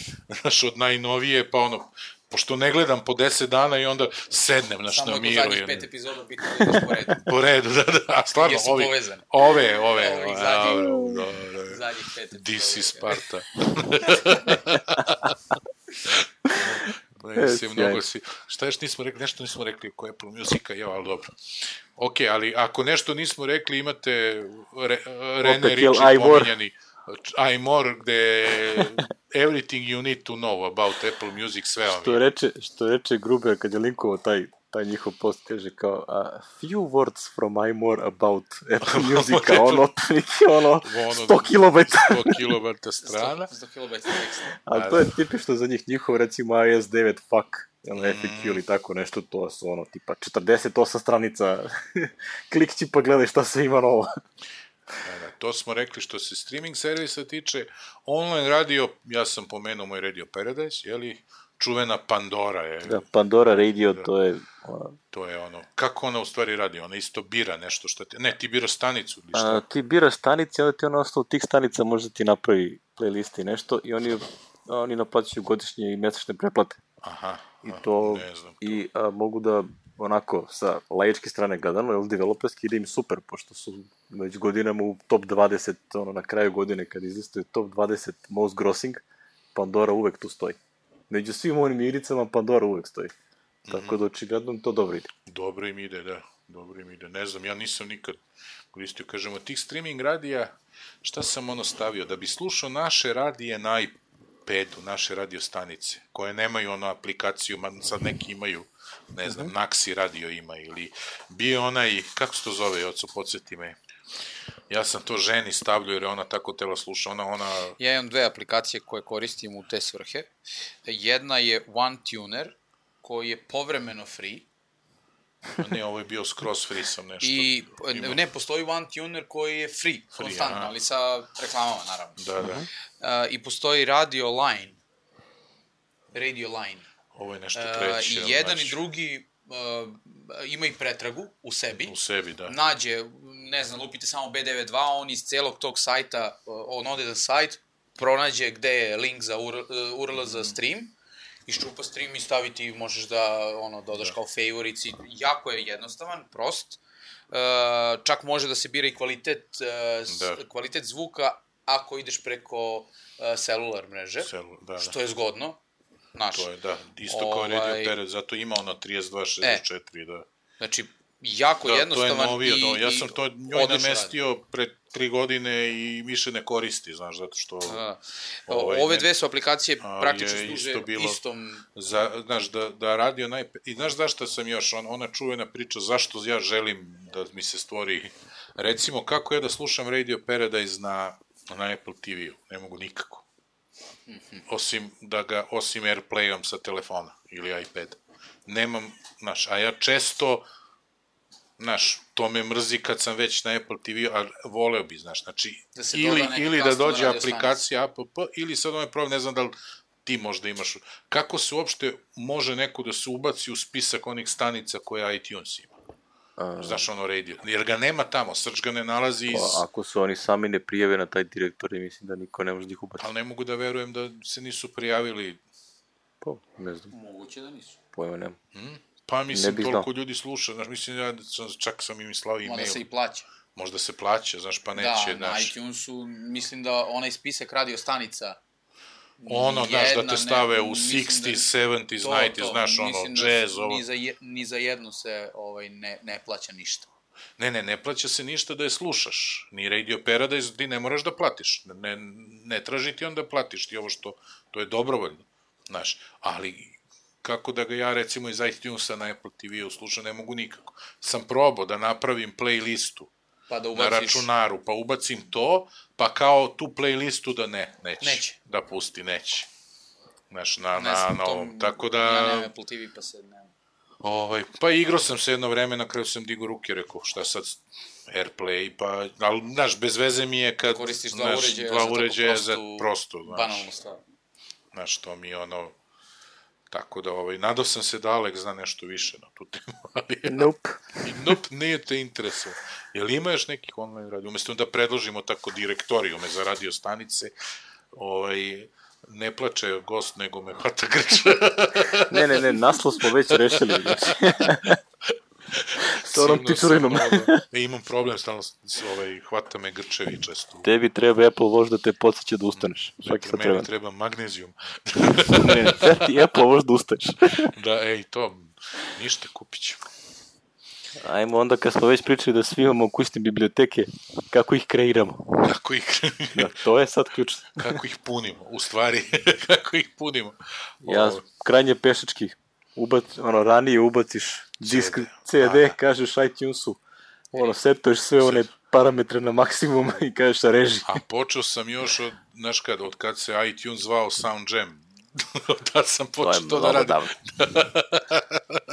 znaš, od najnovije, pa ono, pošto ne gledam po deset dana i onda sednem, znaš, na miru. Samo je zadnjih pet epizoda bitno da ideš po redu. Po redu, da, da, a stvarno, jesu ovi, povezani. ove, ove, ovih zadnjih, da, da, da. zadnjih pet epizoda. This is Sparta. Ne, si, mnogo si, šta još nismo rekli, nešto nismo rekli oko Apple Musica, ja, ali dobro. Ok, ali ako nešto nismo rekli, imate Re, Rene Ritchie pominjani iMore, gde everything you need to know about Apple Music, sve vam je. Što reče, što reče Gruber kad je linkovao taj, taj njihov post, kaže kao a few words from iMore about Apple Music, a ono, ono, sto kilobajta. sto kilobajta strana. sto kilobajta teksta. Ali to je tipično za njih, njihov recimo i o S devet fuck, ono, F A Q ili tako nešto, to su ono, tipa četrdeset osam stranica, klikći pa gledaj šta se ima novo. Da, da, to smo rekli što se streaming servisa tiče. Online radio, ja sam pomenuo moj Radio Paradise, jeli, čuvena Pandora je. Da, Pandora Radio, da, to je... Ona... To je ono, kako ona u stvari radi? Ona isto bira nešto što ti... Ne, ti biraš stanicu ili šta? A, ti biraš stanice, onda ti ono ostalo tih stanica može ti napravi playlist i nešto i oni, oni naplaćuju godišnje i mesečne preplate. Aha, I to, ne znam. I a, mogu da onako, sa laičke strane gledano, ili developerski ide im super, pošto su već godinama u top dvadeset, ono, na kraju godine, kad izlistuje top dvadeset most grossing, Pandora uvek tu stoji. Među svim onim igricama Pandora uvek stoji. Mm-hmm. Tako da očigledno to dobro ide. Dobro im ide, da. Dobro im ide. Ne znam, ja nisam nikad koristio, kažemo, tih streaming radija, šta sam ono stavio? Da bi slušao naše radije na iPadu, naše radio stanice, koje nemaju ono aplikaciju, sad neki imaju, ne znam, uh-huh. Naxi radio ima, ili bio onaj, kako se to zove, oco, podsjeti me, ja sam to ženi stavljao jer je ona tako tela sluša, ona, ona... Ja imam dve aplikacije koje koristim u te svrhe. Jedna je OneTuner, koji je povremeno free. Ne, ovo je bio skroz free, sam nešto... I, imao. Ne, postoji OneTuner koji je free, free konstantno, aha. ali sa reklamama, naravno. Da, da. Uh, I postoji Radio Line. Radio Line. Ovo je nešto treće. Uh, I jedan znači... i drugi uh, ima i pretragu u sebi. U sebi, da. Nađe, ne znam, lupite samo B devedeset dva, on iz celog tog sajta, on ode na sajt, pronađe gde je link za U R L za stream, iščupa stream i staviti, možeš da ono, dodaš da. kao favorites, jako je jednostavan, prost. Uh, čak može da se bira i kvalitet, uh, da. kvalitet zvuka ako ideš preko uh, celular mreže, Celu, da, da. što je zgodno. Naš. To je, da, isto kao ovaj... Radio Teret, zato ima ono trideset dva šezdeset četiri, e, da. Znači, jako da, jednostavan to je novio, i, no, ja sam to njoj namestio radi. Pre tri godine i više ne koristi, znaš, zato što... Da. Ovaj, Ove dve su aplikacije praktično služe isto bilo, istom... Za, znaš, da, da radio naj... I znaš zašto sam još, on, ona čuvena priča, zašto ja želim da mi se stvori... Recimo, kako ja da slušam Radio Paradise na, na Apple T V-u? Ne mogu nikako. Mm-hmm. Osim da ga, osim Airplayom sa telefona ili iPad. Nemam, znaš, a ja često znaš, to me mrzi kad sam već na Apple te ve, a voleo bi, znaš, znači, Da se ili, doda neki ili da custom dođe radio aplikacija app, ili sad ovaj problem, ne znam da li ti možda imaš, kako se uopšte može neko da se ubaci u spisak onih stanica koje iTunes ima? A... Znaš, ono radio, jer ga nema tamo, Search ga ne nalazi iz... Pa, ako su oni sami ne prijave na taj direktor, mislim da niko ne može da ih ubaciti. Ali ne mogu da verujem da se nisu prijavili. Pa, ne znam. Moguće da nisu. Pojma nema. Hmm? Pa mislim, toliko znao. Ljudi sluša, znaš, mislim, ja sam, čak sam im slao e-mail. Možda se i plaća. Možda se plaća, znaš, pa neće, da, na znaš. iTunesu, mislim da onaj spisak radio stanica ono, znaš, da te stave ne, u šezdeset, sedamdeset, devedeset, znaš, ono, jazz, da ovo. Ni za, je, ni za jednu se ovaj, ne, ne plaća ništa. Ne, ne, ne plaća se ništa da je slušaš. Ni Radio Paradise, ti ne moraš da platiš. Ne, ne traži ti onda platiš ti ovo što, to je dobrovoljno, znaš. Ali, kako da ga ja, recimo, iz iTunesa na Apple te ve slušam, ne mogu nikako. Sam probao da napravim playlistu pa da ubaciš... na računaru, pa ubacim to, pa kao tu playlistu da ne, neće. Neće. Da pusti, neće. Znaš, na, ne na, znam, na ovom, to, tako da... Ja nemam Apple te ve, pa se ne... Ovaj, pa igrao sam se jedno vreme, na kraju sam digao ruke, rekao, šta sad, Airplay, pa, ali, znaš, bez veze mi je kad... Koristiš dva znaš, uređaja dva za uređaja tako prostu, za prosto, znaš. banalnu stvar. Znaš, to mi je ono... Tako da, ovaj, nadao sam se da Alex zna nešto više na tu temu, ali... Nope. Nope, nije te interesuje. Jel ima još nekih online radio? Umesto da predložimo tako direktorijume za radio stanice, ovaj... Ne plače gost, nego me hvata grča. ne, ne, ne, naslov smo već rešili. S onom pičurinom. E, imam problem, stalno ovaj, hvata me grčevi često. Tebi treba Apple Watch da te podsjeća da ustaneš. Svaki sad treba. Meni treba magnezijum. ne, ne, treba ti Apple Watch da ustaneš. da, ej, to, ništa, kupit ću. Ajmo onda, kad smo već pričali da svi imamo kućne biblioteke, kako ih kreiramo. Kako ih da, to je sad ključno. kako ih punimo, u stvari, kako ih punimo. Ja, Ovo... krajnje pešački, ubac, ono, ranije ubaciš disk C D, C D da, da. kažeš iTunesu, ono, setuješ sve one parametre na maksimum i kažeš reži. A počeo sam još od, znaš kad, od kad se iTunes zvao Sound Jam. da sam počeo to, to da radim.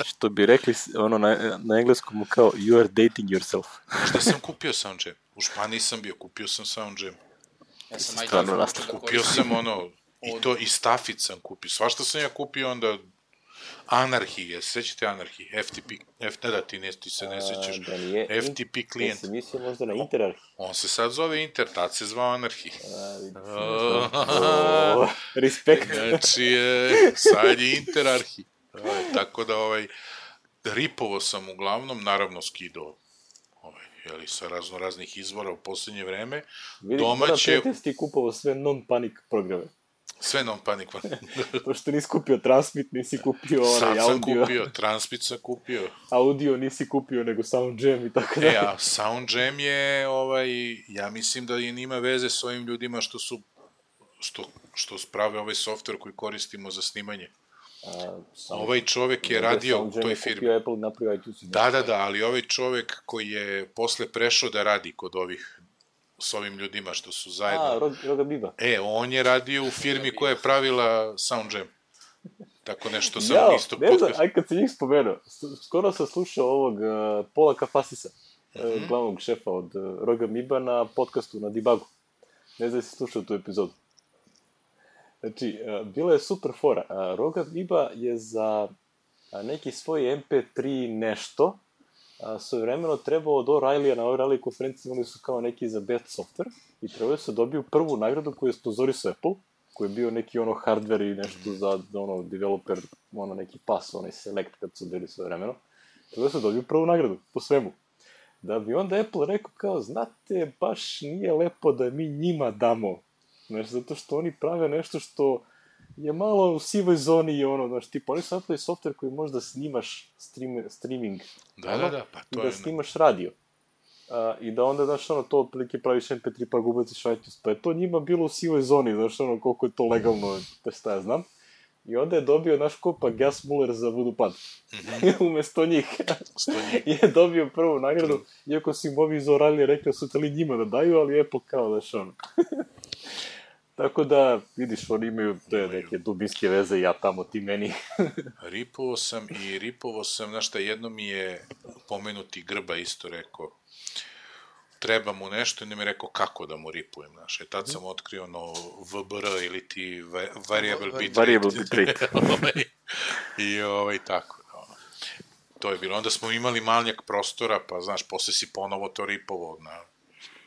Što bi rekli ono na, na engleskom kao you are dating yourself. Šta sam kupio Sound Jam? U Španiji sam bio, kupio sam Sound Jam. Ja sam stvarno iTunes nastavio. Kupio sam ono, i to, i Staffit sam kupio. Svašta sam ja kupio onda Anarchy, je, sećate Anarchy? F T P, F, ne da ti, ne, ti se ne sećaš. Da nije, F T P klijent. Ja sam mislio možda na Interarchy. On se sad zove Inter, tad se zvao Anarchy. Oh, respekt. Znači, sad je Interarchy. Tako da, ovaj, ripovo sam uglavnom, naravno skidao, ovaj, jeli, sa razno raznih izvora u posljednje vreme. Vidim, domaće... moram pretesti kupovao sve non-panic programe. Sve non-panic. Pošto nisi kupio Transmit, nisi kupio onaj audio. Sad sam kupio, Transmit sam kupio. Audio nisi kupio, nego Sound Jam i tako da. E, a Sound Jam je, ovaj, ja mislim da je nima veze s ovim ljudima što su, što, što sprave ovaj software koji koristimo za snimanje. A, sam, ovaj čovek je radio u toj firmi. Apple napravio iTunes. Da, da, da, ali ovaj čovek koji je posle prešao da radi kod ovih s ovim ljudima što su zajedno. A, Rog, Roga Biba. E, on je radio u firmi koja je pravila Sound Jam. Tako nešto sam Jao, isto ne znam, podcast. aj kad si njih spomenuo, skoro sam slušao ovog uh, Pola Kafasisa, mm-hmm. uh, glavnog šefa od uh, Roga Biba na podcastu na Debugu. Ne znam da si slušao tu epizodu. Znači, uh, bila je super fora. Uh, Roga Biba je za uh, neki svoj em pe tri nešto uh, svojevremeno trebao od O'Reillya na O'Reilly konferenciji, imali su kao neki za best software i trebao se dobiju prvu nagradu koju je sponzorisao Apple, koji je bio neki ono hardware i nešto za ono developer, ono neki pas, onaj select kad su bili sve vremeno. Trebao se dobiju prvu nagradu, po svemu. Da bi onda Apple rekao kao, znate, baš nije lepo da mi njima damo. Znaš, zato što oni prave nešto što je malo u sivoj zoni i ono, znaš, tipa, oni su napravili software koji možda snimaš stream, streaming. Da, ono, da, da, pa to i je... da snimaš radio. Uh, I da onda, znaš, ono, to otprilike praviš em pe tri pa ga ubaciš iTunes, pa je to njima bilo u sivoj zoni, znaš, ono, koliko je to legalno, te šta ja znam. I onda je dobio, naš kopa, Gas Muller za Vodopad. Mm-hmm. Umesto njih. njih. je dobio prvu nagradu, iako su im ovi iz O'Reilly rekli su tali njima da daju, ali Apple kao, znaš, ono. Tako da, vidiš, oni imaju te neke dubinske veze, ja tamo, ti meni. Ripovao sam i ripovao sam, znaš šta, jedno mi je pomenuti Grba isto rekao, treba mu nešto i ne mi je rekao kako da mu ripujem, znaš. E tad sam otkrio ono V B R ili ti variable bit Variable bit rate. I ovaj, tako. Ono. To je bilo. Onda smo imali manjak prostora, pa znaš, posle si ponovo to ripovao na,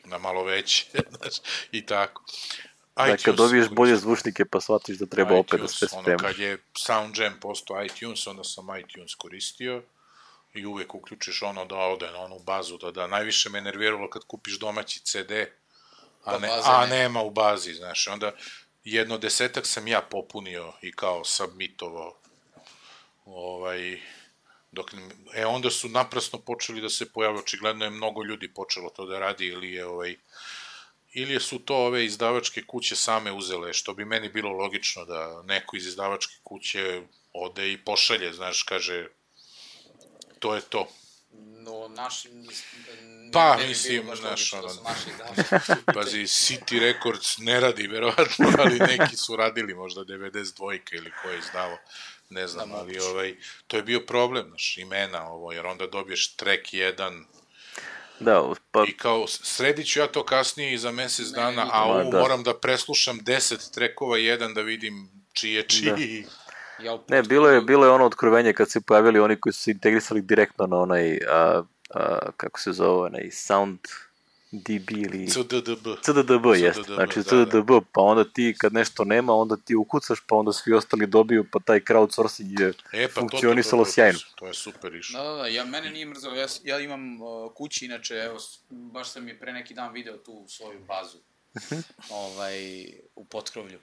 na malo veće, znaš, i tako. Da, kad dobiješ bolje zvučnike pa shvatiš da treba iTunes, opet da sve sprema. Ono, kad je SoundJam postao iTunes, onda sam iTunes koristio i uvek uključiš ono da ode na onu bazu, da da. Najviše me nerviralo kad kupiš domaći ce de, a, ne, a nema u bazi, znaš. Onda jedno desetak sam ja popunio i kao submitovao. Ovaj, dok, e, onda su naprasno počeli da se pojave, očigledno je mnogo ljudi počelo to da radi, ili je ovaj, ili su to ove izdavačke kuće same uzele, što bi meni bilo logično da neko iz izdavačke kuće ode i pošalje, znaš, kaže, to je to. No, naši... Pa, mislim, znaš, ono, pazi, City Records ne radi, verovatno, ali neki su radili, možda devedeset dva ili ko je izdavo, ne znam, ali ovaj, to je bio problem, znaš, imena ovo, jer onda dobiješ track jedan, da, pa... i kao, sredit ću ja to kasnije i za mesec dana, a ovo moram da preslušam deset trackova jedan da vidim čiji je čiji. Ne, bilo je, bilo je ono otkrovenje kad se pojavili oni koji su se integrisali direktno na onaj, a, a, kako se zove, onaj Sound D B ili... C D D B. C D D B, jest. Znači C D D B, pa onda ti kad nešto nema, onda ti ukucaš, pa onda svi ostali dobiju, pa taj crowdsourcing je e, pa funkcionisalo to, to, to, sjajno. To je super išlo. Da, da, da, ja, mene nije mrzalo, ja, ja imam uh, kući, inače, evo, baš sam je pre neki dan video tu svoju bazu, ovaj, u Potkrovlju,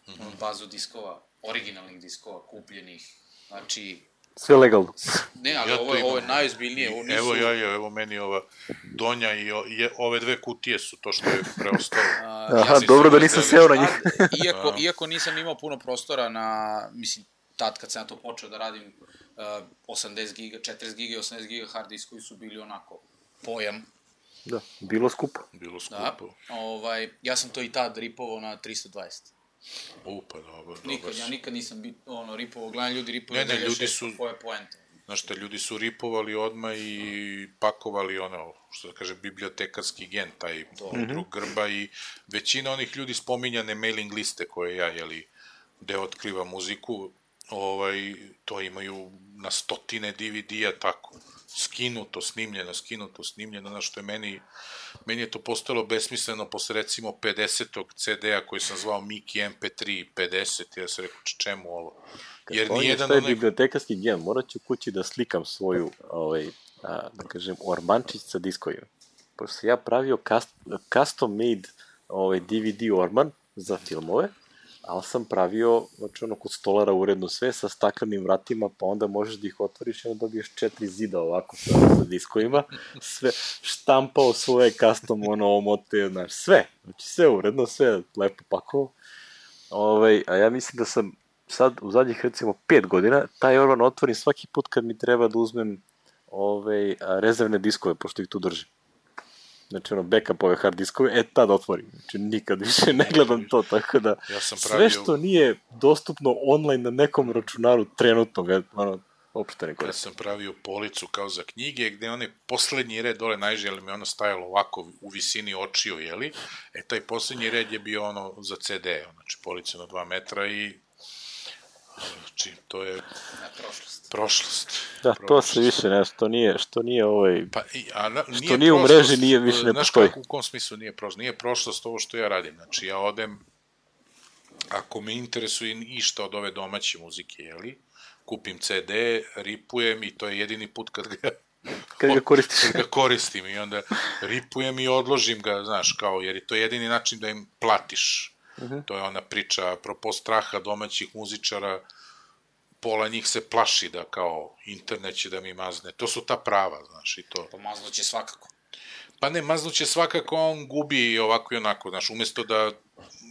mm-hmm. bazu diskova, originalnih diskova, kupljenih, znači... Sve legalno. Ne, ali ja ovo, ovo je najozbiljnije. Ovo nisu... Evo ja, ja, evo meni ova donja i o, je, ove dve kutije su to što je preostalo. Aha, ja dobro da nisam seo na njih. Iako, iako nisam imao puno prostora na, mislim, tad kad sam ja to počeo da radim, uh, osamdeset giga, četrdeset giga i osamdeset giga hard diskovi su bili onako pojam. Da, bilo skupo. Bilo skupo. Da, ovaj, ja sam to i tad ripovao na tristo dvadeset. U, pa dobro, nikad, dobro. Ja nikad nisam bit, ono, ripovao, gledam ljudi ripovao, ne, ne, ljudi su, koje poente. Znaš šta, ljudi su ripovali odmah i pakovali ono, što da kaže, bibliotekarski gen, taj drug Grba i većina onih ljudi spominjane mailing liste koje ja, jeli, gde otkriva muziku, ovaj, to imaju na stotine D V D-a tako, skinuto, snimljeno, skinuto, snimljeno, znaš što je meni, meni je to postalo besmisleno posle recimo pedesetog ce de-a koji sam zvao Miki M P tri pedeset, ja sam rekao čemu ovo. Jer nijedan onaj... bibliotekarski gen, morat ću kući da slikam svoju, ovaj, a, da kažem, ormančić sa diskovima. Pošto sam ja pravio cust, custom made ovaj, D V D orman za filmove, ali sam pravio, znači ono, kod stolara uredno sve sa staklenim vratima, pa onda možeš da ih otvoriš i onda dobiješ četiri zida ovako sa, sa diskovima, sve, štampao svoje custom, ono, omote, znaš, sve, znači sve uredno, sve lepo pakovao. Ovaj, a ja mislim da sam sad u zadnjih recimo pet godina taj orman otvorim svaki put kad mi treba da uzmem ove, rezervne diskove, pošto ih tu držim. Znači ono, backup ove hard diskove, e tad otvorim. Znači nikad više ne gledam to, tako da ja sam pravio... sve što nije dostupno online na nekom računaru trenutno, ono, uopšte ne koristim. Ja sam pravio policu kao za knjige, gde onaj poslednji red dole najže, ali mi ono stajalo ovako u visini očiju, jeli? E, taj poslednji red je bio ono za ce de, znači polica na dva metra i znači, to je prošlost. Prošlost. Da, prošlost. To se više ne, što nije, što nije ovaj, pa, i, a, na, nije što nije u mreži, nije više ne postoji. Znaš kako, u kom smislu nije prošlost? Nije prošlost ovo što ja radim, znači ja odem, ako me interesuje išta od ove domaće muzike, jeli, kupim ce de, ripujem i to je jedini put kad ga kad ga koristiš. Kad ga koristim i onda ripujem i odložim ga, znaš, kao, jer je to jedini način da im platiš. Uh-huh. To je ona priča, apropo straha domaćih muzičara, pola njih se plaši da kao internet će da mi mazne. To su ta prava, znaš, i to. Pa maznuće svakako. Pa ne, maznuće svakako, on gubi i ovako i onako, znaš, umesto da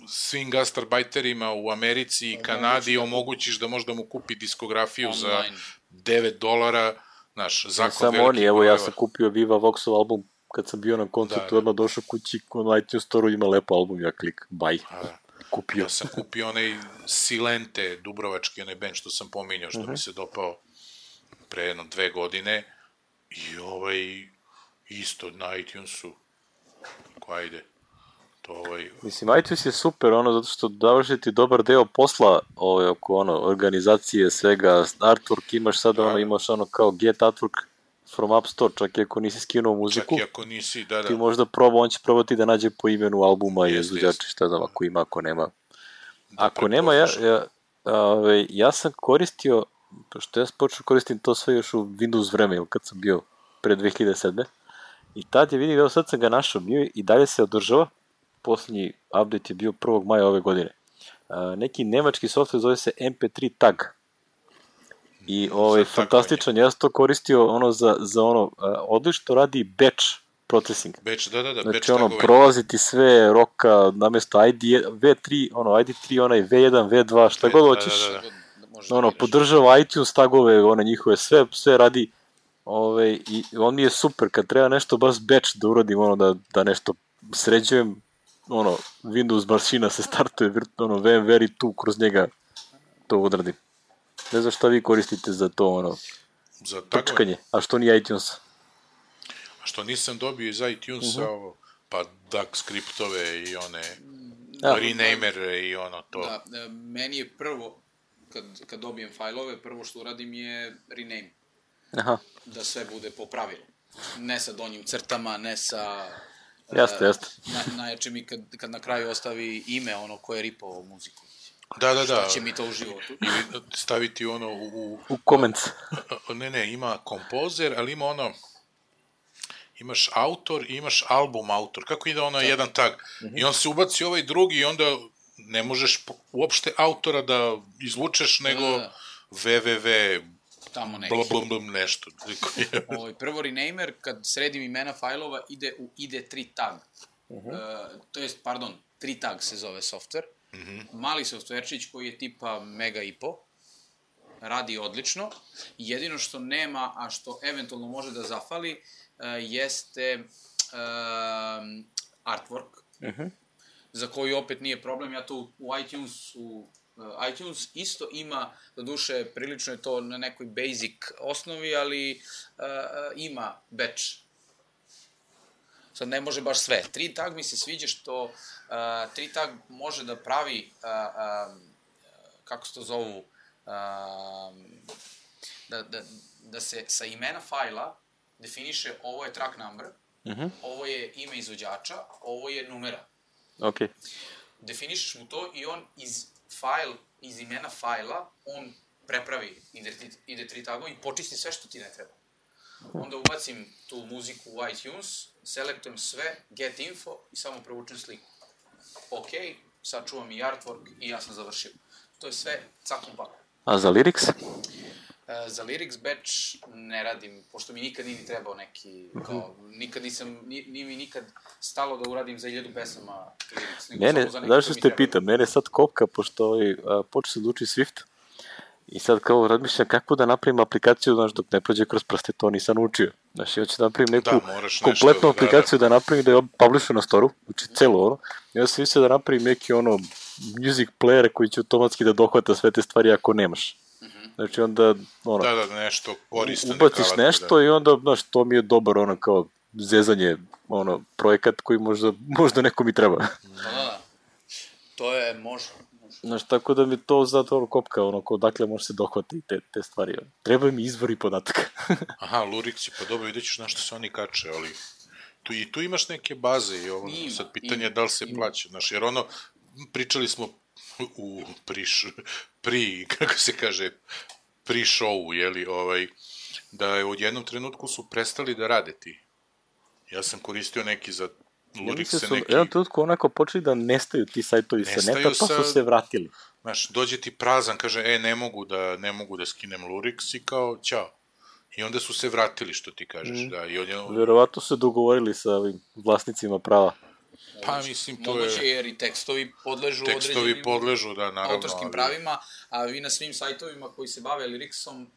svim gastarbajterima u Americi i Kanadi omogućiš da možda mu kupi diskografiju online za devet dolara, znaš, zakon samo veliki. Samo oni, evo ja sam kupio Viva Voxov album kad sam bio na koncertu, da, odmah došao kući, na iTunes Store-u ima lepo album, ja klik, baj. A, kupio. Ja sam kupio onaj Silente, dubrovački onaj band što sam pominjao, što uh-huh. mi se dopao pre jedno dve godine. I ovaj, isto na iTunesu, ko ajde. To ovaj... Mislim, iTunes je super, ono, zato što davaš ti dobar deo posla ovaj, oko ono, organizacije, svega, artwork imaš sad, da, ono, imaš ono kao get artwork from App Store, čak i ako nisi skinuo muziku, čak i ako nisi, da, da. ti možda proba, on će probati da nađe po imenu albuma i izvođača, šta znam, ako ima, ako nema. Da, ako nema, ja, ja, ove, ja sam koristio, pošto ja počeo koristim to sve još u Windows vreme, ili kad sam bio pre dve hiljade sedme. I tad je vidim, evo sad sam ga našao, bio i dalje se održava, posljednji update je bio prvog maja ove godine. A, neki nemački software zove se em pe tri tag. I ovaj, fantastičan, ja sam to koristio ono za, za ono, odlično radi batch processing. Batch, da, da, da, znači batch ono, tagovanje. prolaziti sve roka, namjesto I D, ve tri, ono, I D tri, onaj ve jedan, ve dva, šta god hoćeš. Da, da, da. Ono, podržava iTunes tagove, one njihove, sve, sve radi. Ove, i on mi je super, kad treba nešto baš batch da uradim, ono, da, da nešto sređujem, ono, Windows mašina se startuje, ono, ve em ve tu kroz njega to odradim. Ne znam šta vi koristite za to, ono, za trčkanje, a što nije iTunes? A što nisam dobio iz iTunesa, uh-huh. ovo, pa duck skriptove i one ja. renamere i ono to. Da, da, meni je prvo, kad, kad dobijem fajlove, prvo što uradim je rename. Aha. Da sve bude po pravilu. Ne sa donjim crtama, ne sa... Jeste, jeste. Na, najjače mi kad, kad na kraju ostavi ime ono ko je ripovao muziku. Da, da, da. Šta će mi to u životu? Ili staviti ono u... U comments. Ne, ne, ima kompozer, ali ima ono... Imaš autor i imaš album autor. Kako ide ono jedan tag? Uh-huh. I on se ubaci ovaj drugi i onda ne možeš uopšte autora da izvučeš, nego da, da. www... Tamo neki. Bla, bla, bla, nešto. Ovaj, prvo renamer, kad sredim imena fajlova, ide u I D tri tag. Uh-huh. Uh, to jest, pardon, tri tag se zove software. Uh-huh. Mali softverčić koji je tipa mega i po. Radi odlično. Jedino što nema, a što eventualno može da zafali, uh, jeste uh, artwork. Uh-huh. Za koji opet nije problem. Ja to u iTunesu Uh, iTunes isto ima, do duše, prilično je to na nekoj basic osnovi, ali uh, ima batch. Sad ne može baš sve. tri tag mi se sviđa što uh, tri tag može da pravi, uh, um, kako se to zovu, uh, da, da, da se sa imena fajla definiše ovo je track number, uh-huh. ovo je ime izvođača, ovo je numera. Okay. Definišeš mu to i on iz fajl, iz imena fajla, on prepravi I D tri tagove i počisti sve što ti ne treba. Onda ubacim tu muziku u iTunes, selektujem sve, get info i samo prevučem sliku. Ok, sad čuvam i artwork i ja sam završio. To je sve cakom pakom. A za lyrics? E, za lyrics batch ne radim, pošto mi nikad nije ni trebao neki, kao, nikad nisam, nije, nije mi nikad stalo da uradim za hiljadu pesama lyrics, nego mene, samo za neko znaš što te pitam, mene sad kopka, pošto ovaj, počeo se da uči Swift, i sad kao razmišljam kako da napravim aplikaciju, znaš, dok ne prođe kroz prste, to nisam učio. Znaš, ja ću da napravim neku da, kompletnu nešto, aplikaciju da, da, da napravim da je publishu na storu, znači celo ono, i ja sam mislio da napravim neki ono music player koji će automatski da dohvata sve te stvari ako nemaš. Znači onda, ono, da, da, nešto koristan, ubaciš nešto da. I onda, znaš, to mi je dobar, ono, kao zezanje, ono, projekat koji možda, možda nekom i treba. Da, da, to je, može. Znaš, tako da mi to zato ono kopka, ono, kao dakle može se dohvati te, te stvari. Ono. Treba mi izvori podataka. Aha, Luriksi, pa dobro, vidjet ćeš na što se oni kače, ali tu, i tu imaš neke baze i ovo, ima, sad pitanje je da li se ima. Plaća, znaš, jer ono, pričali smo u priš, pri, kako se kaže, pri show, jeli, ovaj, da je u jednom trenutku su prestali da rade ti. Ja sam koristio neki za Lurikse, neki... Jedan trenutku onako počeli da nestaju ti sajtovi sa neta, pa su se vratili. Znaš, dođe ti prazan, kaže, e, ne mogu da, ne mogu da skinem Luriks i kao, ćao. I onda su se vratili, što ti kažeš, mm. da. I on je... Verovatno su se dogovorili sa ovim vlasnicima prava. Pa, mislim, to moguće je... Moguće jer i tekstovi podležu tekstovi određenim podležu, da, naravno, autorskim ali... pravima, a vi na svim sajtovima koji se bave liriksom uh,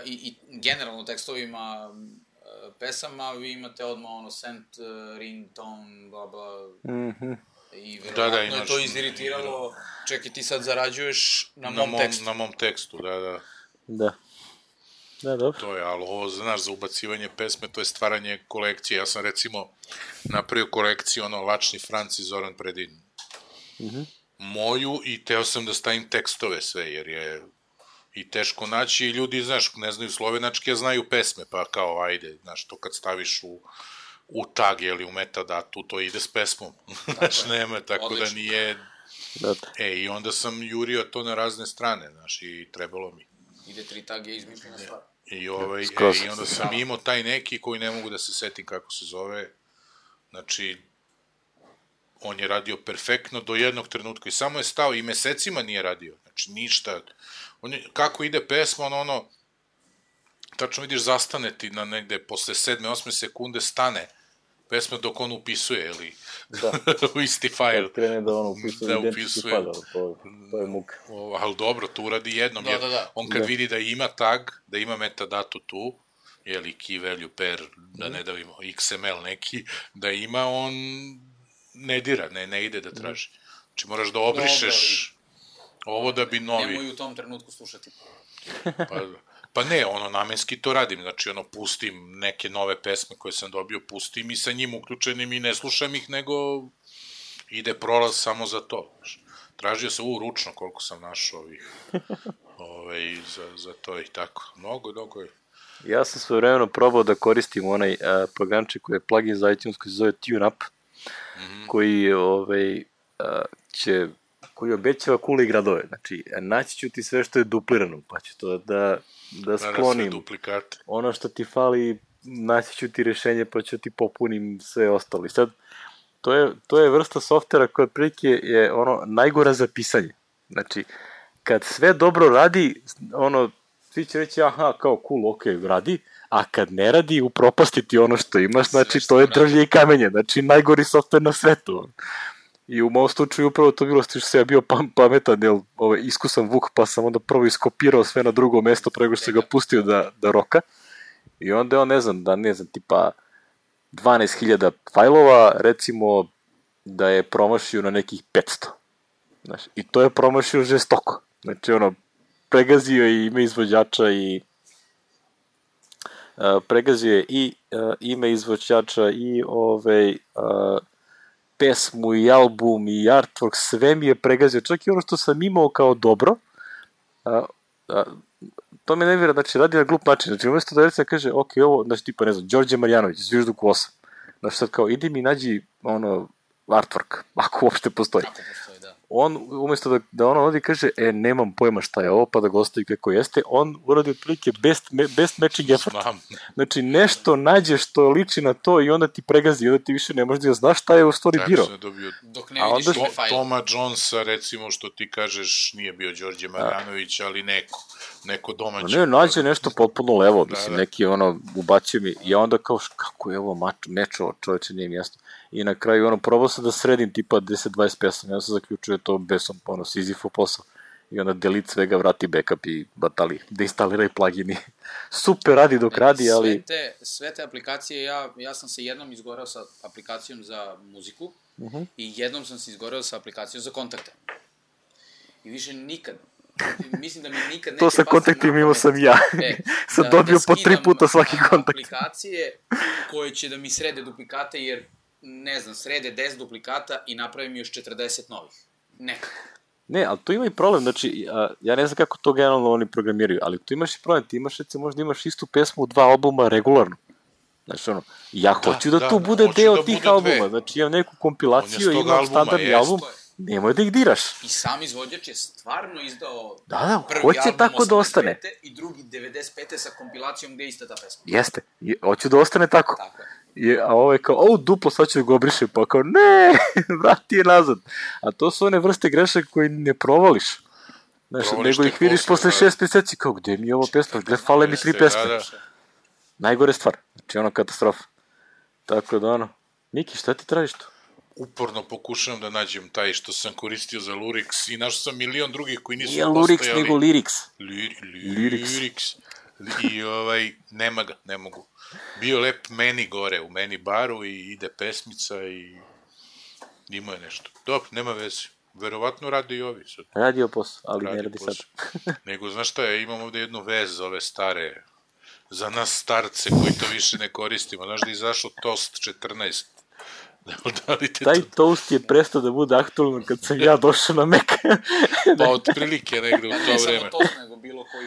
i, i generalno tekstovima uh, pesama, vi imate odmah ono sent, uh, ringtone, bla bla, mm-hmm. I verovatno da, da, je to iziritiralo, čekaj ti sad zarađuješ na, na mom, mom tekstu. Na mom tekstu, da, da. Da. Da, dobro. To je, ali ovo, znaš, za ubacivanje pesme, to je stvaranje kolekcije. Ja sam, recimo, napravio kolekciju, ono, Lačni Franci, Zoran Predin. Mm-hmm. Moju, i teo sam da stavim tekstove sve, jer je i teško naći, i ljudi, znaš, ne znaju slovenački, a znaju pesme, pa kao, ajde, znaš, to kad staviš u, u tag, ili u metadatu, to ide s pesmom. Znaš, nema, tako odlično. Da nije... E, i onda sam jurio to na razne strane, znaš, i trebalo mi. Ide tri tage, izmišljena stvar. I, ovaj, e, i onda sam imao taj neki koji ne mogu da se setim kako se zove, znači, on je radio perfektno do jednog trenutka i samo je stao i mesecima nije radio, znači ništa, on je, kako ide pesma, ono, ono, tačno vidiš, zastane ti na negde, posle sedme, osme sekunde stane pesma dok on upisuje, ili da. u isti fajl. Kad krene da on upisuje da identički fajl, to, to je muka. O, ali dobro, to uradi jednom, da, jer da, da. on kad da. vidi da ima tag, da ima metadatu tu, jeli key value pair, da ne davimo X M L neki, da ima, on ne dira, ne, ne ide da traži. Znači moraš da obrišeš dobro, ovo da bi novi... Nemoj u tom trenutku slušati. Pa, pa ne, ono, namenski to radim, znači ono, pustim neke nove pesme koje sam dobio, pustim i sa njim uključenim i ne slušam ih, nego ide prolaz samo za to. Tražio sam u ručno koliko sam našao ovih, ove, za, za to i tako. Mnogo, mnogo je. Ja sam svojevremeno probao da koristim onaj a, programček koji je plugin za iTunes koji se zove TuneUp, mm-hmm. koji ovaj, a, će, koji obećava kule i gradove. Znači, naći ću ti sve što je duplirano, pa ću to da, da sklonim. Da, duplikat. Ono što ti fali, naći ću ti rešenje, pa ću ti popunim sve ostalo. I sad, to je, to je vrsta softvera koja otprilike je ono najgora za pisanje. Znači, kad sve dobro radi, ono, svi će reći, aha, kao cool, ok, radi, a kad ne radi, upropastiti ono što imaš, znači, to je drvlje i kamenje, znači, najgori softver na svetu. I u mom slučaju upravo to bilo što sam ja bio pametan, jer ovaj, iskusan Vuk, pa sam onda prvo iskopirao sve na drugo mesto prego što sam ga pustio da, da roka. I onda on, ne znam, da ne znam, tipa dvanaest hiljada fajlova, recimo da je promašio na nekih petsto. Znaš, i to je promašio žestoko. Znači, ono, pregazio je ime izvođača i uh, pregazio je i uh, ime izvođača i ovaj uh, pesmu i album i artwork, sve mi je pregazio, čak i ono što sam imao kao dobro, a, a, to me ne vjera, znači radi na glup način, znači umjesto da recimo kaže, ok, ovo, znači tipa, ne znam, Đorđe Marjanović, Zvižduk osam, znači sad kao, idi mi nađi, ono, artwork, ako uopšte postoji. Ako postoji, da. On, umjesto da, da ono ovdje kaže, e, nemam pojma šta je ovo, pa da ga ostavi kako jeste, on uradi otprilike best, best matching effort. Znači, nešto nađe što liči na to i onda ti pregazi, onda ti više ne možeš da znaš šta je u stvari birao. Dok ne vidiš onda... to, Toma Jonesa, recimo, što ti kažeš, nije bio Đorđe Marjanović, ali neko, neko domaće. Ne, nađe nešto potpuno levo, da, mislim, da. Neki ono, ubacio mi, i onda kao, kako je ovo mač, mečo, čoveče, nije mjesto. I na kraju, ono, probao sam da sredim tipa deset dvadeset pesama, ja sam zaključio to bez sam, ono, Sizifov posao. I onda delete svega, vrati backup i batali, deinstaliraj plugini. Super radi dok radi, ali... Sve te, sve te aplikacije, ja, ja sam se jednom izgorao sa aplikacijom za muziku uh-huh. i jednom sam se izgorao sa aplikacijom za kontakte. I više nikad, mislim da mi nikad neće... To sa kontaktima imao sam ja. E, sam da, dobio da po tri puta svaki kontakt. Aplikacije koje će da mi srede duplikate, jer, ne znam, srede deset duplikata i napravim još četrdeset novih. Nekako. Ne, ali tu ima i problem, znači, a, ja ne znam kako to generalno oni programiraju, ali tu imaš i problem, ti imaš, recimo, možda imaš istu pesmu u dva albuma regularno. Znači, ono, ja da, hoću da, da tu bude deo da tih bude albuma, dve. Znači, imam neku kompilaciju, imam albuma, standardni jest. Album, nemoj da ih diraš. I sam izvođač je stvarno izdao da, da, prvi hoće album tako da ostane. I drugi devedeset pete sa kompilacijom gde je ista ta pesma. Jeste, je, hoću da ostane tako. Tako je. Je, a ovo je kao, o, duplo, sad ću da ga obrišem, pa kao, ne, vrati je nazad. A to su one vrste grešaka koje ne provališ. Znaš, provališ nego ih vidiš posle, posle šest meseci, kao, gde mi je ovo pesma, gde fale mi tri pesme. Da, da. Najgore stvar, znači ono katastrofa. Tako da ono, Miki, šta ti tražiš tu? Uporno pokušavam da nađem taj što sam koristio za Lurix i našao sam milion drugih koji nisu Nije postojali. Nije Lurix, nego Lyrics. Lyrics. Lyrics. I ovaj, nema ga, ne mogu. Bio lep meni gore, u meni baru i ide pesmica i Imao je nešto. Dobro, nema veze. Verovatno radi i ovi sad. Radio posao, ali Radi ne radi sad. Nego, znaš šta je, imam ovde jednu vez za ove stare, za nas starce koji to više ne koristimo. Znaš da je izašao Toast četrnaest. Da li te Taj to... toast je prestao da bude aktualno kad sam ja došao na Mac. Pa otprilike negde u Pa to ne vreme. samo Toast, nego bilo koji...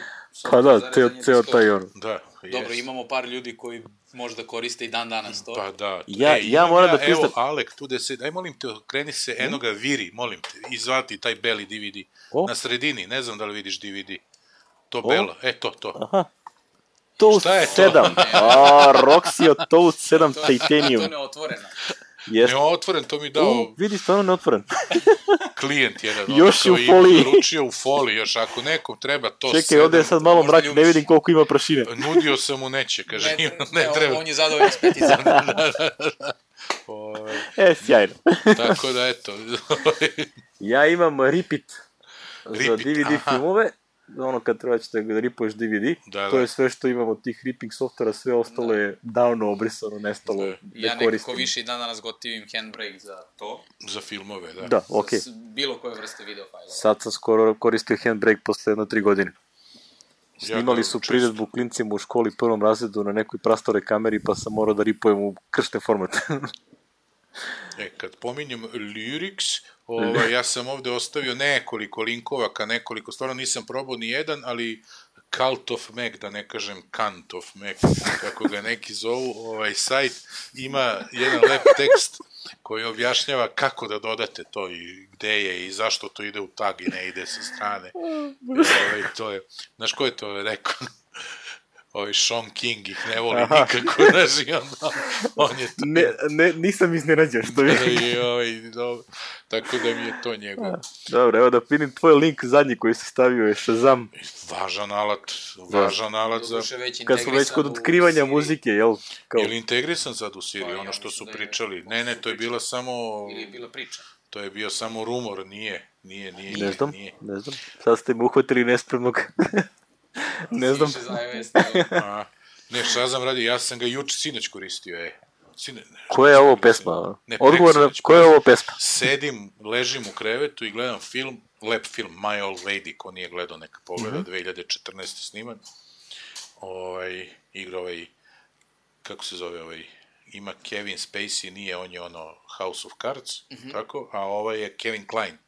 Pa da, software ceo, za ceo rezanje taj ono. Da, Dobro, jest. imamo par ljudi koji možda koriste i dan danas to. Pa da. Ja- e, ja imam moram da priznam- Evo, Alek, tu da se... Aj, molim te, kreni se enoga viri, molim te, izvati taj beli D V D. O? Na sredini, ne znam da li vidiš D V D. To O? belo, e, to, to. Aha. Toast Šta je to? sedam. A, Roxio Toast sedam To je- Titanium. To je neotvoreno. Jeste. Neotvoren, to mi dao U, vidi, stvarno neotvoren. klijent jedan. ono, Još kao u i foliji. Naručio u foliji, još ako nekom treba to Čekaj, ovde je sad malo možda mrak, ne ljubiš. vidim koliko ima prašine. Nudio sam mu neće, kaže, Ne, ne, ne, ne treba. on je zadovoljan s peticom. Ovaj, E, sjajno. tako da, eto. Ja imam Ripit za Ripit, D V D aha. filmove. Ono kad treba ćete da ripuješ D V D. Da, To da. je sve što imamo od tih ripping softvera, sve ostalo je davno obrisano, nestalo. Da. Ne Ja nekako koristim. više i dan danas gotivim handbrake za to. Za filmove, da. Da, okej. Za s- bilo koje vrste video fajlova. Sad sam skoro koristio Handbrake posle jedno tri godine. Ja Snimali ga su često- priredbu klincima u školi prvom razredu na nekoj prastore kameri, pa sam morao da ripujem u kršten format. E, kad pominjem Lyrics, ovaj, ja sam ovde ostavio nekoliko linkova ka nekoliko, stvarno nisam probao ni jedan, ali Cult of Mac, da ne kažem Kant of Mac, kako ga neki zovu, ovaj sajt ima jedan lep tekst koji objašnjava kako da dodate to i gde je i zašto to ide u tag i ne ide sa strane. I, ovaj, to je, znaš ko je to rekao? Ovaj Sean King ih ne voli Aha. nikako, znaš, i onda on je to... ne, ne, nisam iznenađen što mi... I, ovaj, dobro, tako da mi je to njegov. Dobro, evo da vidim tvoj link zadnji koji si stavio je Shazam. Važan alat, važan alat za... Doduše već Kad smo već integrisan kod u otkrivanja Siri. muzike, jel? Kao, Je li integrisan sad u Siri, Pa, ja ono što mislim su da je. pričali? Ne, ne, to je bila samo... Ili je bila priča. To je bio samo rumor, nije, nije, nije, ne znam, nije. ne znam. Sad ste me uhvatili nespremnog. ne znam. Više za iOS. nego- A, ne, šta znam radi, ja sam ga juče sinoć koristio, e. Sine, ne, Koja je ovo pesma? Ne, Odgovor na preksinoć, koja je ovo pesma? Sedim, ležim u krevetu i gledam film, lep film, My Old Lady, ko nije gledao neka pogleda, dve hiljade četrnaeste sniman. Ovaj, igra ovaj, kako se zove ovaj, ima Kevin Spacey, nije, on je ono House of Cards, tako, a ovaj je Kevin Kline.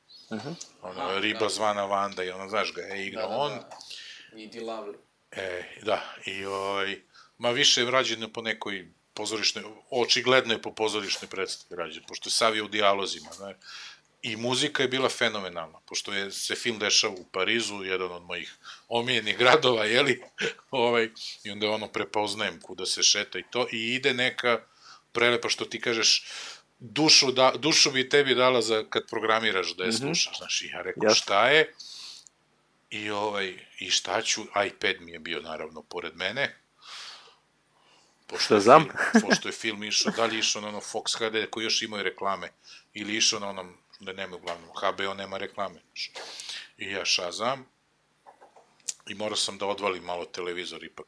Ono, Aha, riba da. zvana Vanda i ono, znaš ga, je igra Da, da, on. da. I Di Lovely. E, da, i ovaj, ma više je rađeno po nekoj pozorišnoj, očigledno je po pozorišnoj predstavi rađeno, pošto je Savio u dijalozima, znaš. I muzika je bila fenomenalna, pošto je se film dešava u Parizu, jedan od mojih omiljenih gradova, jeli, ovaj, i onda ono prepoznajem kuda se šeta i to, i ide neka prelepa, što ti kažeš, dušu, da, dušu bi tebi dala za kad programiraš da je slušaš, znaš, i ja rekao, Jasno. šta je, i ovaj, i šta ću, iPad mi je bio naravno pored mene, pošto je, Shazam? film, pošto je film išao, da li je išao na ono Fox H D koji još imaju reklame, ili išao na onom, da nema uglavnom, H B O nema reklame. znaš. I ja Shazam, i morao sam da odvalim malo televizor ipak,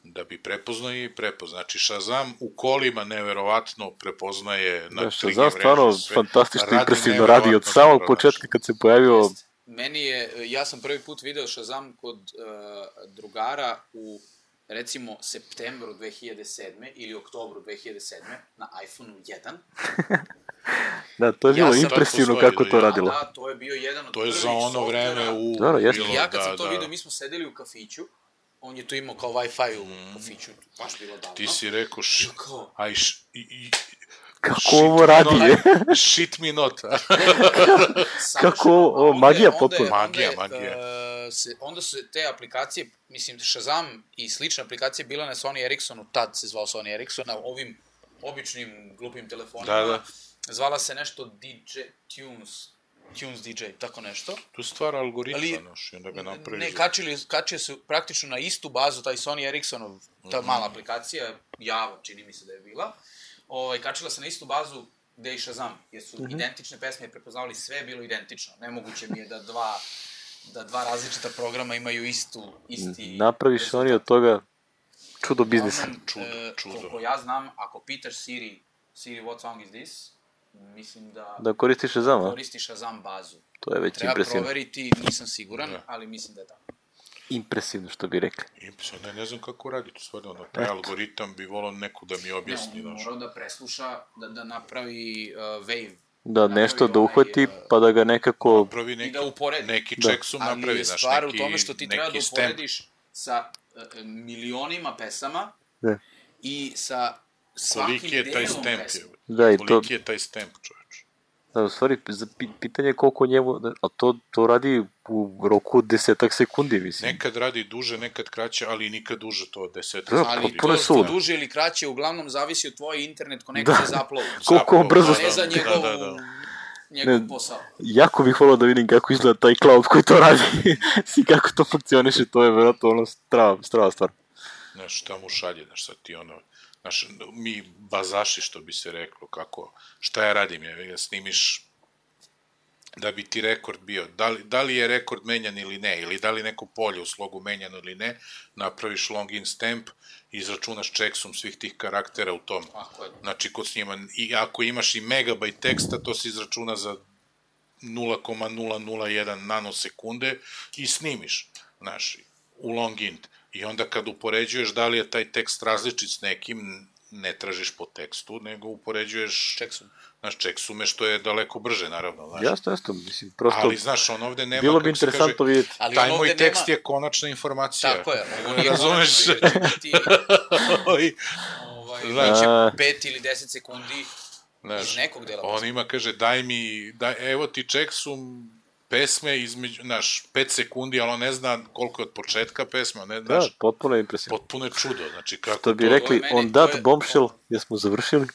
da bi prepoznao i prepoznao. Znači, Shazam u kolima neverovatno prepoznaje na Da, tri G Shazam mreži stvarno sve. fantastično Radi impresivno radi od neverovatno samog dobro, znaš. početka kad se pojavio. Meni je, ja sam prvi put video Shazam kod uh, drugara u, recimo, septembru dve hiljade sedme ili oktobru dve hiljade sedme na iPhoneu jedan. Da, to je Ja bilo sam- impresivno Postoji, kako da, to ja. radilo. Da, to je bio jedan od To je prvih za ono softvera. vreme u... Dobro, jeste. bilo, I ja kad da, sam to da. video, mi smo sedeli u kafiću, on je to imao kao Wi-Fi u kafiću, baš bilo davno. Ti si rekao, š, Kao? aj, š, i, i, Kako shit ovo me radi, not- je? Shit me not. Kako ovo- ovo, A onda je- magija onda je- potpuno. onda Magija, je, magija. e, se, onda su te aplikacije, mislim, Shazam i slične aplikacije bila na Sony Ericssonu, tad se zvao Sony Ericsson, na ovim običnim glupim telefonima. Da, da. Zvala se nešto D J Tunes, Tunes D J, tako nešto. Tu stvara algoritma, Ali- noš, i onda ga napravi. Ne, za- kačili, kačio se praktično na istu bazu, taj Sony Ericssonov, ta mala aplikacija, Java, čini mi se da je bila, ovaj, kačila se na istu bazu gde i Shazam, jer su identične pesme prepoznavali, sve je bilo identično. Nemoguće mi je da dva, da dva različita programa imaju istu, isti... Napraviš oni od toga čudo biznisa. Uglavnom, Čudo, e, čudo. Koliko ja znam, ako pitaš Siri, Siri, what song is this? mislim da... Da koristiš Shazam, a? Koristiš Shazam bazu. To je već Treba impresivno. proveriti, nisam siguran, Da. ali mislim da je tako. Impresivno, što bi rekli. Impresivno, ne, ne znam kako radi to stvarno, ono, taj algoritam bi volao neko da mi objasni, Ne, on znaš. mora da presluša, da, da napravi uh, wave. Da, Napravi nešto da ovaj, uhvati, uh, pa da ga nekako... Napravi I neki, da uporedi. neki Da. checksum Ali napravi, je znaš, stvar neki, u tome što ti treba da neki stamp. uporediš sa uh, milionima pesama Da. i sa svakim Koliki je taj delom stamp, pesme. je? Da, i to, Koliki je taj stamp, čovječ? da, u stvari, za pi- pitanje je koliko njemu, a to, to radi u roku od desetak sekundi, mislim. Nekad radi duže, nekad kraće, ali nikad duže to od deset. Da, Ali potpuno je to, to suludo. duže ili kraće uglavnom zavisi od tvoje internet konekcije za upload. Koliko on brzo... A ne za njegov, Da, da, da. njegov Ne. posao. Jako bih volao da vidim kako izgleda taj cloud koji to radi. I kako to funkcioniše, to je vjerojatno ono strava, strava stvar. Znaš, šta mu šalje, znaš, sad ti ono, znaš, mi bazaši, što bi se reklo, kako, šta ja radim, ja snimiš da bi ti rekord bio, da li, da li je rekord menjan ili ne, ili da li neko polje u slogu menjano ili ne, napraviš longin stamp, izračunaš checksum svih tih karaktera u tom, Tako je. znači kod snima, i ako imaš i megabajt teksta, to se izračuna za nula zarez nula nula jedan nanosekunde i snimiš, znaš, u longint. I onda kad upoređuješ da li je taj tekst različit s nekim, ne tražiš po tekstu, nego upoređuješ, Checksum. znaš, checksume, što je daleko brže, naravno, znaš. Jasno, jasno, mislim, prosto... Ali, znaš, on ovde nema, bilo bi kako se interesantno kaže, vidjeti. Ali taj on moj ovde tekst nema- je konačna informacija. Tako je, ovo nije Razumeš? konačno, jer će biti Ovi, ovaj, Znači- znači, pet ili deset sekundi znaš, iz nekog dela on pesme. ima, kaže, daj mi, daj, evo ti checksum pesme između, znaš, pet sekundi, ali on ne zna koliko je od početka pesme, on ne Da, znaš, potpuno je impresivno. potpuno je čudo, znači kako To bi to... rekli, to je meni- on to that je- bombshell, jesmo završili.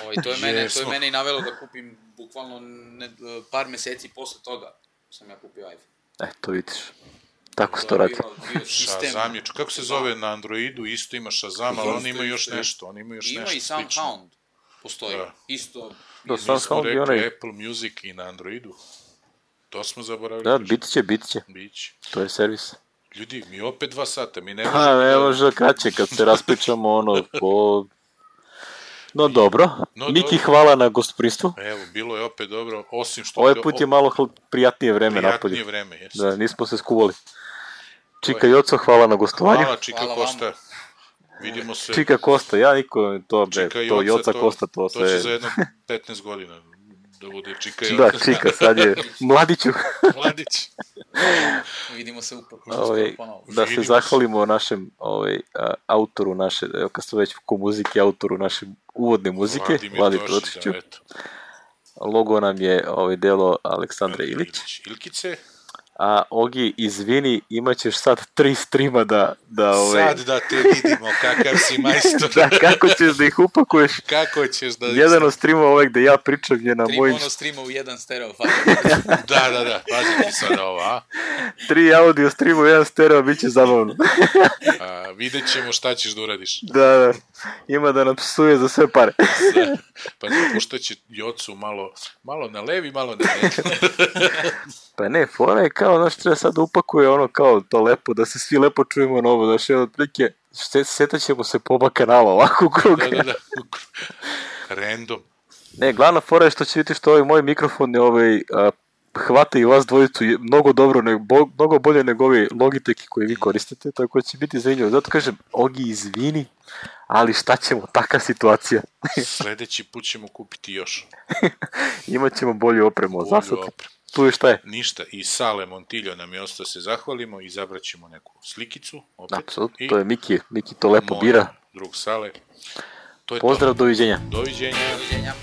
Ovaj, to, je mene, to je Jesmo. mene i navelo da kupim bukvalno ne, par meseci posle toga sam ja kupio iPhone. E, to vidiš. Tako se To to je radi. bio- bio sistem. Shazam je, kako se zove na Androidu, isto ima Shazam, ali on ima još nešto, on ima još Ima nešto i slično. Soundhound. Postoji. Da. Isto. Da, Mi smo Soundhound je rekli onaj... Apple Music i na Androidu. To smo zaboravili. Da, reći. bit će, bit će. Biće. To je servis. Ljudi, mi opet dva sata, mi ne možemo... Pa, ne da- može kraće kad se raspričamo ono po... No dobro. No, Miki, dobro. hvala na gostoprinstvu. Evo, bilo je opet dobro, osim što... Ovaj put je malo hl- prijatnije vreme prijatnije napolje. vreme, jeste. Da, nismo se skuvali. Čika Joco, hvala na gostovanju. Hvala, Čika Hvala vama. Kosta. Vidimo se. Čika Kosta, ja niko, to bre, Čika to Joca, Joca Kosta, to To će sve... za jedno petnaest godina da bude Čika Da, Joca. Čika, sad je mladiću. Mladić. Vidimo se upravo. Ovaj, ponovo. da se Vidimo se. zahvalimo našem ovaj, a, autoru naše, evo kad smo već ko muzike, autoru naše uvodne muzike, Vladimir Vladi Tošić, Protiću. da, eto. Logo nam je ovaj delo Aleksandre Ilić. Ilkice, A Ogi, izvini, imat ćeš sad tri streama da... da ovaj, sad da te vidimo kakav si majstor. da, kako ćeš da ih upakuješ? Kako ćeš da... Jedan od streamova ovaj gde ja pričam je na Tri mojim... mono streama u jedan stereo file. Da, da, da, pazi ti sada ovo, a? Tri audio streamova, jedan stereo, bit će zabavno. a vidjet ćemo šta ćeš da uradiš. da, da. Ima da nam psuje za sve pare. Pa puštat će Jocu malo, malo na levi, malo na desni. Pa ne, fora je kao, znaš, treba sad da upakuje ono kao to lepo, da se svi lepo čujemo novo, znaš, jedan otprilike, setat ćemo se po oba kanala ovako u krug. Da, da, da. Random. Ne, glavna fora je što će vidjeti što ovaj moj mikrofon je ovaj, a, hvata i vas dvojicu je mnogo dobro, nego, bo, mnogo bolje nego ovi Logitech koje vi koristite, tako da će biti zanimljivo. Zato kažem, Ogi, izvini, ali šta ćemo, taka situacija. Sledeći put ćemo kupiti još. Imaćemo bolju opremu, Bolju zasad. opremu. Tu je šta je. Ništa. I Sale Montiljo nam je ostao se zahvalimo i izabrat ćemo neku slikicu. Opet. Apsolutno, I to je Miki, Miki to lepo moj bira. drug Sale. To je Pozdrav, doviđenja. to. Doviđenja. Doviđenja.